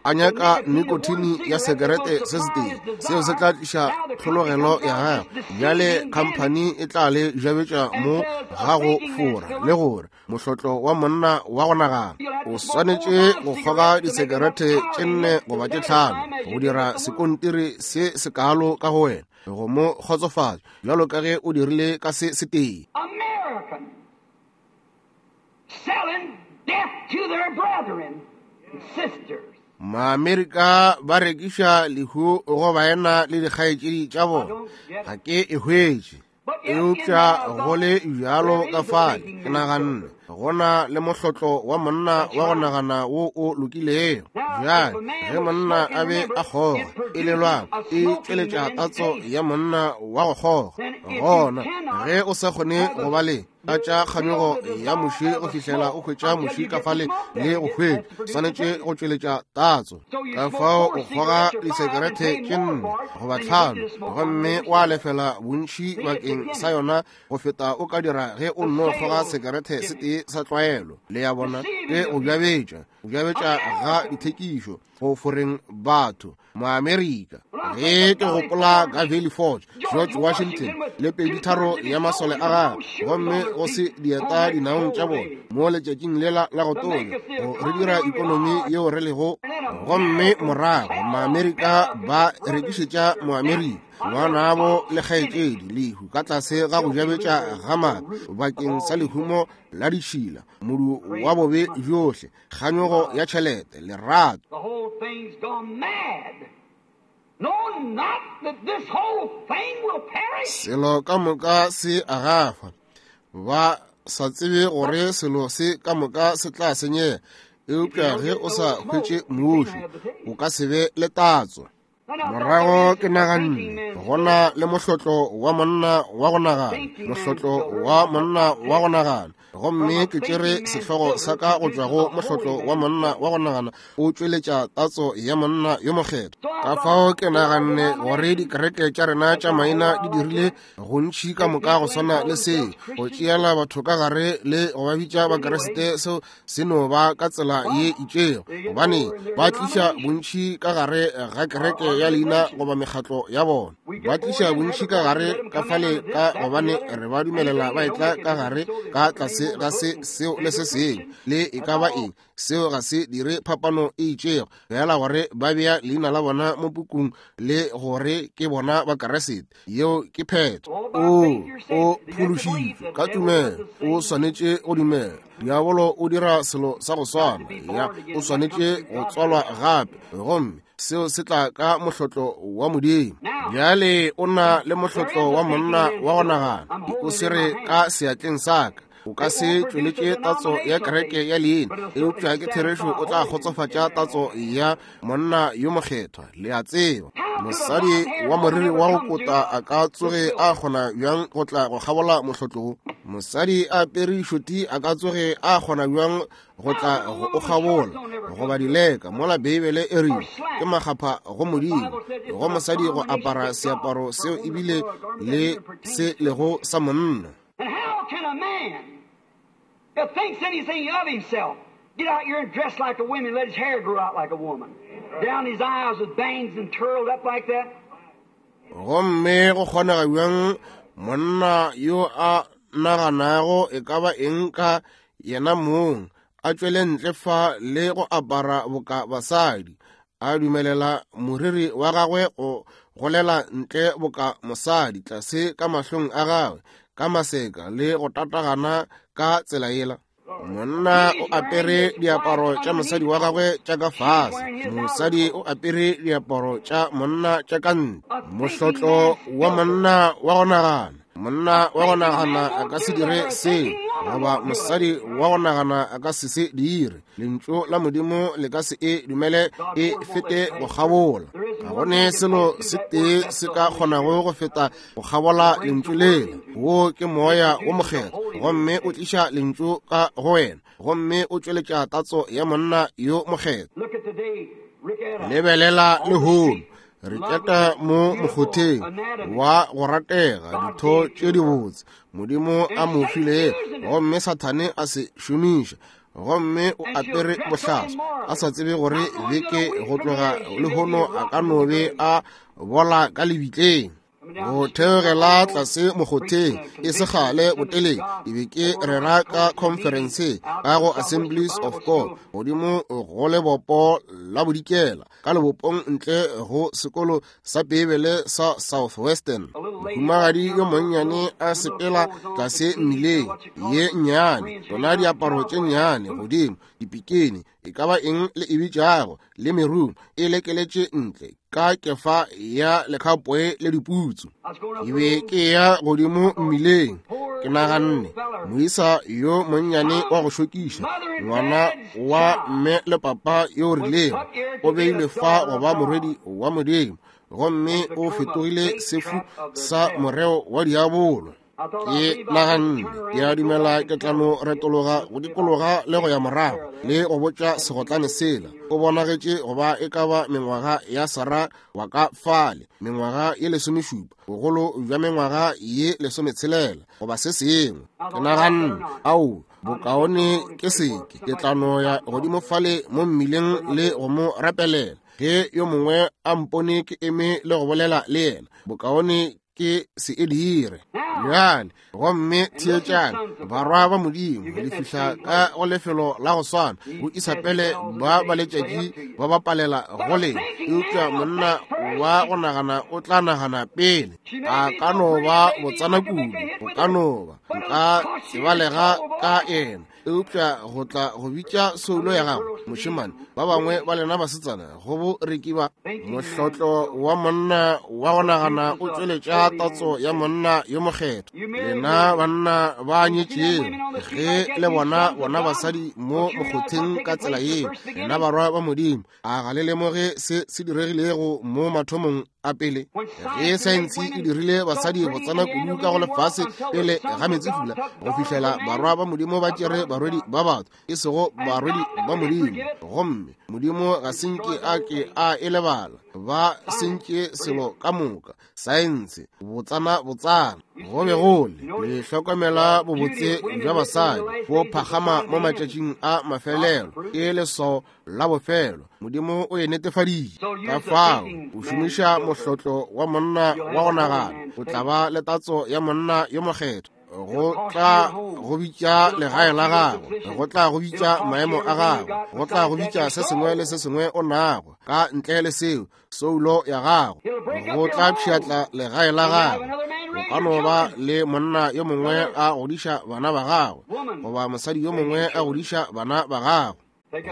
a nyaka nikotini ya sekerete se setee, seo se tla tliša tlhologelo ya gagwe. Bjale khamphani e tla le jabetša mo ga go fora le gore mohlotlo wa monna wa go nagana o swanetše go kgoga disekerete tše 4 goba tše 5 go dira sekontiri se sekalo ka go wena go mo kgotsofatša bjalo ka ge o dirile ka se setee. Selling death to their brethren and sisters. Maamerika ba rekiša lehu go baena le dikgaetšedi tša bona. Ga ke e hwetše. Eupša go le bjalo ka fale, ke naganne go na le mohlotlo wa monna wa go nagana wo o lokilego. Bjale ge monna a be a kgoga, e lelwang e tšweletša tatso ya monna wa go kgoga. Gona ge o sa kgone go ba le tša kganyogo ya muši go fihlela o hwetša muši ka fale le go hwetša, swanetše go tšweletša tatso. Ka fao o kgoga disekerete tše 4 goba 5 gomme wa lefela bontši bakeng sa yona go feta o ka dira ge o nno kgoga sekerete se tee sa tlwaelo. Le ya bona, ke go jabetša, go jabetša ga dithekišo go foreng batho. Moamerika, ge ke gopola ka Valley Forge, George Washington le 2/3 ya masole a gagwe, gomme go se dieta dinaong tša bona mo letšatšing lela la go tonya, go re dira ikonomi yeo re lego. Gomme morago Maamerika ba rekišetša Moamerika ngwanabo le kgaetšedi lehu ka tlase ga go jabetša ga maaka bakeng sa lehumo la ditšhila, modu wa bobe bjohle, kganyogo ya tšhelete, lerato. The whole thing's gone mad. Know not that this whole thing will perish. Selo ka moka se a gafa. Ba sa tsebe gore selo se ka moka se tla senyega, eupša ge o sa hwetše muši, o ka se be le tatso. Morago ke naganne go na le mohlotlo wa monna wa go nagana, mohlotlo wa monna wa go nagana, gomme ke tšere sehlogo sa ka go tšwa go mohlotlo wa monna wa go nagana o tšweletša tatso ya monna yo mokgethwa. Ka fao ke naganne gore dikereke tša rena tša maina di dirile gontši ka moka go swana le seo, go tšeela batho ka gare le go ba bitša Bakeresete, seo se no ba ka tsela ye itšego, gobane ba tliša bontši ka gare ga kereke ya leina goba mekgatlo ya bona. Ba tliša bontši ka gare ka fale ka gobane re ba dumelela ba etla ka gare ka tlase ga se seo le se sengwe le e ka ba eng. Seo ga se dire phapano e itšego, fela gore ba bea leina la bona mo pukung le gore ke bona Bakeresete. Yeo ke phetho. O phološitšwe ka tumelo, o swanetše go dumela. Diabolo o dira selo sa go swana, ya o swanetše go tswalwa gape, gomme seo se tla ka mohlotlo wa Modimo. Bjale o na le mohlotlo wa monna wa go nagana, o se re ka seatleng sa ka. O ka se tšweletše tatso ya kereke ya leina, eupša ke therešo o tla kgotsofatša tatso ya monna yo mokgethwa. Le a tseba, mosadi wa moriri wa go kota a ka tsoge a kgona bjang go tla go kgabola mohlotlo wo? Mosadi a apere šoti a ka tsoge a kgona bjang go tla go o kgabola goba dileka, mola Beibele e rile ke makgapha go Modimo go mosadi go apara seaparo seo ebile le se lego sa monna. And how can a man that thinks anything of himself get out here and dress like a woman and let his hair grow out like a woman, down his eyes with bangs and curled up like that? Gomme go kgonega bjang monna yo a naganago e ka ba eng ka yena mong a tšwele ntle fa le go apara boka basadi, a dumelela moriri wa gagwe go golela ntle boka mosadi tlase ka mahlong a gagwe ka maseka le go tatagana ka tsela yela? Monna o apere diaparo tša mosadi wa gagwe tša ka fase, mosadi o apere diaparo tša monna tša ka ntle. Mohlotlo wa monna wa go nagana. Monna wa go nagana a ka se dire seo, goba mosadi wa go nagana a ka se se dire. Lentšu la Modimo le ka se e dumele e fete go kgabola. Ga go ne selo se tee se ka kgonago go feta go kgabola lentšu lela. Wo ke Moya wo Mokgethwa, gomme o tliša lentšu ka go wena, gomme o tšweletša tatso ya monna yo mokgethwa. Lebelela lehono, re keta mo mokgotheng wa go ratega ditho tše dibotse Modimo a mo filego, gomme Sathane a se šomiša, gomme o apere bohlaswa, a sa tsebe gore beke go tloga lehono a ka no be a bola ka lebitleng. Go theogela tlase mokgotheng e se kgale boteleng, ke be ke rera ka conference ka go Assemblies of God godimo go lebopo la bodikela, ka lebopong ntle go sekolo sa Beibele sa Southwestern. Mohumagadi yo monnyane a sepela tlase mmileng ye nnyane, tsona diaparo tše nnyane godimo, dipikini, e ka ba eng le e bitšago, le merumo e lekeletše ntle ka kefa ya lekhapoe le diputsu. Ke be ke ya godimo mmileng, ke naganne, moisa yo monnyane wa go šokiša, ngwana wa mme le papa yo rilego, o beilwe fa go ba morwedi wa Modimo, gomme o fetogile sefu sa moreo wa diabolo. Ke naganne, ke a dumela ke tla no retologa go dikologa le go ya morago le go botša segotlane sela. O bonagetše go ba e ka ba mengwaga ya Sarah wa ka fale, mengwaga ye 17, bogolo bja mengwaga ye 16 goba se sengwe. Ke naganne, ao, bokaone ke seke, ke tla no ya godimo fale mo mmileng le go mo rapelela. Ge yo mongwe a mpone ke eme le go bolela le yena, bokaone ke se e dire. Bjale, gomme theetšang, barwa ba Modimo, le fihla ka go lefelo la go swana, go Isabele ba ba letšatši ba bapalela go lena, eupša monna wa go nagana o tla nagana pele. A ka no ba botsana kudu, o ka no ba, nka tsebalega ka yena, eupša go tla go bitša soulo ya gago, mošemane. Ba bangwe ba lena basetsana go bo reki ba mohlotlo wa monna wa go nagana o tšweletša tatso ya monna yo mokgethwa. Lena banna ba nyetšego, ge le bona bona basadi mo mokgotheng ka tsela yeo, lena barwa ba Modimo, a ga le lemoge se se diregilego mo mathomong a pele? Ge saense e dirile basadi botsana kudu ka go lefase pele ga meetsefula, go fihlela barwa ba Modimo ba tšere barwedi ba batho, e sego barwedi ba Modimo, gomme Modimo ga se nke a ke a e lebala. Ba sentše selo ka moka, saense, botsana botsana. Go be go le, le hlokomela bobotse bja basadi bo phagama mo matšatšing a mafelelo, ke leswao la bofelo. Modimo o e netefaditše. Ka fao o šomiša mohlotlo wa monna wa go nagana, o tla ba le tatso ya monna yo mokgethwa. Go tla go bitša legae la gago, go tla go bitša maemo a gago, go tla go bitša se sengwe le se sengwe o nago. Ka ntle le seo, soulo ya gago, go tla pšhatla legae la gago. O ka no ba le monna yo mongwe a godiša bana ba gago, goba mosadi yo mongwe a godiša bana ba gago.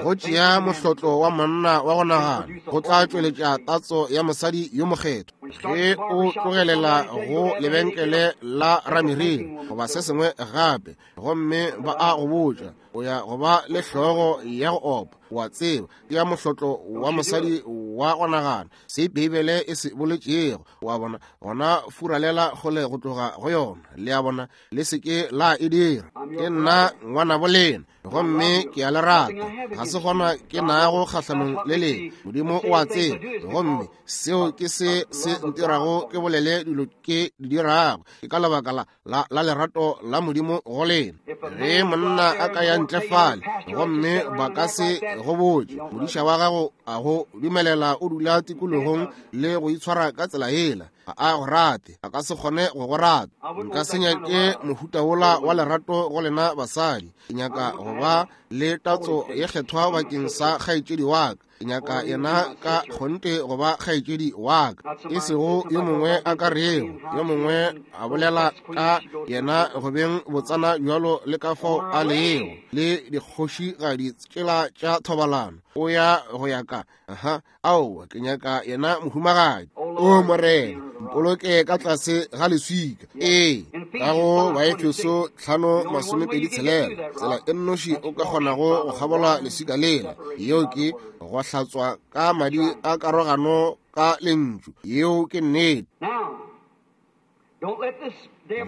Go tšea mohlotlo wa monna wa go nagana go tla tšweletša tatso ya mosadi yo mokgethwa. Ge o tlogelela go lebenkele la rameriri goba se sengwe gape, gomme ba a go botša o ya go ba le hlogo ya go opa, wa tseba, ke ya mohlotlo wa mosadi wa go nagana, se Beibele e se boletšego, wa bona, gona furalela kgole go tloga go yona. Le a bona, le se ke la e dira. Ke nna ngwanabo lena, gomme ke a le rata. Ga se gona ke nago kgahlanong le lena. Modimo o a tseba, gomme seo ke se se ntirago ke bolele dilo ke di dirago. Ke ka lebaka la, la, la lerato la Modimo go lena. Ge monna a ka ya ntle fale, gomme ba ka se go botše, modiša wa gago a go dumelela o dula tikologong le go itshwara ka tsela yela, Ga a go rate, a ka se kgone go go rata. Nka se nyake mohuta wola wa lerato go lena basadi. Ke nyaka go ba le tatso ye kgethwa bakeng sa kgaetšedi wa ka. Ke nyaka yena ka kgonthe go ba kgaetšedi wa ka, e sego yo mongwe a ka rego, yo mongwe a bolela ka yena go beng botsana bjalo le ka fao a lego, le dikgošigadi tšela tša thobalano. O ya go ya ka, aha, aowa, ke nyaka yena mohumagadi. O Morena, mpoloke ka tlase ga leswika. Ee, ka go Baefeso 5:26, tsela e nnoši o ka kgonago go kgabola leswika lela, yeo ke go hlatswa ka madi a karogano ka lentšu. Yeo ke nnete.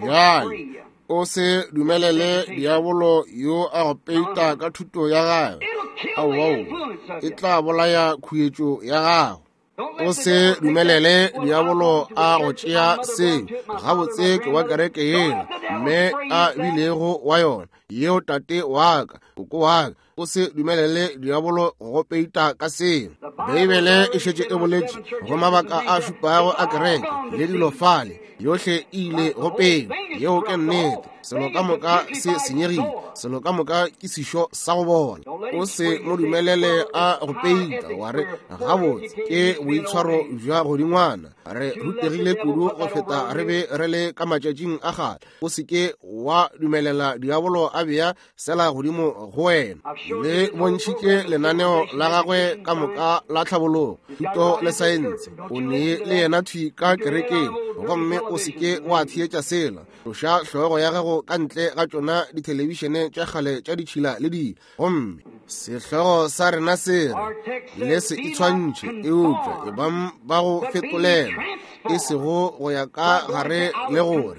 Bjale, o se dumelele diabolo yo a go peita ka thuto ya gagwe. Aowa, e tla bolaya khuetšo ya gago. O se dumelele diabolo a go tšea seo. Gabotse ke wa kereke yela mme a bilego wa yona, yeo tate wa ka, koko wa ka. O se dumelele diabolo go peita ka seo. Beibele e šetše e boletše go mabaka a šupago a kereke le dilo fale, yohle e ile go pele. Yeo ke nnete. Selo ka moka se senyegile, selo ka moka ke sešo sa go bola. O se mo dumelele a go peita wa re, gabotse ke boitshwaro bja godingwana, re rutegile kudu go feta re be re le ka matšatšing a kgale. O se ke wa dumelela diabolo a bea sela godimo go wena. Le bontšhitše lenaneo la gagwe ka moka la tlhabologo, thuto le saense. O nee le yena thwi ka kerekeng, gomme o se ke wa theetša sela. Tloša hlogo ya gago ka ntle ga tšona dithelebišene tša kgale tša ditšhila le dilo. Gomme sehlogo sa rena se re, le se itshwantšhe, eupša e bang ba go fetolela, e sego go ya ka gare le gore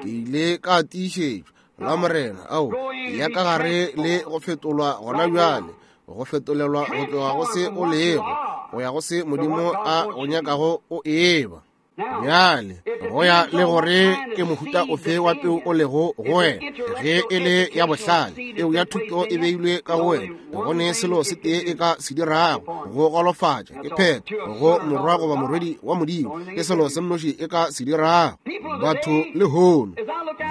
ke ile ka tiišetšwa la Morena. Ao, ya ka gare le go fetolwa gona bjale, go fetolelwa go tloga go se o lego go ya go se Modimo a go nyakago o eba. Bjale, go ya le gore ke mohuta ofe wa peu o lego go wena. Ge e le ya bohlale, peu ya thuto e beilwe ka go wena, go ne selo se tee e ka se dirago, go golofatša, ke phetho, go morwa goba morwedi wa Modimo, ke selo se mnoši e ka se dirago. Batho lehono,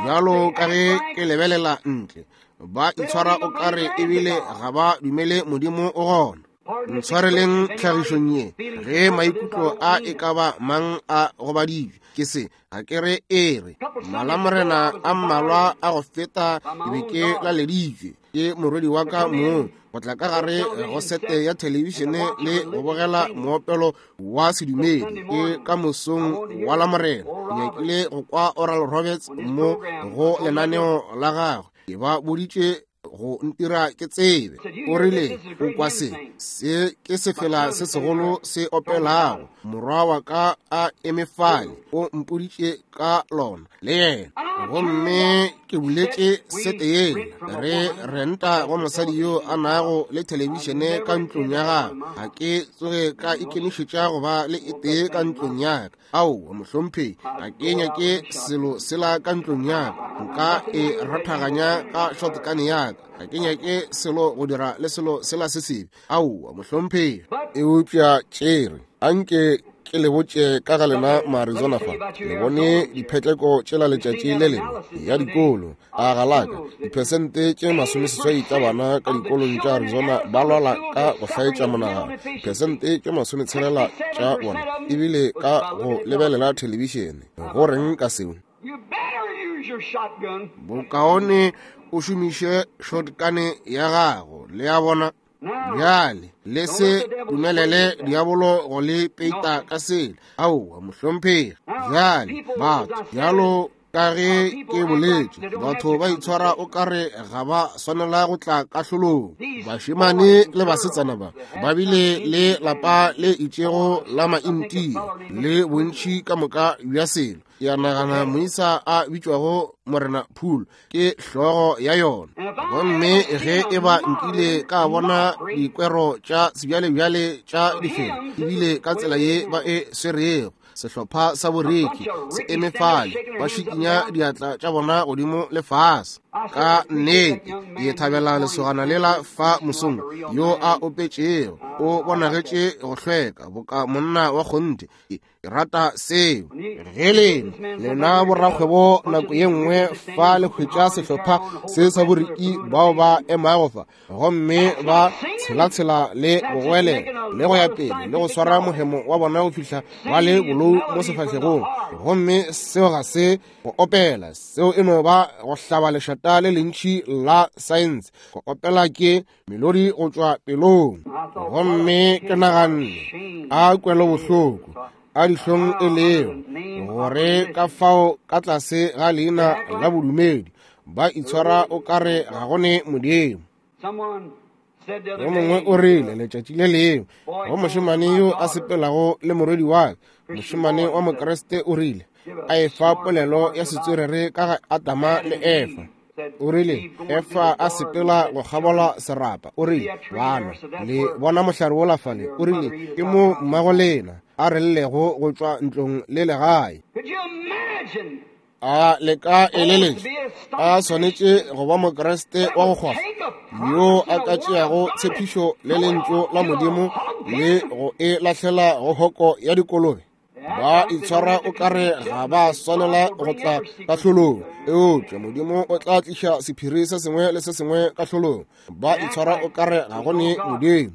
bjalo ka ge ke lebelela ntle, ba itshwara o kare ebile ga ba dumele Modimo o gona. Ntshwareleng tlhagišong ye, ge maikutlo a e ka ba mang a gobaditšwe ke se, ga ke re e re malamorena a mmalwa a go feta ke be ke laleditšwe ke morwedi wa ka mong go tla ka gare go sete ya thelebišene le go bogela moopelo wa sedumedi ke ka mosong wa Lamorena. Ke nyakile go kwa Oral Roberts mo go lenaneo la gagwe. Ke ba boditše go ntira ke tsebe. O rile, o kwa se, se ke sefela se segolo se opelago. Morwa wa ka a eme fale, o mpoditše ka lona le yena. Gomme ke buletše sete yela, re renta go mosadi yo a nago le thelebišene ka ntlong ya gagwe. Ga ke tsoge ka ikemišetša go ba le e tee ka ntlong ya ka. Aowa, mohlomphegi, ga ke nyake selo sela ka ntlong ya ka. Nka e rathaganya ka shotgun ya ka. Ga ke nyake selo go dira le selo sela se sebe. Aowa, mohlomphegi. Eupša tšere, anke ke le botše ka ga lena Maarizona fa. Le bone diphetleko tšela letšatši le lengwe ya dikolo. A galaka, diphesente tše 80 tša bana ka dikolong tša Arizona ba lwala ka go hlaetša monagano. Diphesente tše 60 tša bona ebile ka go lebelela thelebišene. Go reng ka seo? Bokaone o šomiše shotgun ya gago, le a bona. Bjale, le se dumelele diabolo go le peita ka sela. Aowa, mohlomphegi. Bjale, batho, bjalo ka ge ke boletše, batho ba itshwara o kare ga ba swanela go tla kahlolong. Bašemane le basetsana ba ba bile le lapa le itšego la maintia le bontši ka moka bja selo. Ke a nagana moisa a bitšwago Morena Poole ke hlogo ya yona. Gomme ge e ba nkile ka bona dikwero tša sebjalebjale tša difela, ebile ka tsela ye ba e swerego, sehlopha sa boreki se eme fale, ba šikinya diatla tša bona godimo le fase. Ka nnete ke thabela lesogana lela fa mosong yo a opetšego, o bonagetše go hlweka boka monna wa kgonthe. Ke rata seo. Ge lena lena borakgwebo nako ye nngwe fa le hwetša sehlopha se sa boriki bao ba emago fa gomme ba tshelatshela le go goelela le go ya pele le go swara mohemo wa bona go fihla ba le bolou mo sefahlegong, gomme seo ga se go opela, seo e no ba go hlaba lešata le lentši la saense. Go opela ke melodi go tšwa pelong. Gomme ke naganne, a kwelobohloko, a dihlong e leo, gore ka fao ka tlase ga leina la bodumedi ba itshwara o kare ga go ne Modimo. Yo mongwe o rile letšatši le lengwe go mošemane yo a sepelago le morwedi wa ka, mošemane wa Mokriste, o rile a efa polelo ya setswerere ka ga Adama le Efa. O rile Efa a sepela go kgabola serapa, o rile, bana le bona mohlare wola fale, o rile ke mo mmago lena a re llego go tšwa ntlong le legae. A le ka eleletša a swanetše go ba Mokriste wa go kgwafa yo a ka tšeago tshepišo le lentšu la Modimo le go e lahlela go hoko ya dikolobe? Ba itshwara o kare ga ba swanela go tla kahlolong, eupša Modimo o tla tliša sephiri se sengwe le se sengwe kahlolong. Ba itshwara o kare ga go ne Modimo.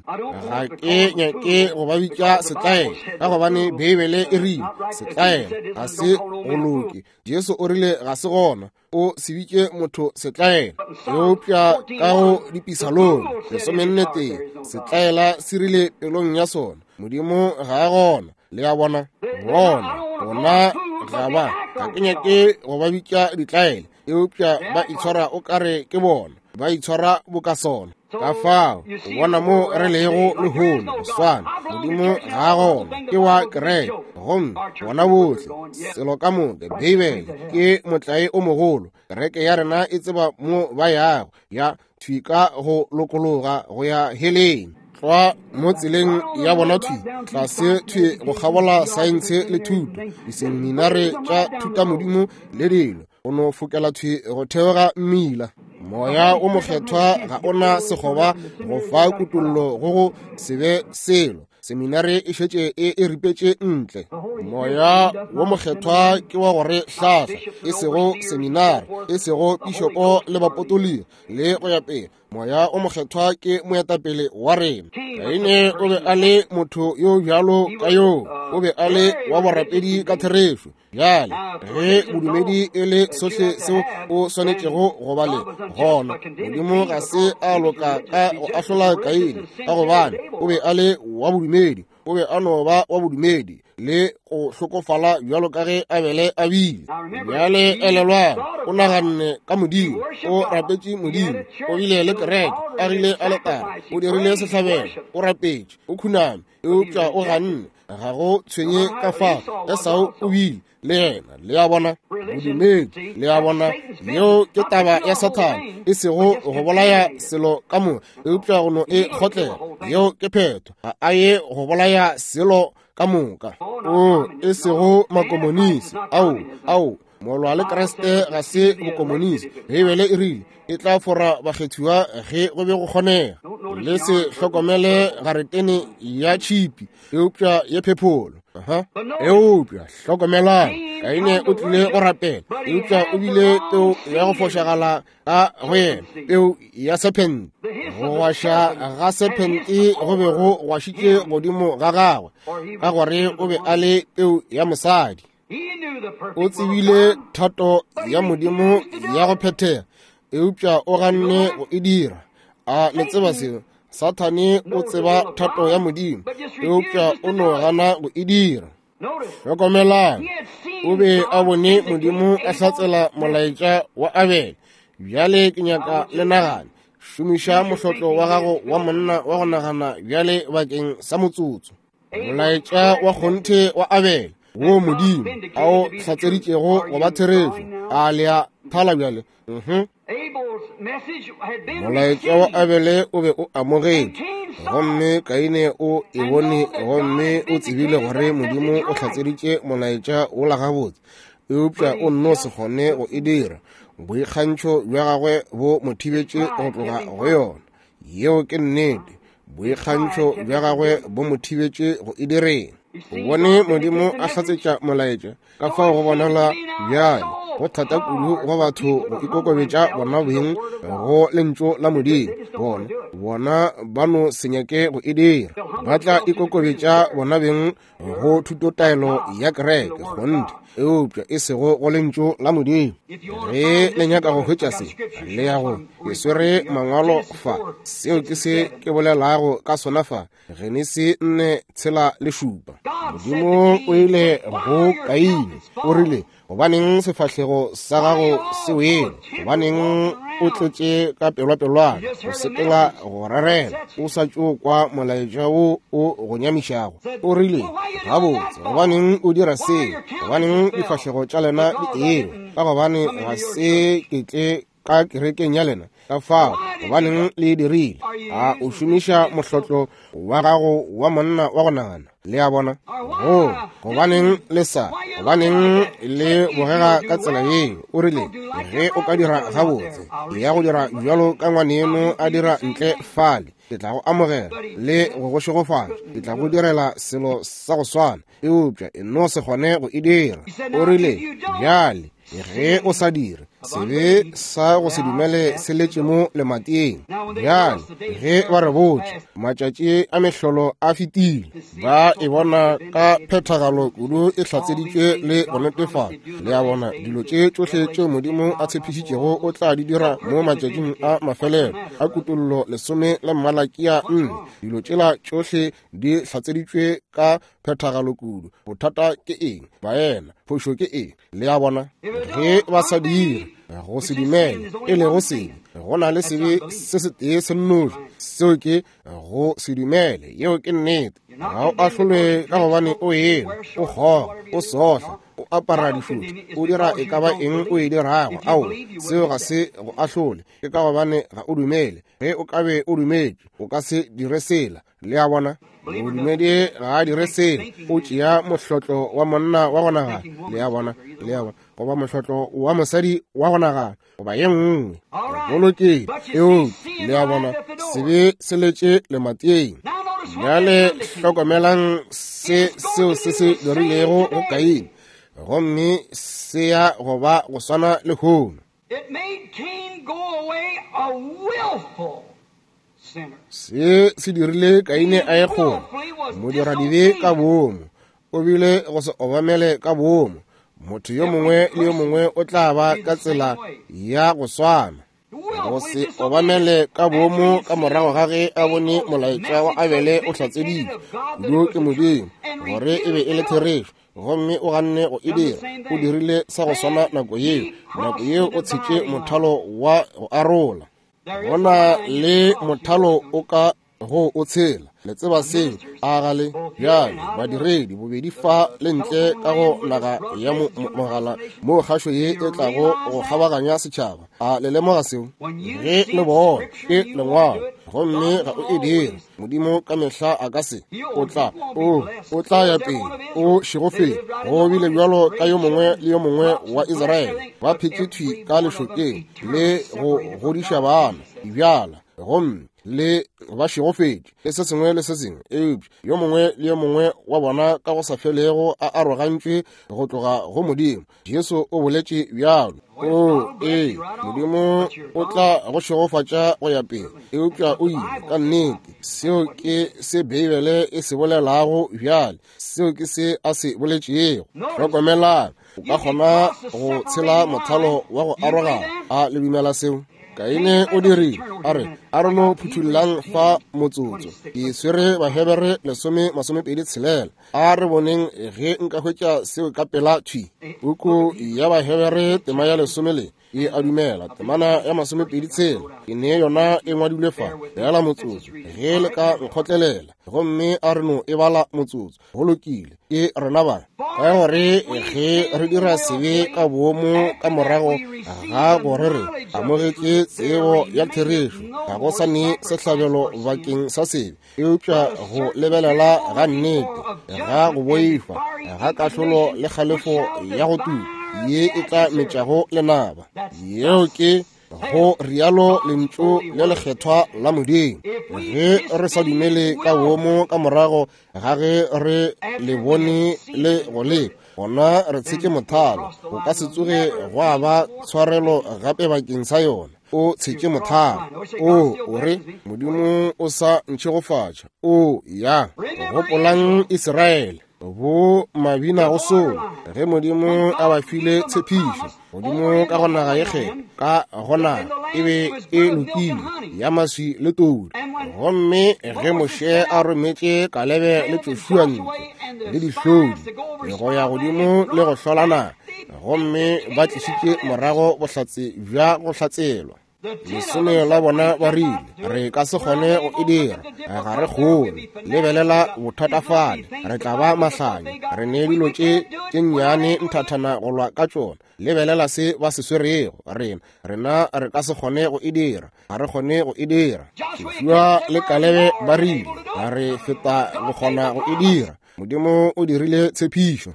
Ga ke nyake go ba bitša setlaela, ka gobane Beibele e rile setlaela ga se go loke. Jesu o rile ga se gona o se bitše motho setlaela, eupša ka go dipisalong 41 setlaela se rile pelong ya sona, Modimo ga a gona. Le a bona, bona ga ba, ga ke nyake go ba bitša ditlaela, eupša ba itshwara o kare ke bona, ba itshwara boka sona. Ka fao o bona mo re lego lehono, go swana, Modimo ga a gona, ke wa kereke, gomme bona bohle selo ka moka. Beibele ke motlae o mogolo. Kereke ya rena e tseba mo ba yago, ya thwi ka go lokologa go ya heleng, tlwa mo tseleng ya bona thwi tlase thwi go kgabola saense le thuto, diseminare tša thutamodimo le dilo, go no fokela thwi go theoga mmila. Moya o mokgethwa ga ona sekgoba go fa kutollo go go se be selo. Seminare e šetše e ripetše ntle. Moya wo mokgethwa ke wa gore hlahla, e sego seminare, e sego pišopo le bapotologi le go ya pele. Moya o mokgethwa ke moetapele wa rena. Kaine o be a le motho yo bjalo ka yo, o be a le wa borapedi ka therešo. Bjale ge bodumedi e le sohle seo o swanetšego go ba le gona, Modimo ga se a loka ka go ahlola Kaine, ka gobane o be a le wa bodumedi, o be a no ba wa bodumedi le go hlokofala bjalo ka ge Abele a bile. Bjale elelwang, o naganne ka Modimo, o rapetše Modimo, o bile le kereke, agile aletare, o dirile sehlabelo, o rapetše, o khuname, eupša o ganne. Ga go tshwenye ka fa Esau o bile le yena. Le a bona, bodumedi, le a bona, yeo ke taba ya Sathane, e sego go bolaya selo ka moka, eupša go no e kgotlela. Yeo ke phetho. Ga a ye go bolaya selo ka moka. O e sego makomonisi. Ao, ao, molwa le Kriste ga se bokomonisi. Beibele e rile e tla fora bakgethiwa ge go be go kgonega. Le se hlokomele garetene ya tšhipi, eupša ye phepholo. Eupša hlokomelang, Kaine o tlile go rapela, eupša o bile peo ya go fošagala ka go yena, peo ya sephente. Go gwaša ga sephente go be go gwašitše godimo ga gagwe, ka gore o be a le peu ya mosadi. O tsebile thato ya Modimo ya go phethega, eupša o ganne go e dira. A le tseba seo? Sathane o tseba thato ya Modimo, eupša o no gana go e dira. Hlokomelang, o be a bone Modimo a hlatsela molaetša wa Abele. Bjale ke nyaka le nagane. Šomiša mohlotlo wa gago wa monna wa go nagana bjale bakeng sa motsotso. Molaetša wa kgonthe wa Abele wo Modimo a o hlatseditšego go ba therešo. A le a thala bjale? Molaetša wa Abele o be o amogetše, gomme Kaine o e bone, gomme o tsebile gore Modimo o hlatseditše molaetša wola gabotse, eupša o nno se kgone go e dira. Boikgantšho bja gagwe bo mo thibetše go tloga go yona. Yeo ke nnete. Boikgantšho bja gagwe bo mo thibetše go e direng. O bone Modimo a hlatsetša molaetša, ka fao go bonala bjale go thata kudu go batho go ikokobetša bona beng go lentšu la Modimo. Bona ba no se nyake go e dira. Ba tla ikokobetša bona beng go thutotaelo ya kereke, kgonthe, eupša e sego go lentšu la Modimo. Ge le nyaka go hwetša se, le ya go ke swere mangwalo fa. Seo ke se ke bolelago ka sona fa, Genesi 4:6-7. Modimo o ile go Kaine, o rile, gobaneng sefahlego sa gago se wele? Gobaneng o tletše ka pelwapelwana, o sepela go rerela, o sa tšo kwa molaetša wo o go nyamišago? O rile, gabotse, gobaneng o dira seo? Gobaneng difahlego tša lena di ewa? Ka gobane ga se ke tle ka kerekeng ya lena. Ka fao, gobaneng le e dirile? A o šomiša mohlotlo wa gago wa monna wa go nagana? Le a bona? Go, gobaneng le sa, gobaneng le bogega ka tsela yeo? O rile, ge o ka dira gabotse, ya go dira bjalo ka ngwaneno a dira ntle fale, ke tla go amogela le go go šegofatša, ke tla go direla selo sa go swana, eupša e no se kgone go e dira. O rile, bjale ge o sa dire, sebe sa go se dumele se letše mo lemateng. Bjale ge ba re botša matšatši a mehlolo a fetile, ba e bona ka phethagalo kudu e hlatseditšwe le go netefala. Le a bona, dilo tše tšohle tšeo Modimo a tshepišitšego o tla di dira mo matšatšing a mafelelo a Kutollo 10 le Malakia 4. Dilo tšela tšohle di hlatseditšwe ka phethagalo kudu. Bothata ke eng, baena? Phošo ke eng? Le a bona, ge ba sa dire go se dumele, e lego sebe, go na le sebe se setee se nnoši, seo ke go se dumele. Yeo ke nnete. Ga o ahlolwe ka gobane o ena, o kgoga, o sohla, o apara dišothi, o dira e ka ba eng o e dirago. Ao, seo ga se go ahlole. Ke ka gobane ga o dumele. Ge o ka be o dumetše, o ka se dire sela. Le a bona, modumedi ga a dire selo, o tšea mohlotlo wa monna wa go nagana. Le a bona, le a bona, goba mohlotlo wa mosadi wa go nagana, goba ye nngwe. Go lokile, eupša le a bona, sebe se letše lemateng. Bjale hlokomelang se seo se se dirilego go Kaine, gomme se ya go ba go swana lehono. It made Cain go away a willful sinner. Se se dirile Kaine a ye kgole, modiradibe ka boomo, o bile go se obamele ka boomo. Motho yo mongwe le yo mongwe o tla ba ka tsela ya go swana, go se obamele ka boomo ka morago ga ge a bone molaetša wa Abele o hlatseditšwe kudu ke Modimo gore e be e le therešo, gomme o ganne go e dira. O dirile sa go swana nako yeo. Nako yeo o tshetše mothalo wa go arola. Go na le mothalo o ka go o tshela. Le tseba seo, a ga le? Bjale badiredi bobedi fa le ntle ka go naga ya mogala moo kgašo ye e tlago go kgabaganya setšhaba. A le lemoga seo? Ge le bona ke lengwalo, gomme ga o e dire, Modimo ka mehla a ka se, o tla, o tla ya pele, o šegofetše. Go bile bjalo ka yo mongwe le yo mongwe wa Israele, ba phetše thwi ka lešokeng le go godiša bana, dibjala, gomme le ba šegofetše le se sengwe le se sengwe. Eupša yo mongwe le yo mongwe wa bona ka go sa felego a arogantšwe go tloga go Modimo. Jesu o boletše bjalo. O, ee, Modimo o tla go šegofatša go ya pele, eupša o ile ka nnete. Seo ke se Beibele e se bolelago bjale. Seo ke se a se boletšego. Hlokomelang, o ka kgona go tshela mothalo wa go arogana. A le dumela seo? Kaine o dirile, a re, a re no phuthollang fa motsotso. Ke swere Bahebere 10:26. A re boneng ge nka hwetša seo ka pela thwi. Puku ya Bahebere tema ya 10 le e a dumela, temana ya 26, ke ne yona e ngwadilwe fa. Feela motsotso, ge le ka nkgotlelela, gomme a re no e bala motsotso. Go lokile, ke rena ba. Ka gore ge re dira sebe ka boomo ka morago ga gore re amogetše tsebo ya therešo, ga go sa ne sehlabelo bakeng sa sebe, eupša go lebelela ga nnete, ga go boifa, ga kahlolo le kgalefo ya go tuka. ye e tla metšago lenaba. Yeo ke go rialo lentšu le lekgethwa la Modimo. Ge re sa dumele ka womo ka morago ga ge re le bone le go le, gona re tshetše mothalo. Go ka se tsoge gwa ba tshwarelo gape bakeng sa yona. O tshetše mothalo. O o re Modimo o sa ntšhegofatša. O ya. Gopolang Israele, bo mabina go solo, ge Modimo a ba file tshepišo. Modimo ka go naga ye kgethwa, ka go naga e be e lokile ya maswi le todi. Gomme ge Moshe a rometše Kalebe le Joshua ntle le dihlodi go ya godimo le go hlola naga, gomme ba tlišitše morago bohlatse bja go hlatselwa. Lesome la bona ba rile, re ka se kgone go e dira, ga re kgone. Lebelela bothatafale, re tla ba mahlanya, re ne dilo tše tše nnyane nthathana go lwa ka tšona. Lebelela se ba se swerego, rena, rena re ka se kgone go e dira, ga re kgone go e dira. Joshua le Kalebe ba rile, ga re feta go kgona go e dira. Modimo o dirile tshepišo.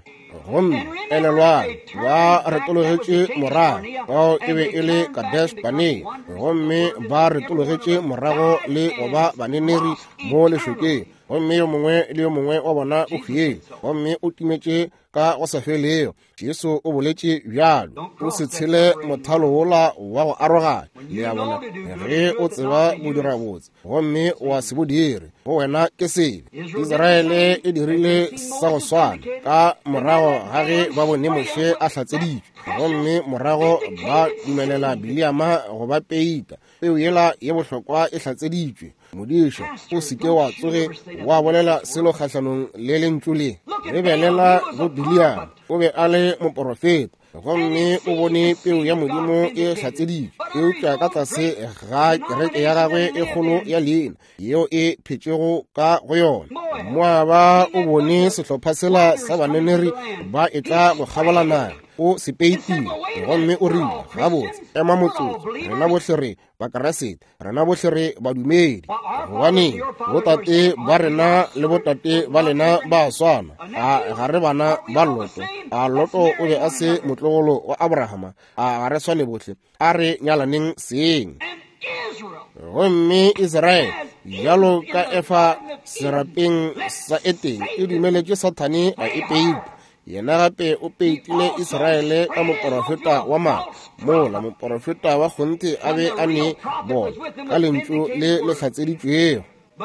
Gomme elelwang, ba retologetše morago, bao e be e le Kadesh Barnea, gomme ba retologetše morago le go ba baneneri mo lešokeng, gomme yo mongwe le yo mongwe wa bona o hwile, gomme o timetše ka go sa felego. Jesu o boletše bjalo, o se tshele mothalo wola wa go aroganya. Le a bona, ge o tseba go dira botse gomme wa se bo dire, go wena ke sebe. Israele e dirile sa go swana ka morago ga ge ba bone Moshe a hlatseditšwe, gomme morago ba dumelela Biliama go ba peita. Peu yela ye bohlokwa e hlatseditšwe. Modiša, o se ke wa tsoge wa bolela selo kgahlanong le lentšu le. Lebelela go Biliama, o be a le moporofeta, gomme o bone peu ya Modimo e hlatseditšwe, eupša ka tlase ga kereke ya gagwe e kgolo ya leina yeo e phetšego ka go yona. Moaba o bone sehlopha sela sa baneneri ba etla go kgabola naga, o se peitile, gomme o rile, gabotse, ema motsotso, rena bohle re Bakriste, rena bohle re badumedi, gobaneng botate ba rena le botate ba lena ba swana? A ga re bana ba Loto? A Loto o be a se motlogolo wa Abrahama? A ga re swane bohle? A re nyalaneng seng. Gomme Israele, bjalo ka Efa serapeng sa Etene, e dumeletše Sathane a e peita. Yena gape o peitile Israele ka moporofeta wa maaka, mola moporofeta wa kgonthe a be a ne bona ka lentšu le le hlatseditšwego.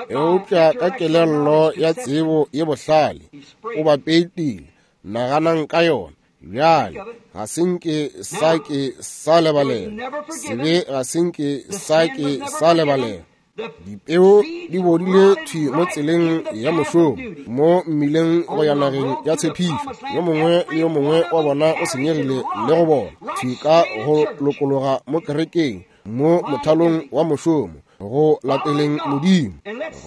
Eupša ka kelello ya tsebo ye bohlale o ba peitile. Naganang ka yona bjale. Ga se nke sa ke sa lebalela sebe, ga se nke sa ke sa lebalela. Dipeo di bodile thwi mo tseleng ya mošomo, mo mmileng go ya nageng ya tshepišo. Yo mongwe le yo mongwe wa bona o senyegile le go bona thwi ka go lokologa mo kerekeng, mo mothalong wa mošomo, go lateleng Modimo.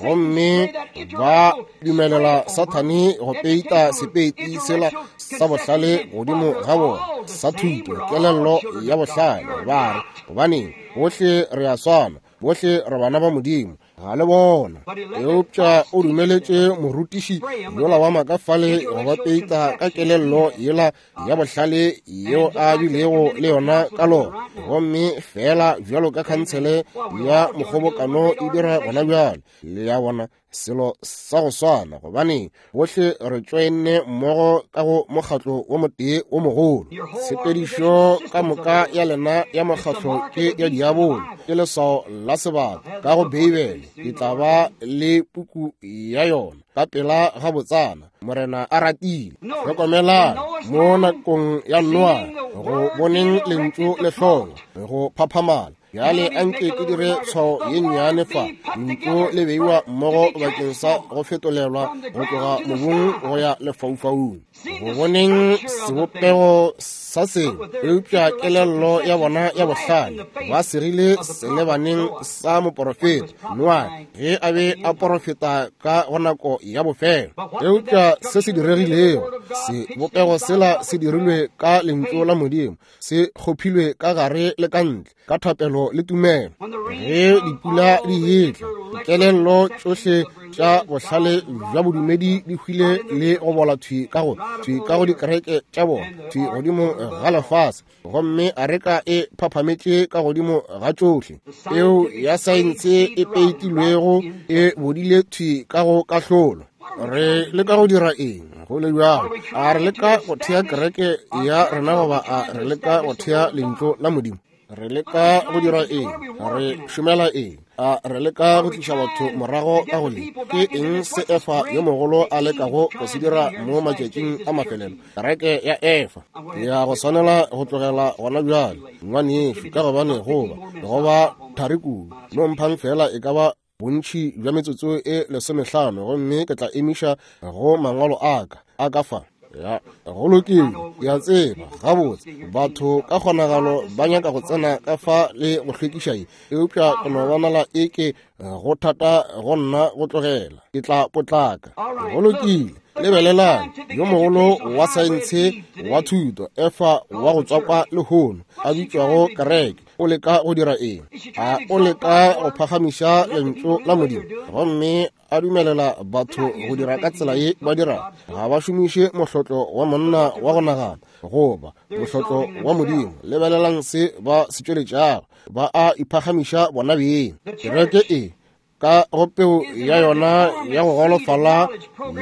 Gomme ba dumelela Sathane go peita sepeiti sela sa bohlale godimo ga bona, sa thuto, kelello ya bohlale. Ba re, gobaneng, bohle re a swana, bohle re bana ba Modimo. Ga le bona. Eupša o dumeletše morutiši yola wa maaka fale go ba peita ka kelello yela ya bohlale yeo a bilego le yona ka lona. Gomme feela bjalo ka khansele ya mokgobokano e dira gona bjale, le a bona, selo sa go swana, gobane bohle re tšoenne mmogo ka go mokgatlo wo motee wo mogolo. Tshepedišo ka moka ya lena ya mokgatlo ke ya diabolo, ke leswao la sebata ka go Beibele. Ke tla ba le puku ya yona ka pela gabotsana, Morena a ratile. Hlokomelang mo nakong ya Noa, go boneng lentšu le hlongwa go phaphamala. Bjale a nke ke dire tshwao ye nnyane fa. Lentšu le beiwa mmogo bakeng sa go fetolelwa go tloga mobung go ya lefaufaung. Go boneng sebopego sa sengwe, eupša kelello ya bona ya bohlale ba segile selebaneng sa moporofeta Noa ge a be a porofeta ka go nako ya bofelo. Eupša se se diregilego, sebopego sela se dirilwe ka lentšu la Modimo, se kgophilwe ka gare le ka ntle ka thapelo le tumelo. Ge dipula di etla, dikelello tšohle tša bohlale bja bodumedi di hwile le go bola thwi ka go thwi ka go dikereke tša bona thwi godimo ga lefase, gomme areka e phaphametše ka godimo ga tšohle. Peu ya saense e peitilwego e bodile thwi ka go kahlolo. Re leka go dira eng go le bjalo? A re leka go thea kereke ya rena goba a re leka go thea lentšu la Modimo? Re leka go dira eng? Re šomela eng? A re leka go tliša batho morago ka go le? Ke eng se Efa yo mogolo a lekago go se dira mo matšatšing a mafelelo? Kereke ya Efa. Ke ya go swanela go tlogela gona bjale, ngwanešu, ka gobane go ba thari kudu. No mphang fela e ka ba bontši bja metsotso e 15, gomme ke tla emiša go mangwalo a ka a ka fa. Ya, go lokile, ke a tseba gabotse batho ka kgonagalo ba nyaka go tsena ka fa le go hlwekiša ye, eupša ke no bonala e ke go thata go nna go tlogela. Ke tla potlaka. Go lokile, lebelelang yo mogolo wa saense wa thuto Efa wa go tswakwa lehono a bitšwago kereke, o leka go dira eng? A o leka go phagamiša lentšu la Modimo gomme a dumelela batho go dira ka tsela ye ba dirago? Ga ba šomiše mohlotlo wa monna wa go nagana goba mohlotlo wa Modimo. Lebelelang se ba se tšweletšago, ba a iphagamiša bona beng. Kereke e ka go peo ya yona ya go golofala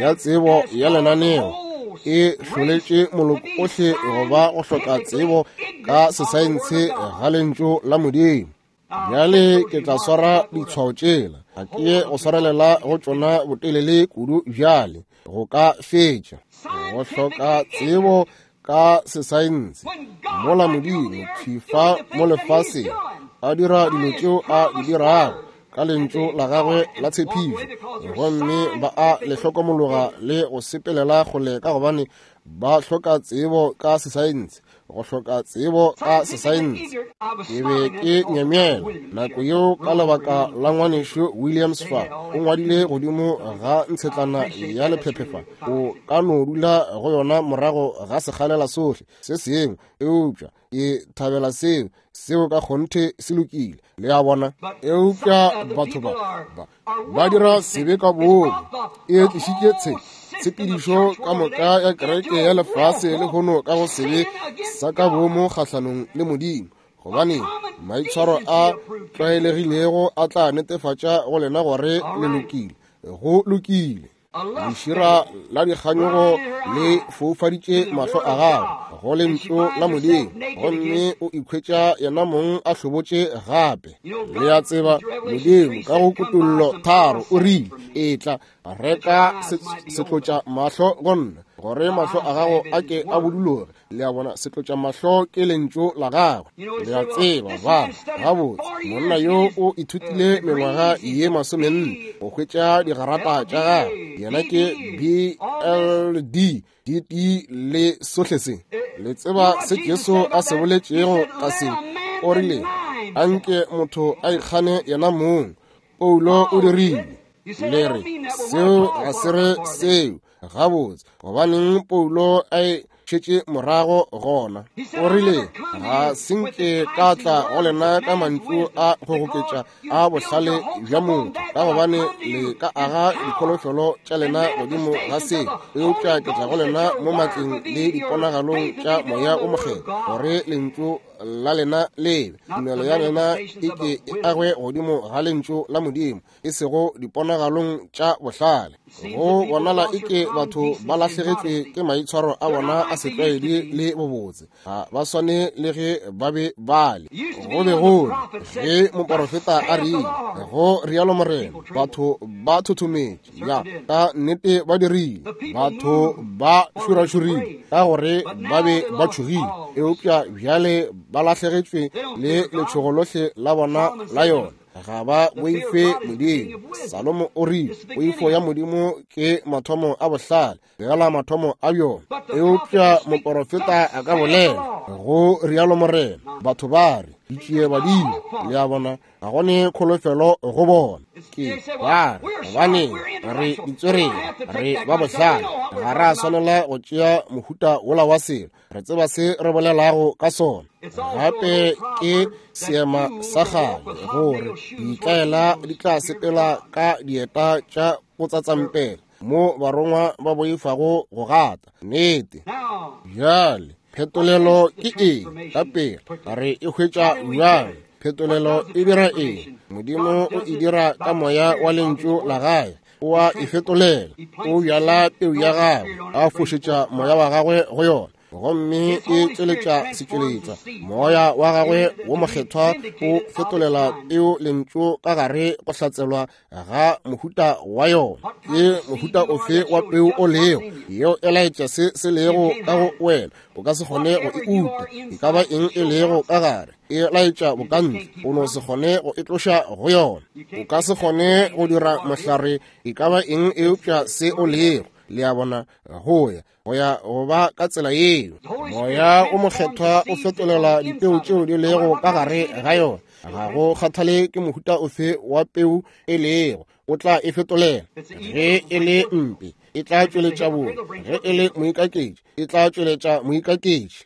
ya tsebo ya lenaneo e hloletše moloko ohle go ba go hloka tsebo ka sesaense ga lentšu la Modimo. Bjale ke tla swara ditshwao tšela, ga ke ye go swarelela go tšona botelele kudu bjale go ka fetša. Go hloka tsebo ka sesaense mola Modimo thwi fa mo lefaseng a dira dilo tšeo a di dirago ka lentšu la gagwe la tshepišo, gomme ba a le hlokomologa le go sepelela kgole ka gobane ba hloka tsebo ka sesaense. Go hloka tsebo ka sesaense. Ke be ke nyamela nako yeo ka lebaka la ngwanešu Williams fa o ngwadile godimo ga ntshetlana ya lephephe fa, o ka no dula go yona morago ga sekgalela sohle se sengwe, eupša ke thabela seo, seo ka kgonthe se lokile, le a bona. Eupša batho ba dira sebe ka boomo, e tlišitše tshepedišo ka moka ya kereke ya lefase lehono ka go sebe sa ka boomo kgahlanong le Modimo, gobane maitshwaro a tlwaelegilego a tla netefatša go lena gore le lokile. Go lokile. Lešira la dikganyogo le foufaditše mahlo a gagwe go lentšu la Modimo, gomme o ikhwetša yena mong a hlobotše gape. Le a tseba, Modimo ka go Kutollo 3 o rile, Etla, reka setlotša mahlo go nna, gore mahlo a gago a ke a buduloge. Le a bona, setlotša mahlo ke lentšu la gagwe. Le a tseba, ba gabotse monna yo o ithutile mengwaga ye 40 go hwetša digarata tša gagwe. Yena ke BLD DT le sohle se. Le tseba se Jesu a se boletšego ka se? O rile, Anke motho a ikgane yena mong. Paulo o dirile. Le re, seo ga se re seo. Gabotse, gobaneng Paulo a e šetše morago gona? O rile, ga se nke ka tla go lena ka mantšu a go goketša a bohlale bja motho, ka gobane le ka aga dikholofelo tša lena godimo ga se, eupša ke tla go lena mo matleng le diponagalong tša Moya o Mokgethwa, gore lentšu la lena lebe tumelo ya lena e ke e agwe godimo ga lentšu la Modimo, e sego diponagalong tša bohlale. Go bonala e ke batho ba lahlegetšwe ke maitshwaro a bona a setlwaedi le bobotse, ga ba swane le ge ba be ba le. Go be go le ge moporofeta a rile, go rialo Morena, batho ba thothometše, ya ka nnete ba dirile, batho ba šurašurile ka gore ba be ba tšhogile, eupša bjale ba lahlegetšwe le letšhogo lohle la bona la yona. Ga ba boife Modimo. Salomo o rile, poifo ya Modimo ke mathomo a bohlale, begela mathomo a bjona. Eupša moporofeta a ka bolela, go rialo Morena, batho ba re, ditšie badimo. Le a bona, ga go ne kholofelo go bona. Ke ba re, gobane re ditswerere, re ba bohlale, ga ra swanela go tšea mohuta wola wa selo, re tseba se re bolelago ka sona. Gape ke seema sa kgale gore ditlaela di tla sepela ka dieta tša go tsatsampela mo barongwa ba boifago go gata. Nnete. Bjale phetolelo ke eng? Ka pela re e hwetša bjang? Phetolelo e dira eng? Modimo o e dira ka moya wa lentšu la gae. O a e fetolela, o bjala peu ya gagwe, a fošetša moya wa gagwe go yona, gomme e tšweletša setšweletšwa. Moya wa gagwe wo mokgethwa o fetolela peu lentšu ka gare go hlatselwa ga mohuta wa yona. Ke mohuta ofe wa peu o lego, yeo e laetša se se lego ka go wena. O ka se kgone go e uta, e ka ba eng e lego ka gare, e laetša bokantle. O no se kgone go e tloša go yona. O ka se kgone go dira mohlare e ka ba eng eupša se o lego. Le a bona, go ya go ya go ba ka tsela yeo. Moya o mokgethwa o fetolela dipeu tšeo di lego ka gare ga yona. Ga go kgathale ke mohuta ofe wa peu e lego, o tla e fetolela. Ge e le mpe, e tla tšweletša bobe. Ge e le moikaketši, e tla tšweletša moikaketši.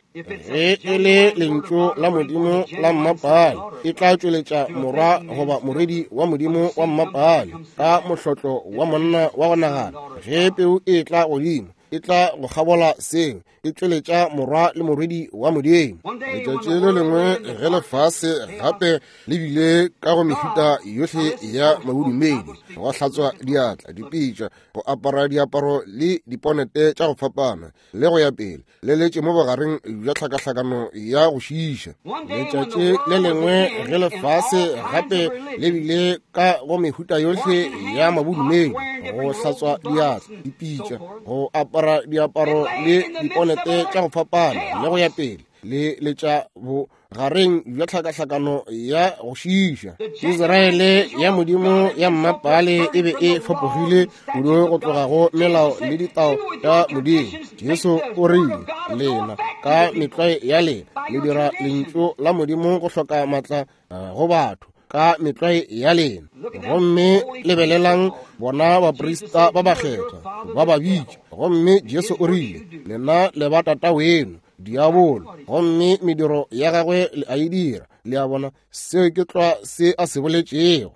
Ge e le lentšu la Modimo la mmapale, e tla tšweletša morwa goba morwedi wa Modimo wa mmapale ka mohlotlo wa monna wa go nagana. Ge peu e tla godimo, e tla go kgabola seo, e tšweletša morwa le morwedi wa Modimo. Letšatši le lengwe ge lefase gape le bile ka go mehuta yohle ya mabodumedi, go hlatswa diatla, dipitša, go apara diaparo le diponete tša go fapana, le go ya pele, le letše mo bogareng bja tlhakahlakano ya go šiiša. Letšatši le lengwe ge lefase gape le bile ka go mehuta yohle ya mabodumedi, go hlatswa diatla, dipitša, go apara diaparo le diponete tša go fapana, le go ya pele, le letša bogareng bja tlhakahlakano ya go šiiša. Israele ya Modimo ya mmapale e be e fapogile kudu go tloga go melao le ditao tša Modimo. Jesu o rile, lena ka metlwae ya lena le dira lentšu la Modimo go hloka matla go batho ka metlwae ya lena. Gomme lebelelang bona baprista ba bakgethwa ba ba bitša. Gomme Jesu o rile, lena le ba tata weno diabolo, gomme mediro ya gagwe le a e dira. Le a bona, seo ke tlwa se a se boletšego.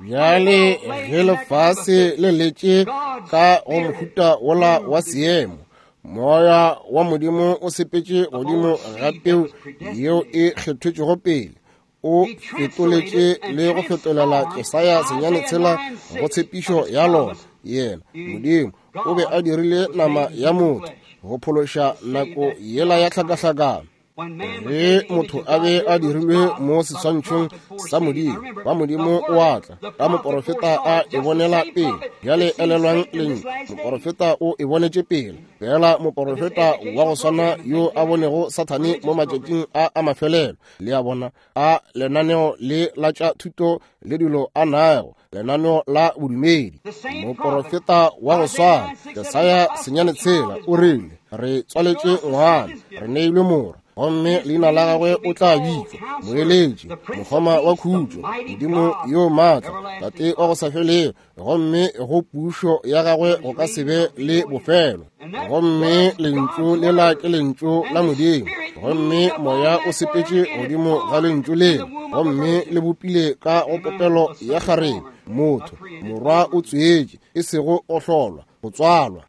Bjale ge lefase le letše ka go mohuta wola wa seemo, moya wa Modimo o sepetše godimo ga peu yeo e kgethetšwego pele, o fetoletše le go fetolela Jesaya 9:6 go tshepišo ya lona. Yena Modimo o be a dirile nama ya motho go phološa nako yela ya tlhakahlakano. Ge motho a be a dirilwe mo seswantšhong sa Modimo, ba Modimo o a tla ka moporofeta a e bonela pele. Bjale elelwang lentšu, moporofeta o e bonetše pele. Fela moporofeta wa go swana yo a bonego Sathane mo matšatšing a a mafelelo, le a bona, a lenaneo le la tša thuto le dilo a nago, lenaneo la bodumedi. Moporofeta wa go swana, Jesaya 9:6, o rile, re tswaletše ngwana, re neilwe morwa, gomme leina la gagwe o tla bitšwa Moeletši, Mokgoma wa Khutšo, Modimo yo maatla, Tate wa go sa felego, gomme go pušo ya gagwe go ka se be le bofelo. Gomme lentšu lela ke lentšu la Modimo, gomme moya o sepetše godimo ga lentšu lela, gomme le bopile ka go popelo ya kgarebe motho. Morwa o tswetše, e sego go hlolwa, go tswalwa.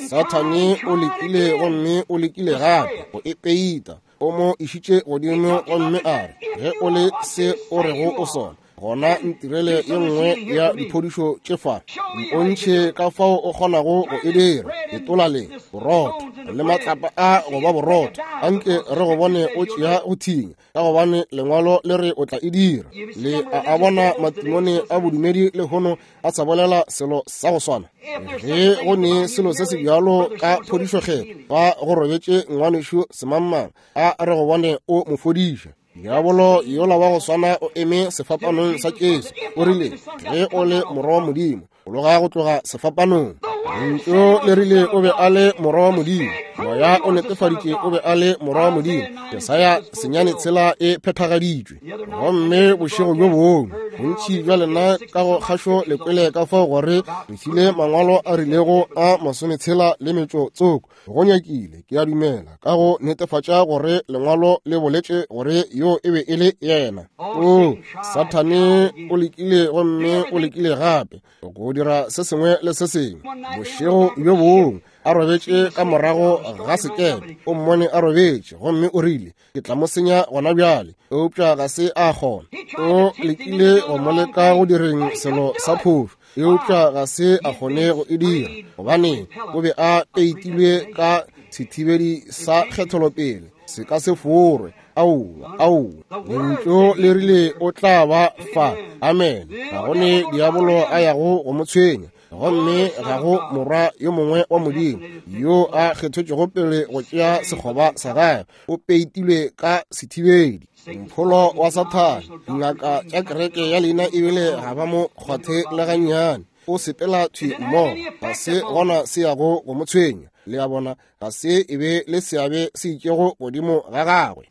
Sathane o lekile gomme o lekile gape go e peita. O mo išitše godimo gomme a re, ge o le se o rego o sona, gona ntirele ye nngwe ya diphodišo tše fa, mpontšhe ka fao o kgonago go e dira. Letola le borotho le matlapa a go ba borotho, anke re go bone o tšea go thinya, ka gobane lengwalo le re o tla e dira. Le a bona matimone a bodumedi lehono a sa bolela selo sa go swana. Ge go ne selo se se bjalo ka phodišo fa go robetše ngwanešu semangmang, a re go bone o mo fodiša. Diabolo yola wa go swana o eme sefapanong sa Jesu, o rile, ge o le morwa wa Modimo, loga go tloga sefapanong. Lentšu le rile o be a le morwa wa Modimo. Moya o netefaditše o be a le morwa wa Modimo. Jesaya 9:6 e phethagaditšwe. Gomme bošego bjo bongwe, Bontši bja lena ka go kgašo le kwele ka fao gore re file mangwalo a rilego a 60 le metšo tsoko. Go nyakile, ke a dumela, ka go netefatša gore lengwalo le boletše gore yo e be e le yena. O, Sathane o lekile gomme o lekile gape go dira se sengwe le se sengwe. Bošego bjo bongwe a robetše ka morago ga sekepe, o mmone a robetše gomme o rile, ke tla mo senya gona bjale, eupša ga se a kgona. O lekile go mo leka go direng selo sa phošo, eupša ga se a kgone go e dira, gobane o be a peitilwe ka sethibedi sa kgetholopele, se ka se forwe. Aowa, aowa, lentšu le rile o tla ba fa. Amen. Ga go ne diabolo a yago go mo tshwenya, gomme ga go morwa yo mongwe wa Modimo yo a kgethetšwego pele go tšea sekgoba sa gagwe. O peitilwe ka sethibedi, mpholo wa Sathane. Dingaka tša kereke ya leina ebile ga ba mo kgwathe le gannyane. O sepela thwi mmogo, ga se gona se yago go mo tshwenya. Le a bona, ga se e be le seabe se itšego godimo ga gagwe.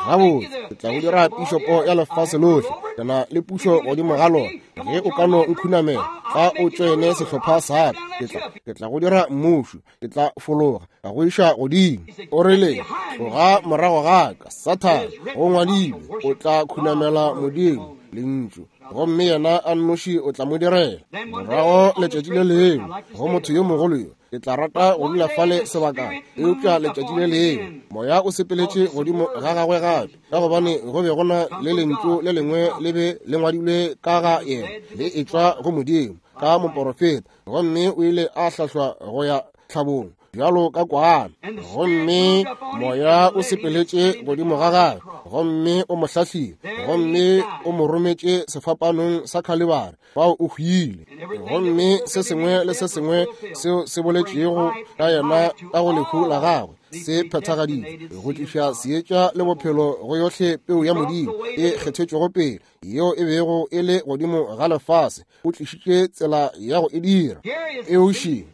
Gabotse, ke tla go dira pišopo ya lefase lohle, ke na le pušo godimo ga lona. Ge o ka no nkhunamela, fa o tšoene sehlopha sa ka, ke tla go dira mmušo, ke tla fologa ka go iša godimo. O rile, tloga morago ga ka, Sathane, go ngwadilwe, o tla khunamela Modimo, Lentšu, gomme yena a nnoši o tla mo direla. Morago letšatši le lengwe, go motho yo mogolo yo, ke tla rata go dula fale sebakana, eupša letšatši le lengwe moya o sepeletše godimo ga gagwe gape, ka gobane go be go na le lentšu le lengwe le be le ngwadilwe ka ga yena, le etšwa go Modimo ka moporofeta, gomme o ile a hlahlwa go ya tlhabong bjalo ka kwana, gomme moya o sepeletše godimo ga gagwe, gomme o mo hlahlile, gomme o mo rometše sefapanong sa Khalibari, fao o hwile. Gomme se sengwe le se sengwe seo se boletšego ka yena ka go lehu la gagwe se phethagaditšwe go tliša seetša le bophelo go yohle peu ya Modimo e kgethetšwego pele yeo e bego e le godimo ga lefase. O tlišitše tsela ya go e dira. Eoši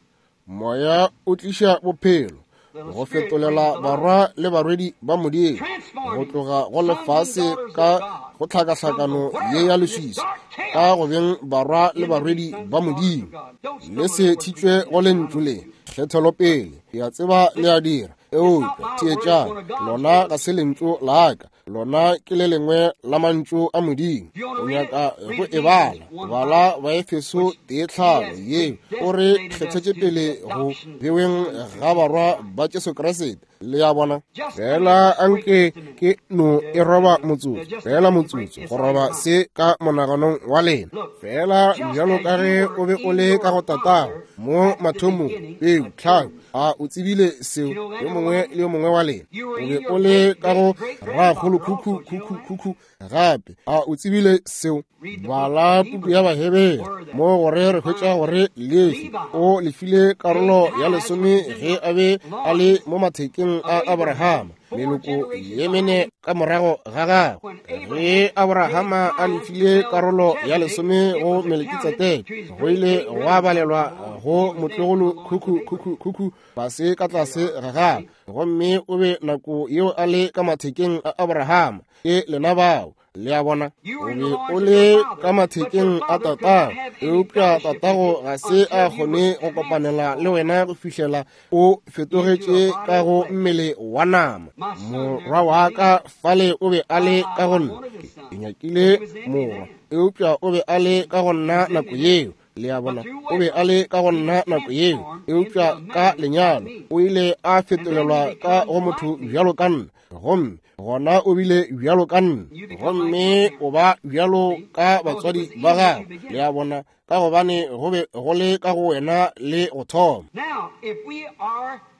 moya o tliša bophelo go fetolela barwa le barwedi ba Modimo go tloga go lefase ka go tlhakahlakano ye ya leswiswi ka go beng barwa le barwedi ba Modimo. Le se thitšwe go lentšu le kgethelopele, ke a tseba le a dira, eupša theetšang, lona ga se lentšu la ka, lona ke le lengwe la mantšu a Modimo. O nyaka go e bala, bala Baefeso 1:5 ye o re kgethetše pele go beweng ga barwa ba Jesu Kriste. Le a bona? Fela anke ke no e roba motsotso, fela motsotso go roba se ka monaganong wa lena. Fela bjalo ka ge o be o le ka go tatago mo mathomong, peu tlhago, a o tsebile seo yo mongwe le yo mongwe wa lena? O be o le ka go ragolo khukhu khukhu khukhu gape, a o tsebile seo? Bala puku ya Bahebere mo gore re hwetša gore Lefi o lefile karolo ya lesome ge a be a le mo mathekeng a Abrahama, meloko ye mene ka morago ga gagwe. Ge Abrahama a lefile karolo ya lesome go Melkitsedeke, go ile gwa balelwa go motlogolo khukhu khukhu khukhu fase ka tlase ga gagwe, gomme o be nako yeo a le ka mathekeng a Abrahama. Ke lena bao. Le a bona, o be o le ka mathekeng a tatago, eupša tatago ga se a kgone go kopanela le wena go fihlela o fetogetše ka go mmele wa nama. Morwa wa ka fale o be a le ka go nna, ke nyakile morwa, eupša o be a le ka go nna nako yeo. Le a bona, o be a le ka go nna nako yeo, eupša ka lenyalo o ile a fetolelwa ka go motho bjalo ka nna, gomme gona o bile bjalo ka nna, gomme o ba bjalo ka batswadi ba gago. Le a bona, ka gobane go be go le ka go wena le go thoma.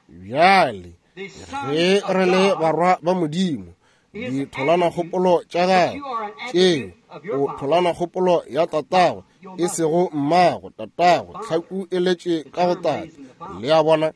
Bjale ge re le barwa ba Modimo, ditholanakgopolo tša gagwe tšeo o tholanakgopolo ya tatago, e sego mmago, tatago, tlhaku e letše ka go tate. Le a bona?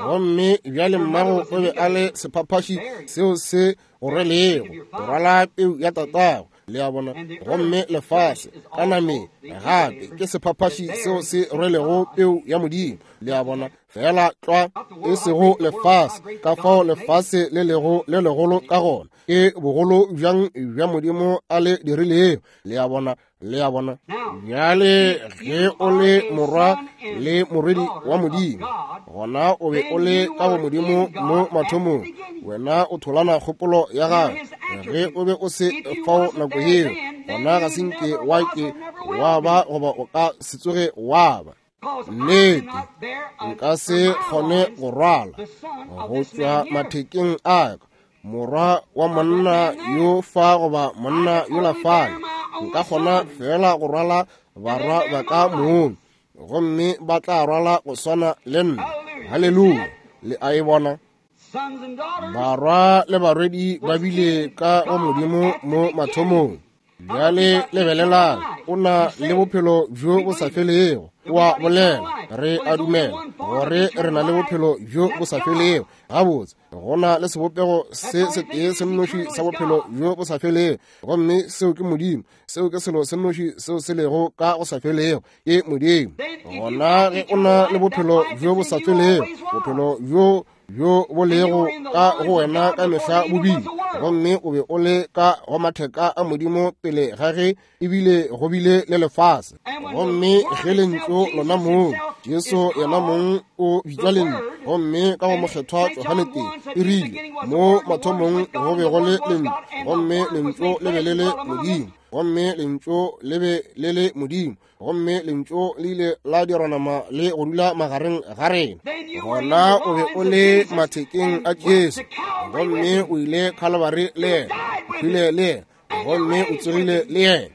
Gomme bjale mmago o be a le sephaphaši seo se go rwelego, go rwala peu ya tatago. Le a bona? Gomme lefase ka nameng gape ke sephaphaši seo se rwelego peu ya Modimo. Le a bona? Fela tlwa, e sego lefase, ka fao lefase le lego le legolo ka gona. Ke bogolo bjang bja Modimo a le dirilego. Le a bona, le a bona. Bjale ge o le morwa le morwedi wa Modimo, gona o be o le ka go Modimo mo mathomong. Wena o tholana kgopolo ya gagwe. Ge o be o se fao nako yeo, gona ga se nke wa ke wa ba goba o ka se tsoge wa ba. Nnete, nka se kgone go rwala go tšwa mathekeng a ka morwa wa monna yo fa goba monna yola fale. Nka kgona fela go rwala barwa ba ka mong, gomme ba tla rwala go swana le nna. Haleluya! Le a e bona? Barwa le barwedi ba bile ka go Modimo mo mathomong. Bjale lebelelang, o na le bophelo bjo bo sa felego. O a bolela, re a dumela gore re na le bophelo bjo bo sa felego. Gabotse, go na le sebopego se setee se nnoši sa bophelo bjo bo sa felego, gomme seo ke Modimo. Seo ke selo se nnoši seo se lego ka go sa felego, ke Modimo. Gona ge o na le bophelo bjo bo sa felego, bophelo bjo bjo bo lego ka go wena ka mehla bobile, gomme o be o le ka go matheka a Modimo pele ga ge ebile go bile le lefase. Gomme ge lentšu lona mong, Jesu yena mong o bitšwa lentšu, gomme ka go mokgethwa Johane tee e rile, mo mathomong go be go le lentšu, gomme lentšu le be le le Modimo, gomme lentšu le be le le Modimo, gomme lentšu le ile la dirwa nama le go dula magareng ga rena. Gona o be o le mathekeng a Jesu, gomme o ile Kalvari le yena, o hwile le yena, gomme o tsogile le yena.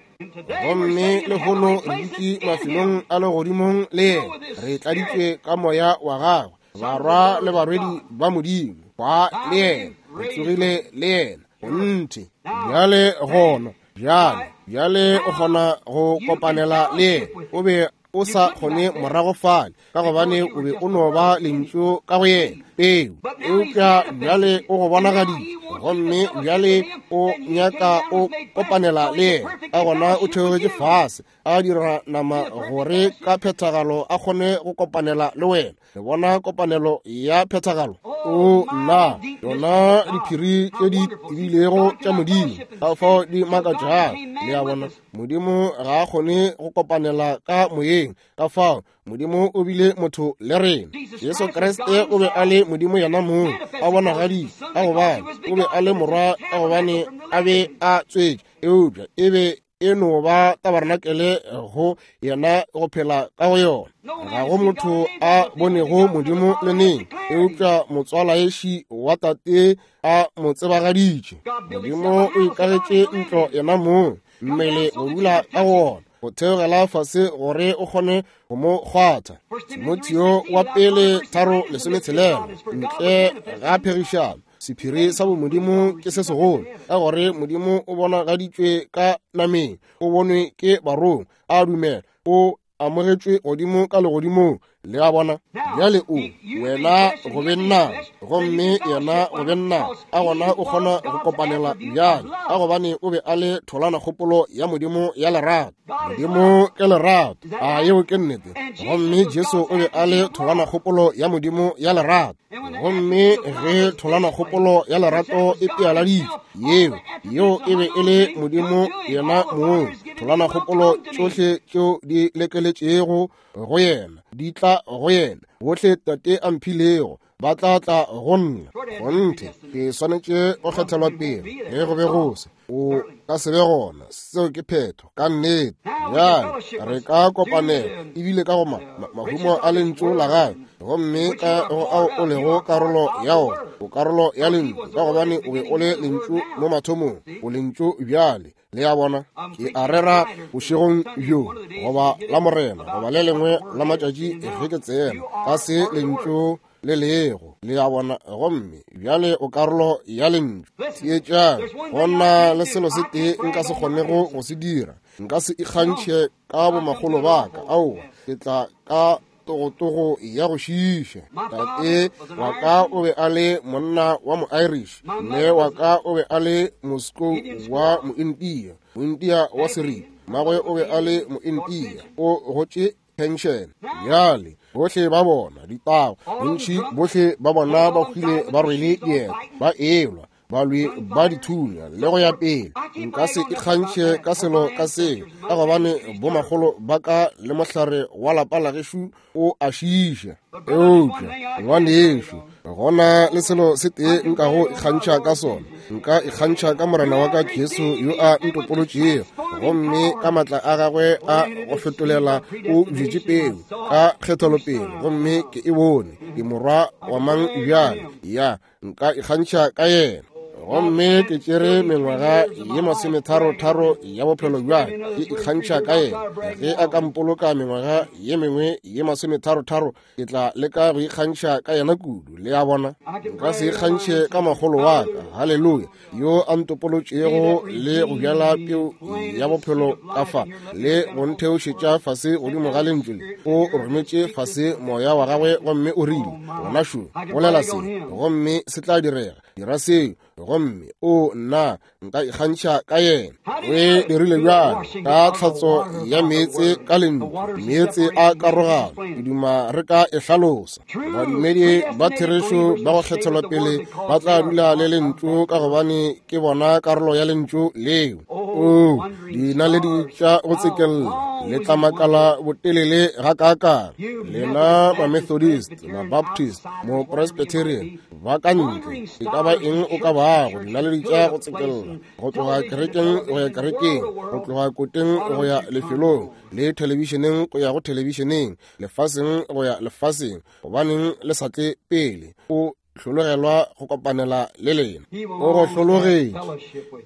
Gomme lehono re dutše mafelong a legodimong le yena, re tladitšwe ka moya wa gagwe, barwa le barwedi ba Modimo, ba le yena, re tsogile le yena. Gonthe bjale gona bjale, bjale o kgona go kopanela le yena. O be o sa kgone morago fale, ka gobane o be o no ba lentšu ka go yena, peu. Eupša bjale o go bonagaditše, gomme bjale o nyaka o kopanela le yena. Ka gona o theogetše fase, a dira nama gore ka phethagalo a kgone go kopanela le wena. Le bona kopanelo ya phethagalo? O nna, yona diphiri tše di tebilego tša Modimo, ka fao di makatšago. Le a bona, Modimo ga a kgone go kopanela ka moyeng, ka fao Modimo o bile motho le rena. Jesu Kriste o be a le Modimo yena mong, a bonagaditše, ka gobane o be a le morwa, ka gobane a be a tswetše, eupša e be e no ba tabarenakele go yena go phela ka go yona. Ga go motho a bonego Modimo le neng, eupša motswalaeši wa tate a mo tsebagaditše. Modimo o ikagetše ntlo yena mong, mmele go dula ka go ona, go theogela fase gore o kgone go mo kgwatha. Timotheo wa pele 3:16, ntle ga phegišano, sephiri sa bomodimo ke se segolo, ka gore Modimo o bonagaditšwe ka nameng, o bonwe ke barongwa, a dumela, o amogetšwe godimo ka legodimong. Le a bona? Bjale o, wena go be nna, gomme yena go be nna, a gona o kgona go kopanela bjale, ka gobane o be a le tholana kgopolo ya Modimo ya lerato. Modimo ke lerato, a yeo ke nnete? Gomme Jesu o be a le tholana kgopolo ya Modimo ya lerato. Gomme ge tholana kgopolo ya lerato e pealaditšwe, yeo e be e le Modimo yena mong. Tholana kgopolo tšohle tšeo di lekeletšego go yena di tla go yena. Bohle Tate a mphilego ba tla tla go nna. Kgonthe, ke swanetše go kgethelwa pele. Ge go be go se, o ka se be gona. Seo ke phetho ka nnete. Bjale re ka kopanela ebile ka go mahumo a lentšu la gagwe, gomme ka go ao o lego karolo ya ona, o karolo ya lentšu, ka gobane o be o le lentšu mo mathomong, o lentšu bjale. Le a bona? Ke a rera bošegong bjo, goba la Morena, goba le lengwe la matšatši ge ke tsena ka se lentšu le lego. Le a bona? Gomme bjale o karolo ya lentšu. Theetšang, go na le selo se tee nka se kgonego go se dira. Nka se ikgantšhe ka bomakgolo ba ka. Aowa, ke tla ka togotogo ya go šiiša. Tate wa ka o be a le monna wa mo-Irish, mme wa ka o be a le Moscow wa mo-India, mo-India wa seripa. Mmagwe o be a le mo-India, o gotše pension. Bjale bohle ba bona ditago, bontši bohle ba bona ba hwile ba rwele dieta, ba elwa. balwi ba dithunya le go ya pele. Nka se ikgantšhe ka selo ka seo, ka gobane bomakgolo ba ka le mohlare wa lapa la gešo o a šiiša. Eupša ngwanešo, gona le selo se tee nkago ikgantšha ka sona, nka ikgantšha ka Morena wa ka Jesu yo a ntopolotšego, gomme ka matla a gagwe a go fetolela o bjetše peu ka kgethelopele, gomme ke e bone. Ke morwa wa mang bjale? Ya, nka ikgantšha ka yena. Gomme ke tšere mengwaga ye 33 ya bophelo bja ke ikgantšha ka yena. Ge a ka mpoloka mengwaga ye mengwe ye 33, ke tla leka go ikgantšha ka yena kudu. Le a bona, nka se ikgantšhe ka makgolo wa ka, haleluya, yo a ntopolotšego le go bjala peu ya bophelo ka fa le go ntheošetša fase godimo ga lentšu le. O rometše fase moya wa gagwe gomme o rile, gona šo, bolela se gomme se tla direga, dira seo, gomme o nna nka ikgantšha ka yena. O e dirile bjalo ka tlhatso ya meetse ka lentšu, meetse a karogano. Ke duma re ka e hlalosa. Badumedi ba therešo ba go kgethelwa pele ba tla dula le lentšu, ka gobane ke bona karolo ya lentšu leo. O dinaledi tša go tsekella le tla makala botelele gakaakang. Lena ma-Methodist, ma-Baptist, mo-Presbyterian ba ka ntle, e ka ba eng o ka bago, dinaledi tša go tsekella go tloga kerekeng go ya kerekeng, go tloga koteng go ya lefelong, le thelebišeneng go ya go thelebišeneng, lefaseng go ya lefaseng, gobaneng le sa tle pele? O hlologelwa go kopanela le lena, o go hlologetše,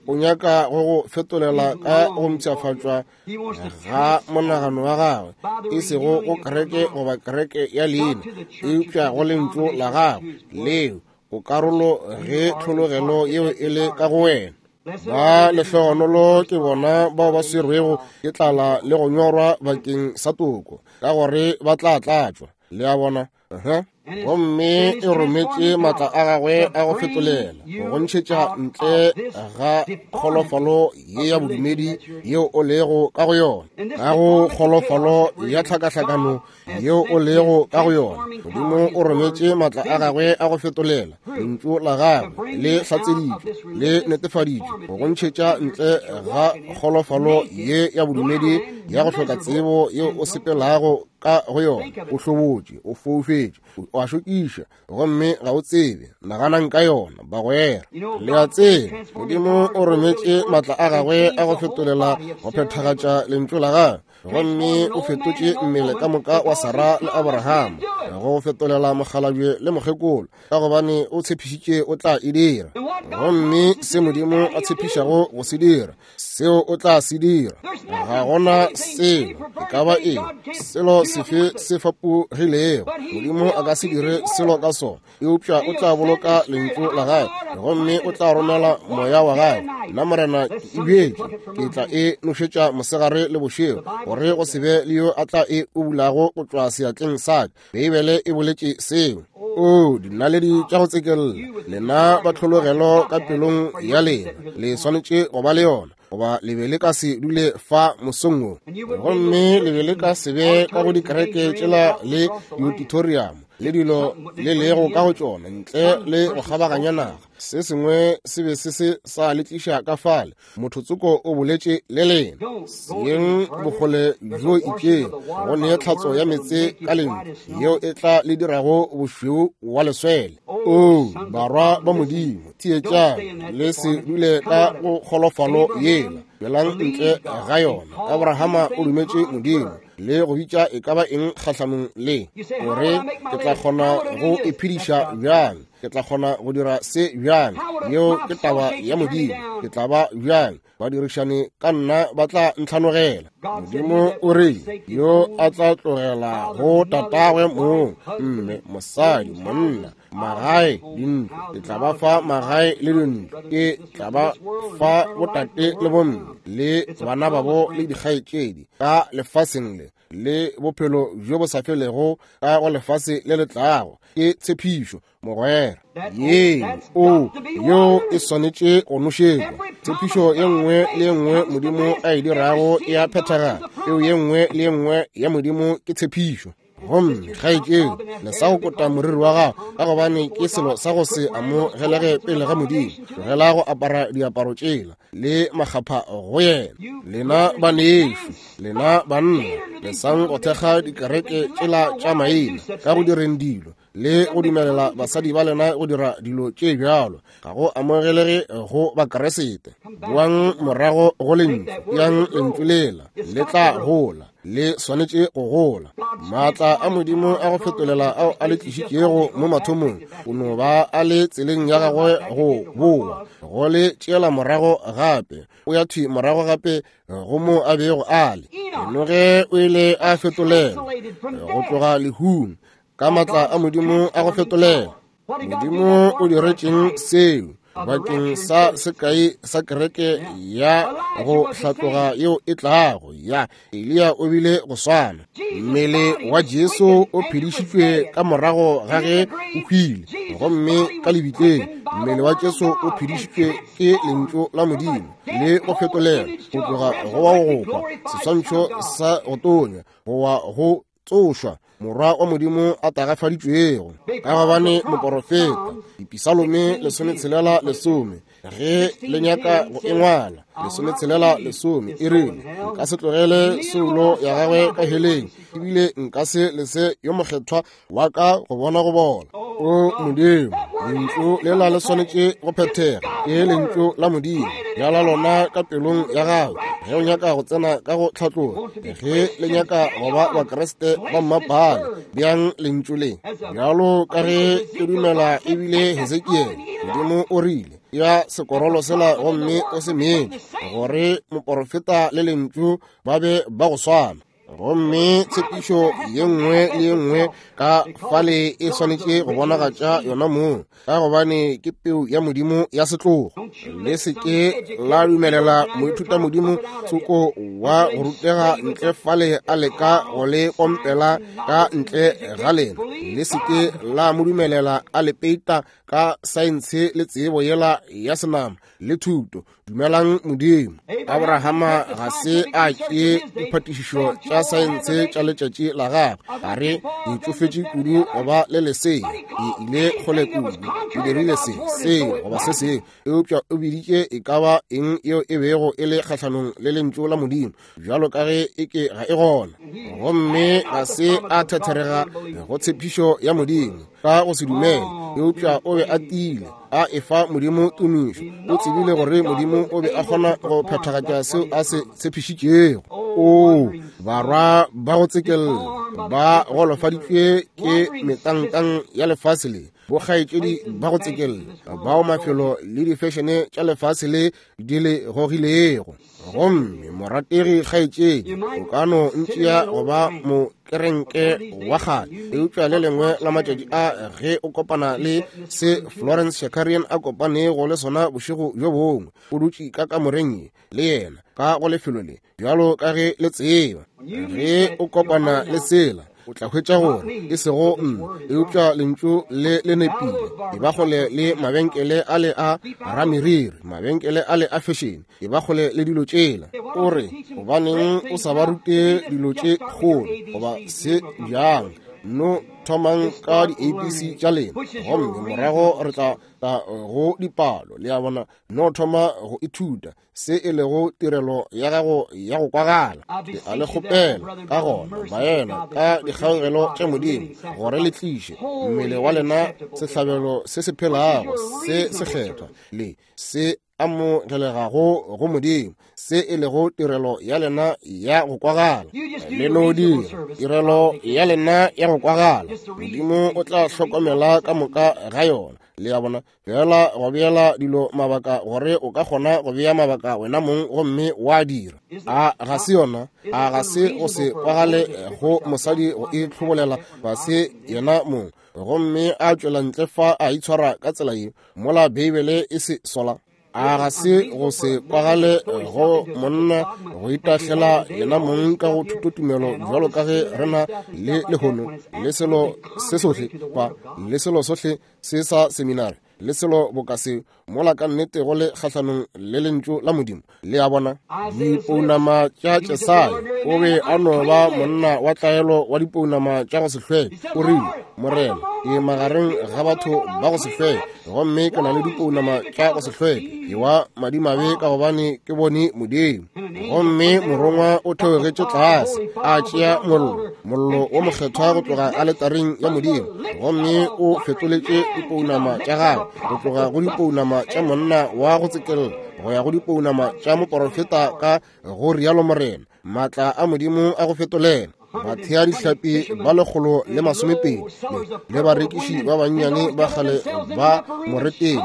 o nyaka go go fetolela ka go mpshafatšwa ga monagano wa gagwe, e sego go kereke goba kereke ya leina, eupša go lentšu la gagwe leo o karolo ge tlhologelo yeo e le ka go wena. Ba lehlogonolo ke bona bao ba swerwego ke tlala le go nyorwa bakeng sa toko, ka gore ba tla tlatšwa. Le a bona? Gomme e rometše matla a gagwe a go fetolela go ntšhetša ntle ga kgolofalo ye ya bodumedi yeo o lego ka go yona, ka go kgolofalo ya tlhakahlakano yeo o lego ka go yona. Modimo o rometše matla a gagwe a go fetolela, lentšu la gagwe le hlatseditšwe le netefaditšwe go ntšhetša ntle ga kgolofalo ye ya bodumedi ya go hloka tsebo yeo o sepelago ka go yona. O hlobotše, o foufetše, o a šokiša, gomme ga o tsebe. Naganang ka yona, bagwera. Le a tseba, Modimo o rometše matla a gagwe a go fetolela go phethagatša lentšu la gagwe, gomme o fetotše mmele ka moka wa Sara le Abrahama go fetolela mokgalabje le mokgekolo, ka gobane o tshepišitše o tla e dira. Gomme se Modimo a tshepišago go se dira, seo o tla se dira. Ga gona selo e ka ba eng, selo sefe se fapogilego, Modimo a ka se dire selo ka sona, eupša o tla boloka lentšu la gagwe gomme o tla romela moya wa gagwe. Nna Morena ke e bjetše, ke tla e nošetša mosegare le bošego, gore go se be le yo a tla e ubulago go tšwa seatleng sa ka. Beibele e boletše seo. O dinaledi tša go tsekella, lena ba tlhologelo ka pelong ya lena, le swanetše go ba le yona, goba le be le ka se dule fa mosong wo, gomme le be le ka se be ka go dikereke tšela le diauditorium le dilo le lego ka go tšona ntle le go kgabaganya naga. Se sengwe se be se se sa le tliša ka fale. Motho tsoko o boletše le lena, seng bokgole bjo itšeng, go nee tlhatso ya meetse ka lentšu yeo e tla le dirago bošweu wa leswele. O barwa ba Modimo, theetšang, le se dule ka go kgolofalo yela, tšwelang ntle ga yona. Abrahama o dumetše Modimo le go bitša e ka ba eng kgahlanong le gore ke tla kgona go iphediša bjang, ke tla kgona go dira se bjang, yeo ke taba ya Modimo, ke tla ba bjang, badirišani ka nna ba tla ntlhanogela. Modimo o re yo a tla tlogela go tatagwe mong, mme, mosadi, monna, magae, dintlo, ke tla ba fa magae le dintlo, ke tla ba fa botate le bomme le bana babo le dikgaetšedi ka lefaseng le, le bophelo bjo bo sa felego ka go lefase le le tlago. Ke tshepišo, mogwera. Ye o yo e swanetše go nošetšwa. Tshepišo ye nngwe le ye nngwe Modimo a e dirago e a phethagala. Peo ye nngwe le ye nngwe ya Modimo ke tshepišo. Gomme kgaetšedi, lesa go kota moriri wa gago, ka gobane ke selo sa go se amogelege pele ga Modimo. Tlogela go apara diaparo tšela le makgapha go yena. Lena banešu, lena banna, lesang go thekga dikereke tšela tša maina ka go direng dilo le go dumelela basadi ba lena go dira dilo tše bjalo. Ga go amogelege go Bakeresete. Boang morago go lentšu, yang lentšu lela le tla gola, le swanetše go gola. Maatla a Modimo a go fetolela ao a le tlišitšego mo mathomong, o no ba a le tseleng ya gagwe go boa, go le tšeela morago gape. O ya thwi morago gape go mo a bego a le. Enoge o ile a fetolela go tloga lehung ka maatla a Modimo a go fetolela. Modimo o diretšeng seo bakeng sa sekai sa kereke ya go hlatloga yeo e tlago ya Eliya o bile go swana. Mmele wa Jesu o phedišitšwe ka morago ga ge o hwile, gomme ka lebitleng mmele wa Jesu o phedišitšwe ke lentšu la Modimo le go fetolela go tloga go wa go kwa seswantšho sa go tonya go wa go tsošwa morwa wa Modimo a tagafaditšwego. Ka gobane moporofeta Dipisalome 16:10, ge le nyaka go e ngwala, 16:10 e rile, nka se tlogele soulo ya gagwe ka heleng, ebile nka se lese yo mokgethwa wa ka go bona go bola. O Modimo, lentšu lela le swanetše go phethega. Ke lentšu la Modimo, bjala lona ka pelong ya gago ge o nyaka go tsena ka go tlhatloga. Ge le nyaka go ba Bakriste ba mmapale, bjang lentšu le. Bjalo ka ge ke dumela ebile Hesekiele, Modimo o rile, ya sekorolo sela gomme o se metše, gore moporofeta le lentšu ba be ba go swana. Gomme tshepišo ye nngwe le ye nngwe ka fale e swanetše go bonagatša yona mong, ka gobane ke peu ya Modimo ya setlogo. Le se ke la dumelela moithuta Modimo tsoko wa go rutega ntle fale a leka go le pompela ka ntle ga lena. Le se ke la mo dumelela a le peita ka saense le tsebo yela ya senama le thuto. Dumelang Modimo. Abrahama ga se a tšee diphatišišo tša saense tša letšatši la gagwe. A re, ke tšofetše kudu go ba le lesea, ke ile kgole kudu, ke dirile se, seo, goba se sengwe. Eupša o biditše e ka ba eng yeo e bego e le kgahlanong le lentšu la Modimo, bjalo ka ge e ke ga e gona. Gomme ga se a thetherega go tshepišo ya Modimo ka go se dumele, eupša o be a tiile, a efa Modimo tumišo. O tsebile gore Modimo o be a kgona go phethagatša seo a se tshepišitšego. Oo, barwa ba go tsekella ba golofaditšwe ke metankang ya lefase le, bokgaetšedi ba go tsekella bao mafelo le difešene tša lefase le di le gogilego. Gomme morategi kgaetšedi, o ka no ntšea go ba mokerenke wa kgale, eupša le lengwe la matšatši a ge o kopana le se Florence Shakarian a kopanego le sona bošego bjo bongwe, o dutše ka kamoreng ye le yena ka go lefelo le, bjalo ka ge le tseba. Ge o kopana le sela, o tla hwetša gore e sego nna, eupša lentšu le le nepile. E ba kgole le mabenkele a le a rameriri, mabenkele a le a fešene, e ba kgole le dilo tšela. O re, gobaneng o sa ba rute dilo tše kgolo goba se bjang? No thomang ka di-ABC tša lena, gomme morago re tla tla go dipalo. Le a bona, no thoma go ithuta se e lego tirelo ya gago ya go kwagala. Ke a le kgopela ka gona, baena, ka dikgaugelo tša Modimo, gore le tliše mmele wa lena sehlabelo se se phelago, se sekgethwa le se amogelegago go Modimo, se e lego tirelo ya lena ya go kwagala. Le no dira tirelo ya lena ya go kwagala, Modimo o tla hlokomela ka moka ga yona. Le a bona? Fela go beela dilo mabaka gore o ka kgona go bea mabaka wena mong gomme wa dira. A ga se yona? A ga se go se kwagale go mosadi go itlhobolela fase yena mong gomme a tšwela ntle fa a itshwara ka tsela ye, mola Beibele e se sola? A ga se go se kwagale go monna go itahlela yena mong ka go thutotumelo bjalo ka ge re na le lehono, le selo se sohle fa, le selo sohle se sa seminari? le selo boka se, mola ka nnete go le kgahlanong le lentšu la Modimo. Le a bona? Dipounama tša Jesaya, o be a no ba monna wa tlaelo wa dipounama tša go se hlweke. O rile, Morena, ke magareng ga batho ba go se hlweke, gomme ke na le dipounama tša go se hlweke. Ke wa madimabe ka gobane ke bone Modimo. Gomme morongwa o theogetše tlase, a tšea mollo, mollo wo mokgethwa go tloga aletareng ya Modimo, gomme o fetoletše dipounama tša gagwe go tloga go dipounama tša monna wa go tsekella go ya go dipounama tša moporofeta ka go rialo Morena, maatla a Modimo a go fetolela. Bathea dihlapi ba 120 le barekiši ba bannyane ba kgale ba moretele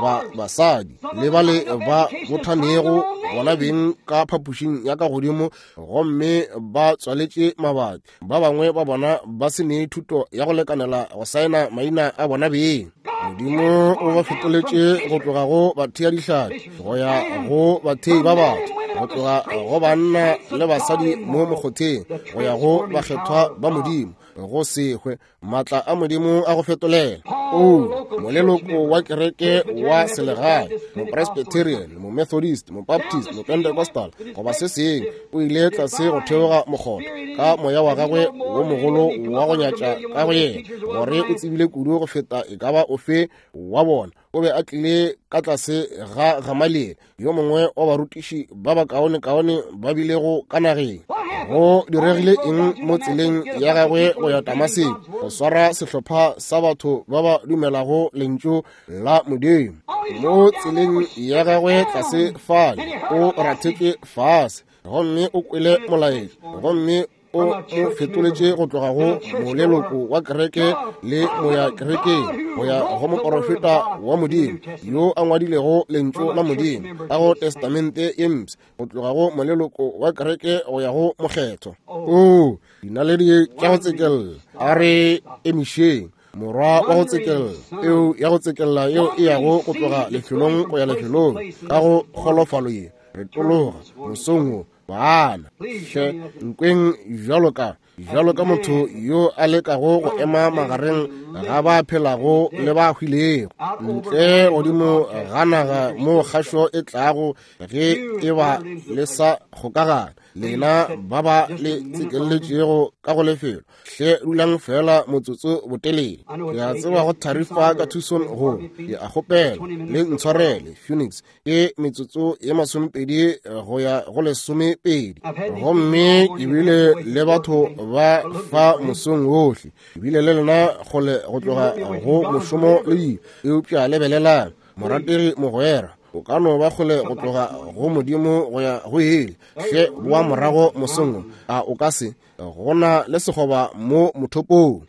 ba basadi le bale ba bothanego bona beng ka phapošing ya ka godimo gomme ba tswaletše mabati, ba bangwe ba bona ba se ne thuto ya go lekanela go saena maina a bona beng. Modimo o ba fetoletše go tloga go bathea dihlapi go ya go bathei ba batho, go tloga go banna le basadi mo mokgotheng go ya go bakgethwa ba Modimo, go se hwe, maatla a Modimo a go fetolela. O moleloko wa kereke wa selegae, mopresbyterian, momethodist, mobaptist, mopentecostal, goba se sengwe, o ile tlase go theoga mokgotha ka moya wa gagwe wo mogolo wa go nyatša ka go yena, gore o tsebile kudu go feta e ka ba ofe wa bona. O be a tlile ka tlase ga Gamaliele, yo mongwe wa barutiši ba bakaonekaone ba bilego ka nageng. Go diregile eng mo tseleng ya gagwe go ya Damaseko? Go swara sehlopha sa batho ba ba dumelago lentšu la Modimo. Mo tseleng ya gagwe tlase fale, o rathetše fase, gomme o kwele molaetša, gomme o mo fetoletše go tloga go moleloko wa kereke le moya kerekeng go ya go moporofeta wa Modimo yo a ngwadilego lentšu la Modimo ka go Testamente ye Mpsha, go tloga go moleloko wa kereke go ya go mokgethwa. O dinaledi tša go tsekella, a re emišeng morwa wa go tsekella, eo ya go tsekella yeo e yago go tloga lefelong go ya lefelong ka go kgolofalo ye re tologa mosong wo. Bana, hle nkweng bjalo ka bjalo ka motho yo a lekago go ema magareng ga ba phelago le ba hwilego, ntle godimo ga naga mo kgašo e tlago ge e ba le sa kgokagana, lena ba ba le tsekelletšego ka go lefelo. Hle dulang fela motsotso botelele. Ke a tseba go tharifa ka Tucson go, ke a kgopela le ntshwarele, Phoenix. Ke metsotso ye 20 go ya go 12, gomme ke bile le batho ba fa mosong wohle, ke bile le lena kgole go tloga go mošomo le dilo. Eupša lebelelang, morategi mogwera, o ka no ba kgole go tloga go Modimo go ya go ile. Hle boa morago mosong wo, a o ka se? Go na le sekgoba mo mothopong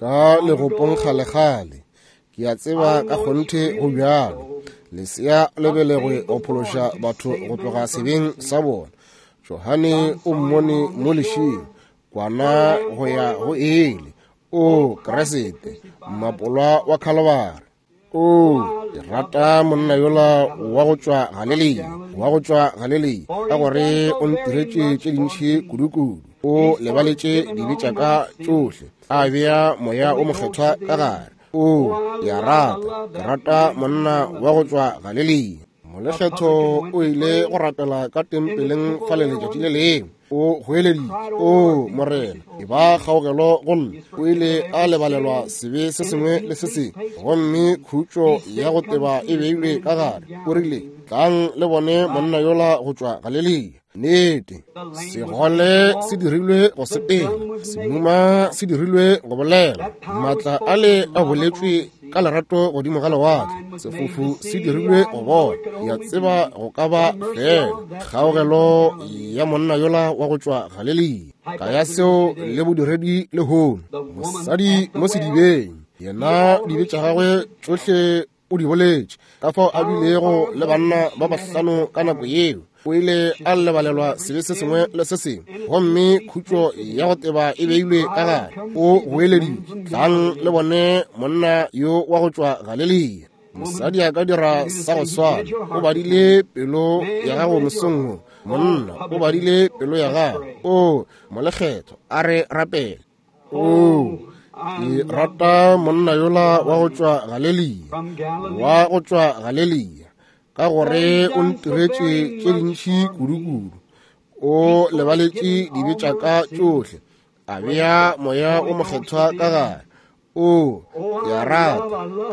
ka legopong kgalekgale. Ke a tseba ka kgonthe go bjalo. Lesea le belegwe go phološa batho go tloga sebeng sa bona. Johane o mmone mo lešing, kwana go ya go ele. O Kriste, mmapolwa wa Khalibari. O, ke rata monna yola wa go tšwa Galilea, wa go tšwa Galilea, ka gore o ntiretše tše dintši kudu-kudu. O lebaletše dibe tša ka tšohle, a bea moya o mokgethwa ka gare. O, ke a rata, ke rata monna wa go tšwa Galilea. Molekgetho o ile go rapela ka tempeleng fale letšatši le lengwe. O goeleditše, O Morena, e ba kgaogelo go nna. O ile a lebalelwa sebe se sengwe le se sengwe, gomme khutšo ya go teba e beilwe ka gare. O rile, Tlang le bone monna yola go tšwa Galilea. Nnete, segole se dirilwe go sepela, semuma se dirilwe go bolela, maatla ale a boletšwe ka lerato godimo ga lewatle, sefofu se dirilwe go bona. Ke a tseba go ka ba fela kgaogelo ya monna yola wa go tšwa Galilea. Ka ya seo le bodiredi lehono, mosadi mo sedibeng, yena dibe tša gagwe tšohle o di boletše, ka fao a bilego le banna ba bahlano ka nako yeo. O ile a lebalelwa sebe se sengwe le se sengwe, gomme khutšo ya go teba e beilwe ka gare. O goeleditše, Tlang le bone monna yo wa go tšwa Galilea. Mosadi a ka dira sa go swana. O badile pelo ya gago mosong wo. Monna o badile pelo ya gago. O molekgetho, a re rapele. O, Ke rata monna yola wa go tšwa Galelia, wa go tšwa Galelia, ka gore o ntiretše tše dintši kudu-kudu. O lebaletše dibe tša ka tšohle, a bea moya o mokgethwa ka gare. O, ke a rata,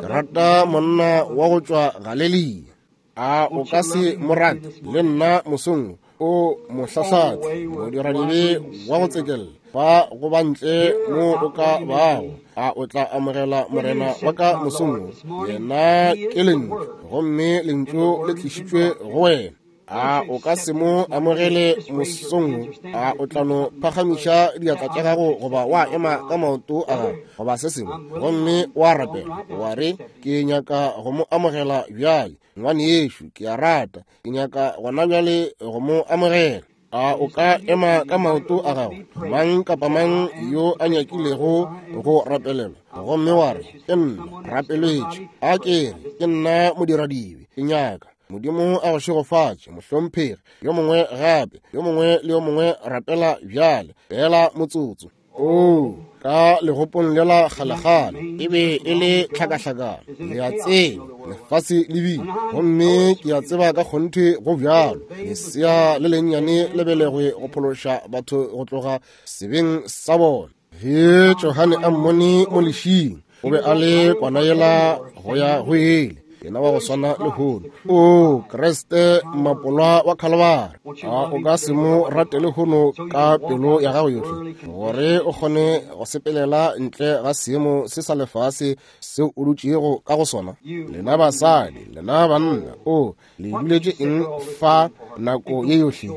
ke rata monna wa go tšwa Galelia. A o ka se mo rate le nna mosong o mohlahlatse, modiradibe wa go tsekella, fa go ba ntle mo o ka bago? A o tla amogela Morena wa ka mosong? Yena ke Lentšu, gomme Lentšu le tlišitšwe go wena. A o ka se mo amogele mosong? A o tla no phagamiša diatla tša gago goba wa ema ka maoto a gago goba se sengwe, gomme wa rapela wa re, ke nyaka go mo amogela bjale, ngwanešu, ke a rata, ke nyaka gona bjale go mo amogela. A o ka ema ka maoto a gago, mang kapa mang yo a nyakilego go rapelelwa, gomme wa re, ke nna rapeletše, a ke re, ke nna modiradibe, ke nyaka Modimo a go šegofatše, mohlomphegi. Yo mongwe gape, yo mongwe le yo mongwe rapela bjale, fela motsotso. O ka legopong lela kgalekgale e be e le tlhakahlakano, le a tseba, lefase le bile, gomme ke a tseba ka kgonthe go bjalo. Lesea le lennyane le belegwe go phološa batho go tloga sebeng sa bona. Ge Johane a mmone mo lešing, o be a le kwana yela go ya go ele, yena wa go swana lehono. O Kriste, mmapolwa wa Khalibari, a o ka se mo rate lehono ka pelo ya gago yohle, gore o kgone go sepelela ntle ga seemo se sa lefase seo o dutšego ka go sona? Lena basadi, lena banna, o le duletše eng fa nako ye yohle?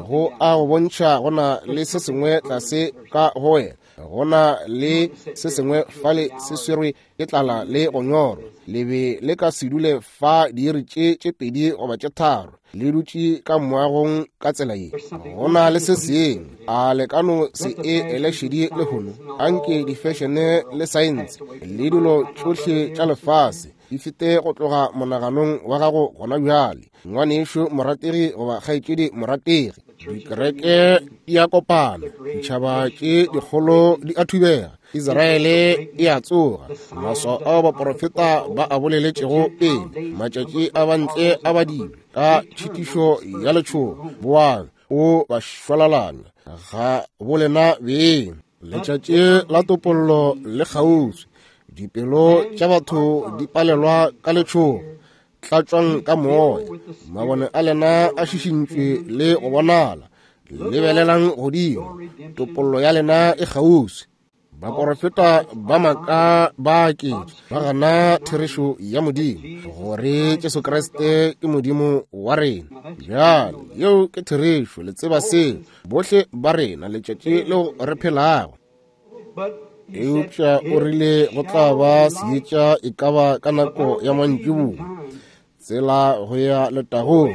Go a go bontšha go na le se sengwe tlase ka go wena, go na le se sengwe fale se swerwe ke tlala le go nyorwa. Le be le ka se dule fa diiri tše tše pedi goba tše tharo le dutše ka moagong ka tsela ye. Go na le se sengwe. A le ka no se e ele šedi lehono? Anke difešene le saense le dilo tšohle tša lefase di fete go tloga monaganong wa gago gona bjale, ngwanešu morategi goba kgaetšedi morategi. Dikereke di a kopana, ditšhaba tše dikgolo di a thubega, Israele e a tsoga. Maswao ao baporofeta ba a boleletšego pele, matšatši a bantle a badilwe ka tšhitišo ya letšhogo. Boang o ba šwalalanya ga bolena beng. Letšatši la topollo le kgauswi, dipelo tša batho di palelwa ka letšhogo. Tlatšwang ka moya, mabone a lena a šišintšwe le go bonala. Lebelelang godimo, topollo ya lena e kgauswi. Baporofeta ba maaka ba aketša, ba gana therešo ya Modimo, gore Jesu Kriste ke Modimo wa rena. Bjale, yeo ke therešo, le tseba seo, bohle ba rena, letšatši leo re phelago. Eupša o rile go tla ba seetša e ka ba ka nako ya mantšiboa, tsela go ya letagong,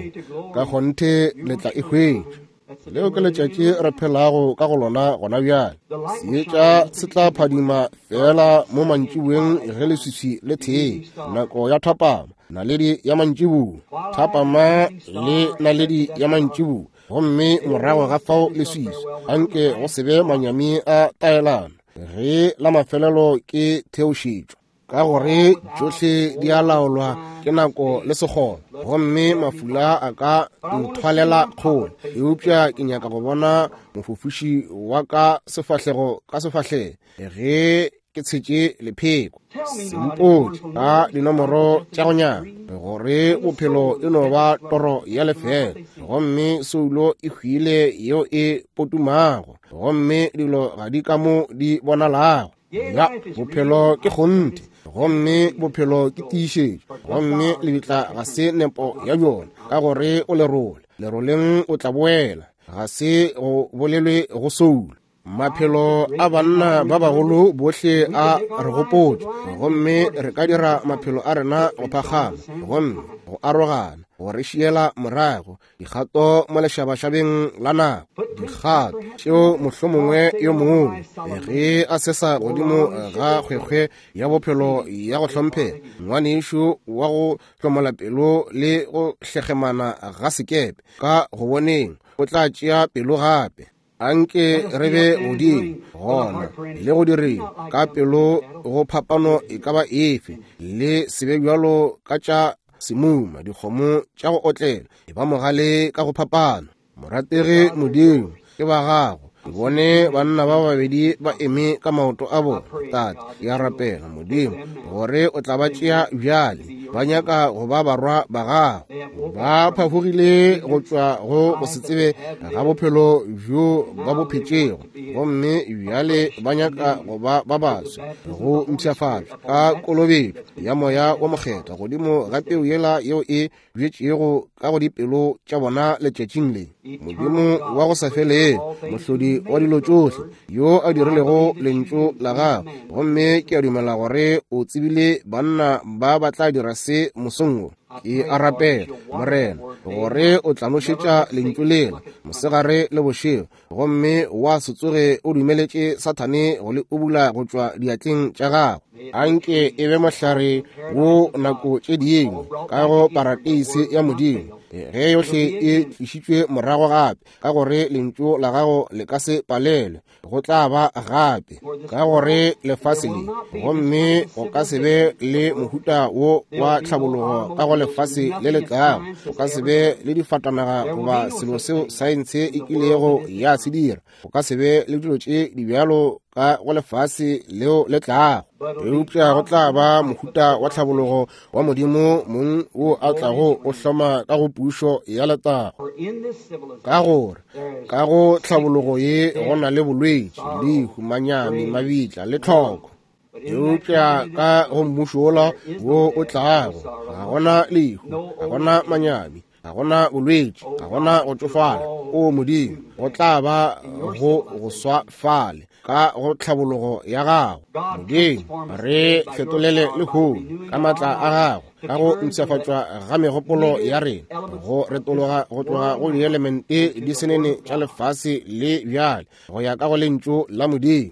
ka kgonthe le tla e hwetša. Leo ke letšatši re phelago ka go lona gona bjale. Seetša se tla phadima fela mo mantšiboeng ge leswiswi le thee, nako ya thapama, naledi ya mantšiboa, thapama le naledi ya mantšiboa, gomme morago ga fao leswiswi. Anke go se be manyami a taelano ge la mafelelo ke theošetšwa, ka gore tšohle di a laolwa ke nako le sekgono, gomme mafula a ka nthwalela kgole. Eupša ke nyaka go bona mofofiši wa ka sefahlego ka sefahlego ge ke tshetše lepheko. Sempotše ka dinomoro tša go nyama gore bophelo e no ba toro ya lefela, gomme soulo e hwile yeo e potumago, gomme dilo ga di ka mo di bonalago. Ya, bophelo ke kgonthe, gomme bophelo ke tiišetšo, gomme lebitla ga se nepo ya bjona, ka gore o lerole, leroleng o tla boela, ga se go bolelwe go soulo. Maphelo a banna ba bagolo bohle a re gopotše, gomme re ka dira maphelo a rena go phakgama, gomme go arogana, go re šiela morago dikgato mo lešabašabeng la nako, dikgato tšeo mohlomongwe yo mongwe ge a sesa godimo ga kgwekgwe ya bophelo ya go hlomphega, ngwanešu wa go hlomola pelo le go hlegemana ga sekepe ka go boneng, o tla tšea pelo gape. Anke re be godimo gona le go direng ka pelo go phapano e ka ba efe, le se be bjalo ka tša semuma dikgomo tša go otlela, e ba mogale ka go phapano. Morategi Modimo, ke ba gago. Ke bone banna ba babedi ba eme ka maoto a bona. Tate, ke a rapela Modimo gore o tla ba tšea bjale. Ba nyaka go ba barwa ba gago. Ba phafogile go tšwa go se tsebe ga bophelo bjo ba bo phetšego, gomme bjale ba nyaka go ba ba baswa, go mpshafatšwa ka kolobetšo ya Moya wo Mokgethwa godimo ga peu yela yeo e bjetšego ka go dipelo tša bona letšatšing le. Modimo wa go sa felego, mohlodi wa dilo tšohle, yo a dirilego lentšu la gagwe, gomme ke a dumela gore o tsebile banna ba ba tla dira se mosong wo. Ke a rapela, Morena, gore o tla nošetša lentšu lela mosegare le bošego, gomme wa se tsoge o dumeletše Sathane go le ubula go tšwa diatleng tša gago. Anke e be mohlare wo nako tše dingwe ka go parateise ya Modimo, ge yohle e tlišitšwe morago gape, ka gore lentšu la gago le ka se palelwe, go tla ba gape ka gore lefase le, gomme go ka se be le mohuta wo wa tlhabologo ka go lefase le le tlago, go ka se be le difatanaga goba selo seo saense e kilego ya se dira, go ka se be le dilo tše di bjalo ka go lefase leo le tlago, eupša go tla ba mohuta wa tlhabologo wa Modimo mong wo a tlago o hloma ka go pušo ya letago. Ka gore ka go tlhabologo ye go na le bolwetši, lehu, manyami, mabitla le tlhoko, eupša ka go mmušo wola wo o tlago ga gona lehu, ga gona manyami, ga gona bolwetši, ga gona go tšofala. O Modimo, go tla ba go swa fale ka go tlhabologo ya gago. Modimo, re fetolele lehono ka maatla a gago, ka go mpshafatšwa ga megopolo ya rena, go retologa go tloga go dielemente di senene tša lefase le bjale go ya ka go lentšu la Modimo.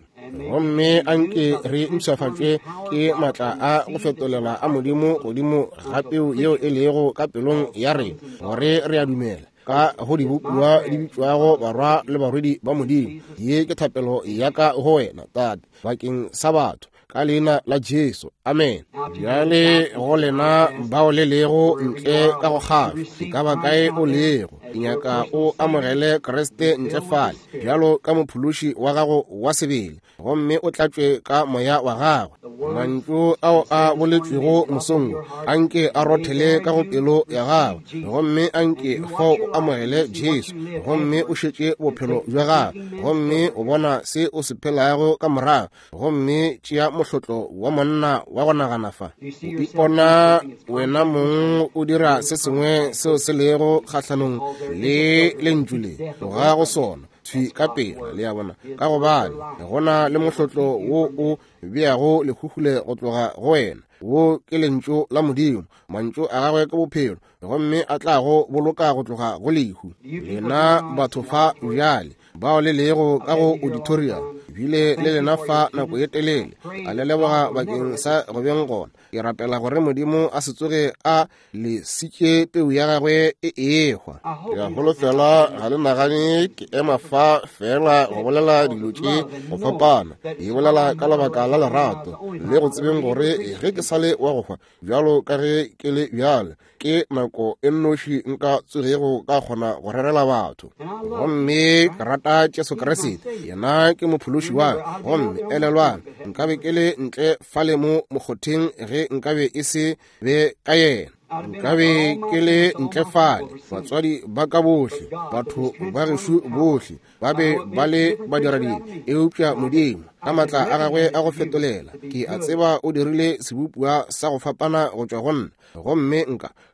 Gomme anke re mpshafatšwe ke maatla a go fetolela a Modimo godimo ga peu yeo e lego ka pelong ya rena, gore re a dumela ka go dibopiwa di bitšwago barwa le barwedi ba Modimo. Ye ke thapelo ya ka go wena, Tate, bakeng sa batho, ka leina la Jesu. Amen. Bjale go lena bao le lego ntle ka go kgafa, e ka ba kae o lego, ke nyaka o amogele Kriste ntle fale bjalo ka mophološi wa gago wa sebele, gomme o tlatšwe ka moya wa gagwe. Mantšu ao a boletšwego mosong anke a rothele ka go pelo ya gago, gomme anke fao o amogele Jesu, gomme o šetše bophelo bja gago, gomme o bona se o se phelago ka morago, gomme tšea mohlotlo wa monna wa go nagana fa. O ipona wena mong o dira se sengwe seo se lego kgahlanong le lentšu le, tloga go sona thwi ka pela, le a bona, ka gobane go na le mohlotlo wo o beago lekhukhule go tloga go wena. Wo ke lentšu la Modimo, mantšu a gagwe ke bophelo, gomme a tla go boloka go tloga go lehu. Lena batho fa bjale bao le lego ka go auditorium, bile le lena fa nako ye telele, a le leboga bakeng sa go beng gona. Ke rapela gore Modimo a se tsoge a le sitše peu ya gagwe e ehwa. Ke a holofela ga le nagane ke ema fa fela go bolela dilo tše go fapana. Ke bolela ka lebaka la lerato le go tsebeng gore ge ke sa le wa go hwa bjalo ka ge ke le bjale, ke nako e nnoši nka tsogego ka kgona go rerela batho. Gomme ke rata Jesu Kriste, yena ke mophološi wa ka. Gomme elelwang, nkabe ke le ntle fale mo mokgotheng ge nkabe e se be ka yena. Nkabe ke le ntle fale, batswadi ba ka bohle, batho ba gešo bohle ba be ba le badiradibe, eupša Modimo ka maatla a gagwe a go fetolela, ke a tseba o dirile sebopiwa sa go fapana go tšwa go nna, gomme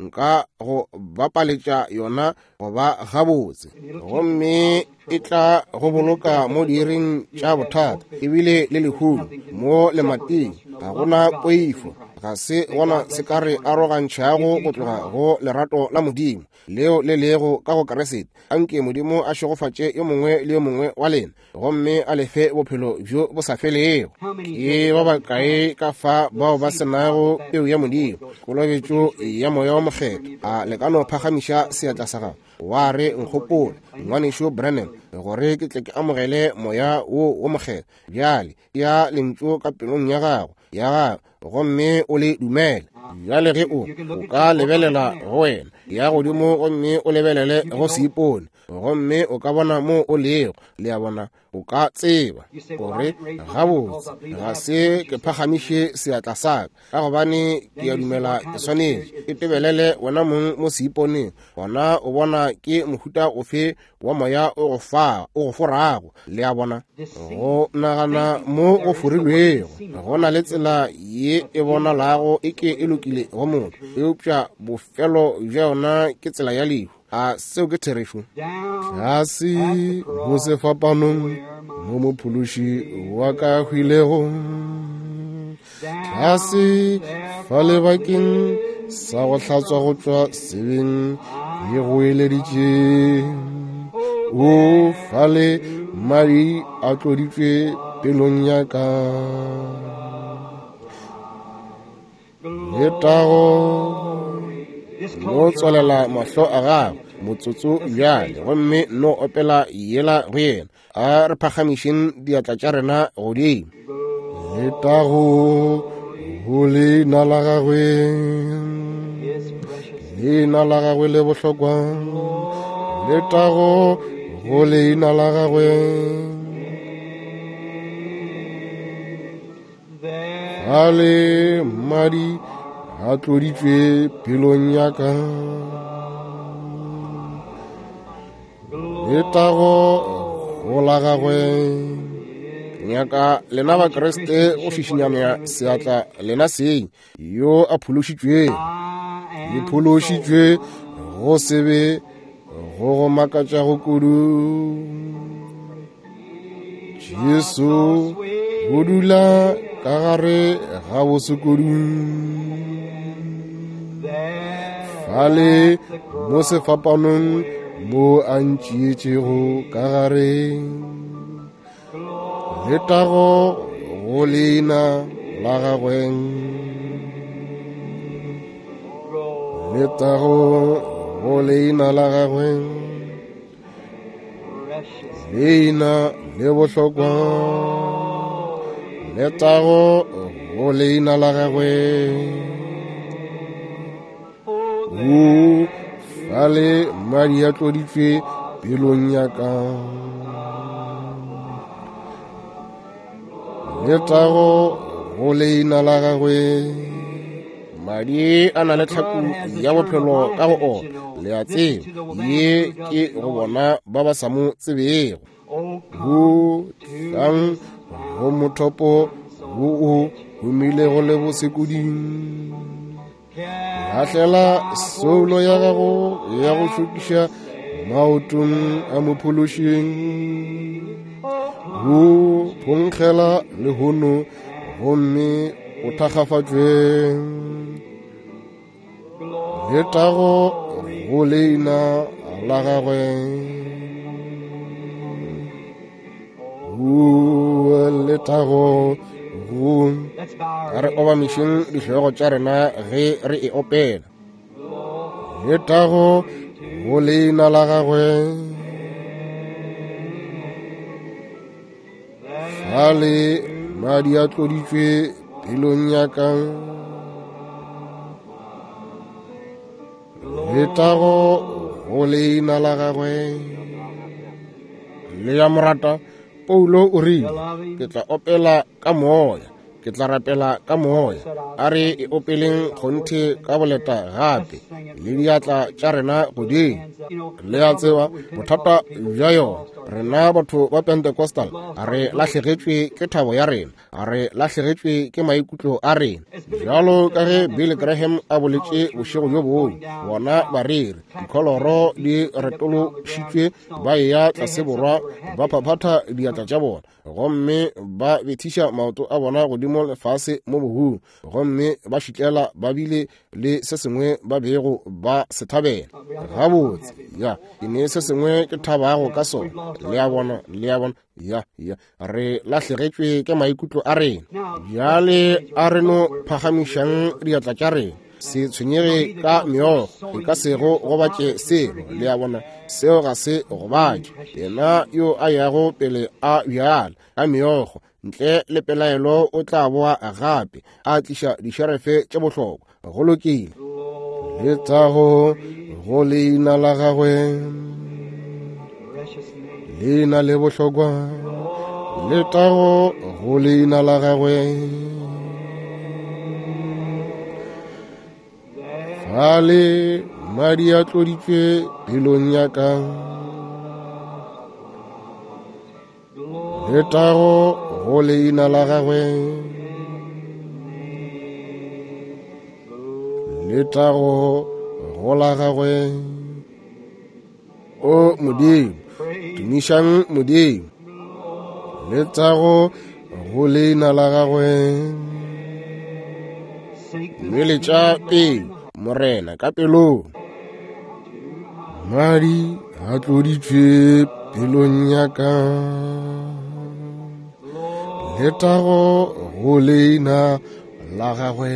nka go bapaletša yona go ba gabotse, gomme e tla go boloka mo diiring tša bothata ebile le lehung mo lemating. Ga gona poifo, ga se gona se ka re arogantšhago go tloga go lerato la Modimo leo le lego ka go Kriste. Anke Modimo a šegofatše yo mongwe le yo mongwe wa lena gomme a lefe bophelo bjo bo sa felego. Ke ba bakae ka fa bao ba senago peu ya Modimo, kolobetšo ya Moya wa Mokgethwa? A le ka no phagamiša seatla sa gago wa re, nkgopole, ngwanešu Branham, gore ke tle ke amogele Moya wo wo Mokgethwa? Bjale ya lentšu ka pelong ya gago ya gago gomme o le dumele. Bjale ge o ka lebelela go wena ya godimo gomme o lebelele go seipone, gomme o ka bona mo o lego. Le a bona, o ka tseba gore gabotse ga se ke phagamiše seatla sa ka, ka gobane ke a dumela ke swanetše. E tebelele wena mong mo seiponeng, gona o bona ke mohuta ofe wa moya o go forago. Le a bona, go nagana mo go forilwego. Go na le tsela ye e bonalago e ke e lokile go motho, eupša bofelo bja yona ke tsela ya lehu. A seo ke therešo? Tlase go sefapanong mo mophološi wa ka hwilego, tlase fa lebakeng sa go hlatswa go tšwa sebeng ke go eleditše. O fale madi a tloditšwe pelong ya ka. Letago. No tswalela mahlo a gago motsotso bjale gomme no opela yela go yena. A re phagamišeng diatla tša rena godimo. Letago go leina la gagwe, leina la gagwe le bohlokwa. Letago go leina la gagwe. Ale madi a tloditšwe pelong ya ka. Letago go la gagwe. Nyaka lena ba Kriste go šišinyana seatla lena seng yo a phološitšwego. Le phološitšwe go sebe go go makatšago kudu. Jesu o dula ka gare ga bosekudu. Fale mo sefapanong mo a ntšeetšego ka gare. Letago go leina la gagwe. Letago go leina la gagwe. Leina le bohlokwa. Letago go leina la gagwe. O fale madi a tloditšwe pelong ya ka. Letago go leina la gagwe. Madi a na le tlhaku ya bophelo ka go ona. Le a tseba, ye ke go bona ba ba sa mo tsebego. Go tlang go mothopo wo o humilego le bosekuding. Lahlela soulo ya gago ya go šokiša maotong a mophološing. Go phonkgela lehono gomme o thakgafatšwe. Letago go leina la gagwe. O letago go. A re obamišeng dihlogo tša rena ge re e opela. Letago go leina la gagwe. Fale madi a tloditšwe pelong ya ka. Letago go leina la gagwe. Le ya morata, Paulo o rile, ke tla opela ka moya, ke tla rapela ka moya. A re e opeleng kgonthe ka boleta gape le diatla tša rena godimo. Le a tseba bothata bja yona, rena batho ba Pentecostal re lahlegetšwe ke thabo ya rena, re lahlegetšwe ke maikutlo a rena. Bjalo ka ge Billy Graham a boletše bošego bjo bongwe, bona bareri dikholoro di retološitšwe ba eya tlase borwa, ba phaphatha diatla tša bona gomme ba bethiša maoto a bona godimo. godimo le fase mo bohung, gomme ba šitlela ba bile le se sengwe ba bego ba se thabela. Gabotse, ya, ke ne se sengwe ke thabago ka sona. Le a bona, le a bona, ya, ya, re lahlegetšwe ke maikutlo a rena. Bjale a re no phagamišang diatla tša rena. Se tshwenyege ka meokgo, e ka se go gobatše selo. Le a bona, seo ga se gobatše. Yena yo a yago pele a bjala ka meokgo, ntle le pelaelo o tla boa gape a tliša dišerefe tše bohlokwa. Go lokile. Letago go leina la gagwe, leina le bohlokwa. Letago go leina la gagwe. Fale madi a tloditšwe pelong ya ka. Letago go leina la gagwe. Letago go la gagwe. O Modimo, tumišang Modimo. Letago go leina la gagwe. Nweletša pelo, Morena, ka pelong. Madi a tloditšwe pelong ya ka. Letago go leina la gagwe.